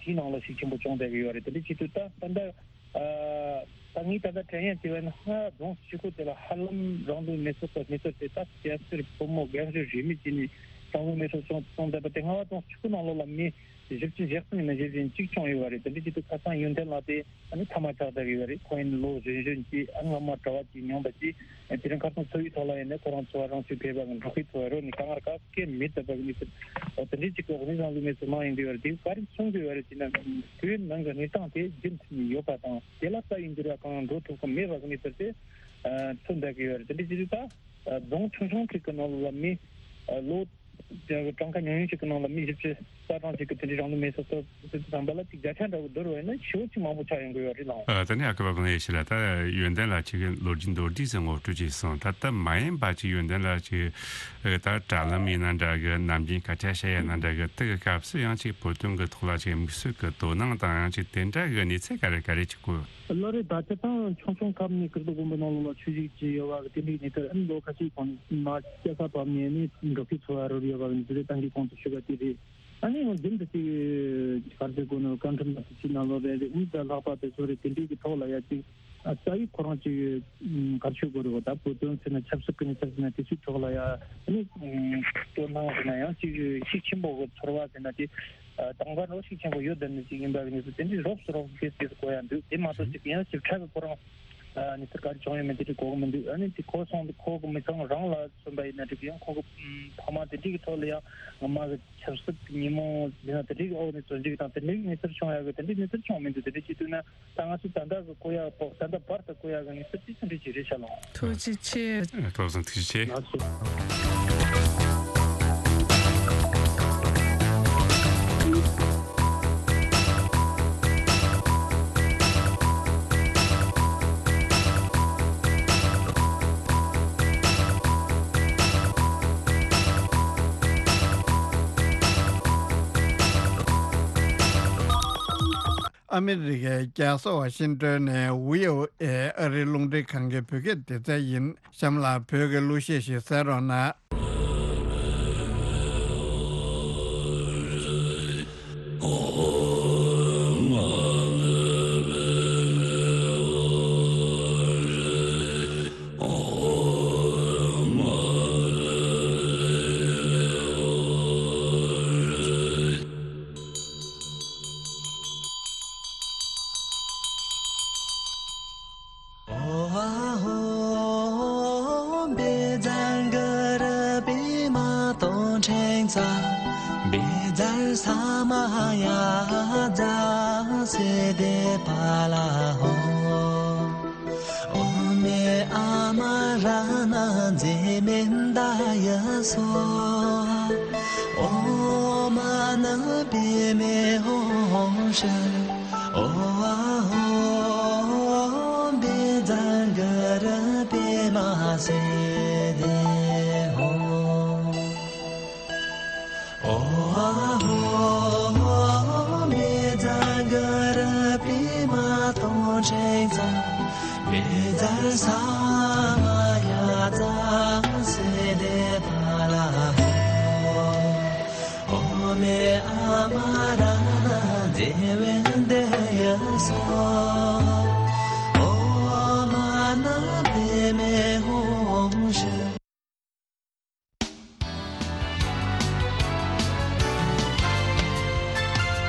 དེའི་ནང་ལ་ཤུགས་ཆེན་པོ་བྱུང་བསྡད་ཀྱི་ཡོད་རེད། དེ་འདྲ་བྱེད་དུས་ད་ད་ལྟ་ཨ་ད་ངས་ད་ལྟ་དྲན་ཡ་བྱས་པ་ཡིན་ན་རྔ་བ་རྫོང་ཆུ་ཁུལ་དེ་ལ་ཧ་ལམ་རང་ལུས་མེ་སྲེག་གི་གནས་ཚུལ་དེ་ད་སྐྱ་སེར་ཕོ་མོ་རྒན་གཞོན་རིས་མེད་ཀྱིས་ནི་རང་ལུས་མེ་སྲེག་བྱུང་བྱུང་བསྡད་པ་དེ་རྔ་བ་རྫོང་ཆུ་ཁུལ་ནང་ལོགས་ལ་མི་བཞི་བཅུ་ཞེ་གསུམ་ཡིན་ན་བཞི་བཅུ་གཅིག་བྱུང་ཡོད་པ་རེད། དེ་འདྲ་བྱེད་དུས་ཁ་སང་ཡོན་ཏན་ལགས་དེ་ཨ་ནི་ཐ་མག་ཆགས་བསྡད་ཡོད་པ་རེད། ཁོང་ཡིན་ལོ་གཞོན་གཞོན་གྱིས་ཨ་སྔ་མ་གྲྭ་བ་གཅིག་མྱོང་བ་གཅིག་དེ་རིང་ཁ་སང་འཚོ་བའི་ཐོག་ལ་ཡིན་ན་ཁོ་རང་འཚོ་བ་རང་ཚུགས་ཕེབས་པ་གི་འགྲོ་ཁའི་འཚོ་བ་རོལ་ནས་དཀའ་ངལ་ག་གེ་མེད་བསྡད་པ་གི་གནས་ཚུལ། དེ་འདྲའི་གཅིག་གི་འོག་ནས་རང་ལུས་མེ་སྲེག་གནང་ཡོང་གི་ཡོད་རེད། དེ་ག་རེ་གསུང་གི་ཡོད་རེད་ཅེ་ན། བོད་ནང་གི་གནས་སྟངས་དེ་རྒྱུན་མཐུད་ནས་ཡོད་པ་དང་དེ་ལ་རྩ་བའི་འགྱུར་བ་གང་ཡང་འགྲོ་ཐུབ་ཀྱི་མེད་པ་གི་གནས་ཚུལ་དེ་མཚོན་བསྡད་ཀྱི་ཡོད་རེད། དེ་འདྲ་བྱེད་དུས་ད་རྫོང་ཆུང་ཆུང་ཅིག་གི་ནང་ལ་མི་ལོ་གྲངས་ཀ་ཉུང་ཉུང་ཞིག་གི་ནང་ལ་མི་བཞི་བཅུ་རྩ་གྲངས་ཤིག་གིས་དེ་འདྲའི་རང་ལུས་མེ་སྲེག་གཏོང་ཟེར་དུས་ཙམ་པ་ལ་ཅིག་བརྒྱ་ཆ་འདྲ་བོ་བསྡུར་བ་ཡིན་ན་ཞེ་པོ་ཅིག་མང་པོ་ཆགས་ཡོང་གི་ཡོད་རེད་ལགས། ཨ་ད་ནི་ཨ་ཁུ་པ་ཀུན་ལེགས་ཡེ་ཤེས་ལགས། ད་ཡོན་ཏན་ལགས་ཅིག་གི་ལོ་རྒྱུས་མདོར་བསྡུས་ཤིག་ངོ་སྤྲོད་ཅིག་གསུངས། ད་ལྟ་མ་ཡིན་པ་ཅིག་ཡོན་ཏན་ལགས་ཅིག་ད་དྲ་ལམ་ཡིན་ན་འདྲ་གི་ནམ་རྒྱུན་སྐད་ཆ་བཤད་ཡ་ན་འདྲ་གི་དེ་གི་སྐབས་སུ་ཡང་ཅིག་བོད་དོན་གི་ཐོག་ལ་ཅིག་དམིགས་བསལ་གི་དོ་སྣང་དང་ཡང་ཅིག་དེ་འདྲ་གི་གནས་ཚུལ་ག་རེ་ག་རེ་ཅིག་གོ། ལགས་རེད། ད་སྤྱིར་བཏང་ཆུང་ཆུང་སྐབས་ནས་ཀིརྟི་དགོན་པ་ནང་ལོགས་ལ་ཆོས་ཞུགས་ཀྱི་ཡོད་པ་གི་དེ་འདྲའི་གནས་ཚུལ་ཨ་ནི་ལོ་ཁ་ཤས་གོང་ནས་མ་སྐྱ་ས་བབས་ནས་ནི་འགྲོ་ཁའི་འཚོ་བ་རོལ་ཡོད་པ་གི་འདི་རེད། ཏང་གི་གོང་དུ་ཞུས་པ་དེ་རེད། ཨ་ནི་ཡང་རྒྱུན་དུ་ཅིག་ག་རེ་ཟེར་དགོས་ནོ་བཀའ་ཁྲིམས་ལ་ཅིག་ནང་ལོགས་རེད་རེད། ཨུམ་ད་ལྷག་པར་དུ་ཚོ་རེད་དེ་འདྲའི་གི་ཐོག་ལ་ཡ་ཅིག་ཨ་རྩ་བའི་ཁོ་རང་ཅིག་ཨུམ་ག་རེ་ཞུ་དགོས་རེད་བ། ད་བོད་དོན་ཟེར་ན་ཆབ་སྲིད་ཀྱི་གནས་ཚུལ་ཟེར་ན་དེ་ཚོའི་ཐོག་ལ་ཡ་ཨ་ནི་ཨུམ་དོ་སྣང་ཟེར་ན་ཡང་ཅིག་ཤུགས་ཆེན་པོ་གི་ཚོར་བ་ཟེར་ན་དེ། ཨ་དང་པོ་རོགས་ཤུགས་ཆེན་པོ་ཡོད་བསྡད་ནི་ཅིག་ཡིན་པ་གི་གནས་ཚུལ་དེ་འདྲའི་རོབ་ཙམ་རོབ་ཙམ་ཏོག་ཙམ་གོ་ཡ་འདུག་དེ་མ་གཏོགས་ཅིག་ཡང་ཞིབ་ཕྲ་གི་ཁོ་རང་ཨ་ནི་ཚུར་ག་རེ་བྱུང་ཡོད་མེད་དེ་འདྲ་གོ་གི་མི་འདུག་ཨ་ནི་དེ་ཁོ་སོང་དུས་ཁོ་གི་མི་ཚང་རང་ལ་མཚོན་པ་ཡིན་ན་འགྲིག་གི། ཡང་ཁོ་གི་ཕ་མ་དེ་འདྲའི་གི་ཐོག་ལ་ཡང་ངོ་མ་གི་ཆབ་སྲིད་ཀྱི་ཉིན་མོ་ཡིན་ན་དེ་འདྲའི་གི་འོག་ནས་བཙོན་འཇུག་དང་དེ་འདྲའི་གི་གནས་ཚུལ་བྱུང་ཡ་གི་དེ་འདྲའི་གནས་ཚུལ་བྱུང་མི་འདུག་དེ་འདྲ་བྱེད་དུས་ན། ད་ང་ཚོ་ད་ལྟ་གི་གོ་ཡག་པོ་ད་ལྟ་བར་དུ་གོ་ཡག་གི་ངེས་པར་ཅིག་ཙམ་རེ་ཅིག་རེད་ཤག་ལགས། ཐུགས་རྗེ་ཆེ། ཨ་ཐོག་སོང་ཐུགས་རྗེ་ཆེ། ལགས་སོ། ཨ་མི་རི་ཀའི་རྒྱལ་ས་ཝ་ཤིང་ཏོན་ནས་ཝི་ཨོ་ཨེ་ཨ་རིའི་རླུང་འཕྲིན་ཁང་གི་བོད་སྐད་སྡེ་ཚན་ཡིན། གཤམ་ལ་བོད་ཀྱི་གླུ་གཞས་ཤིག་གསན་རོགས་གནང་། དེ་དེ་པ་ལ་ཧོ། ཨོ་མེ་ཨ་མ་ར་ན་ཛེ་མེན་ད་ཡ་སོ། ཨོ་མ་ན་པེ་མེ་ཧོ་ཧོ་ཤ། ཨོ་ཨ་ཧོ། བེ་ཛ་ག་ར་པེ་མ་སེ་དེ་ཧོ། ཨོ་ཨ་ཧོ། མེ་ཛ་ག་ར་པེ་མ་ཏོ་ཆེ་ཛ། བེ་ཛ་ས་མ་ཡ་ཛ་སེ་དེ་པ་ལ་ཧོ། ཨོ་མེ་ཨ་མ་ར་ན་ཛེ་མེན་ད་ཡ་སོ།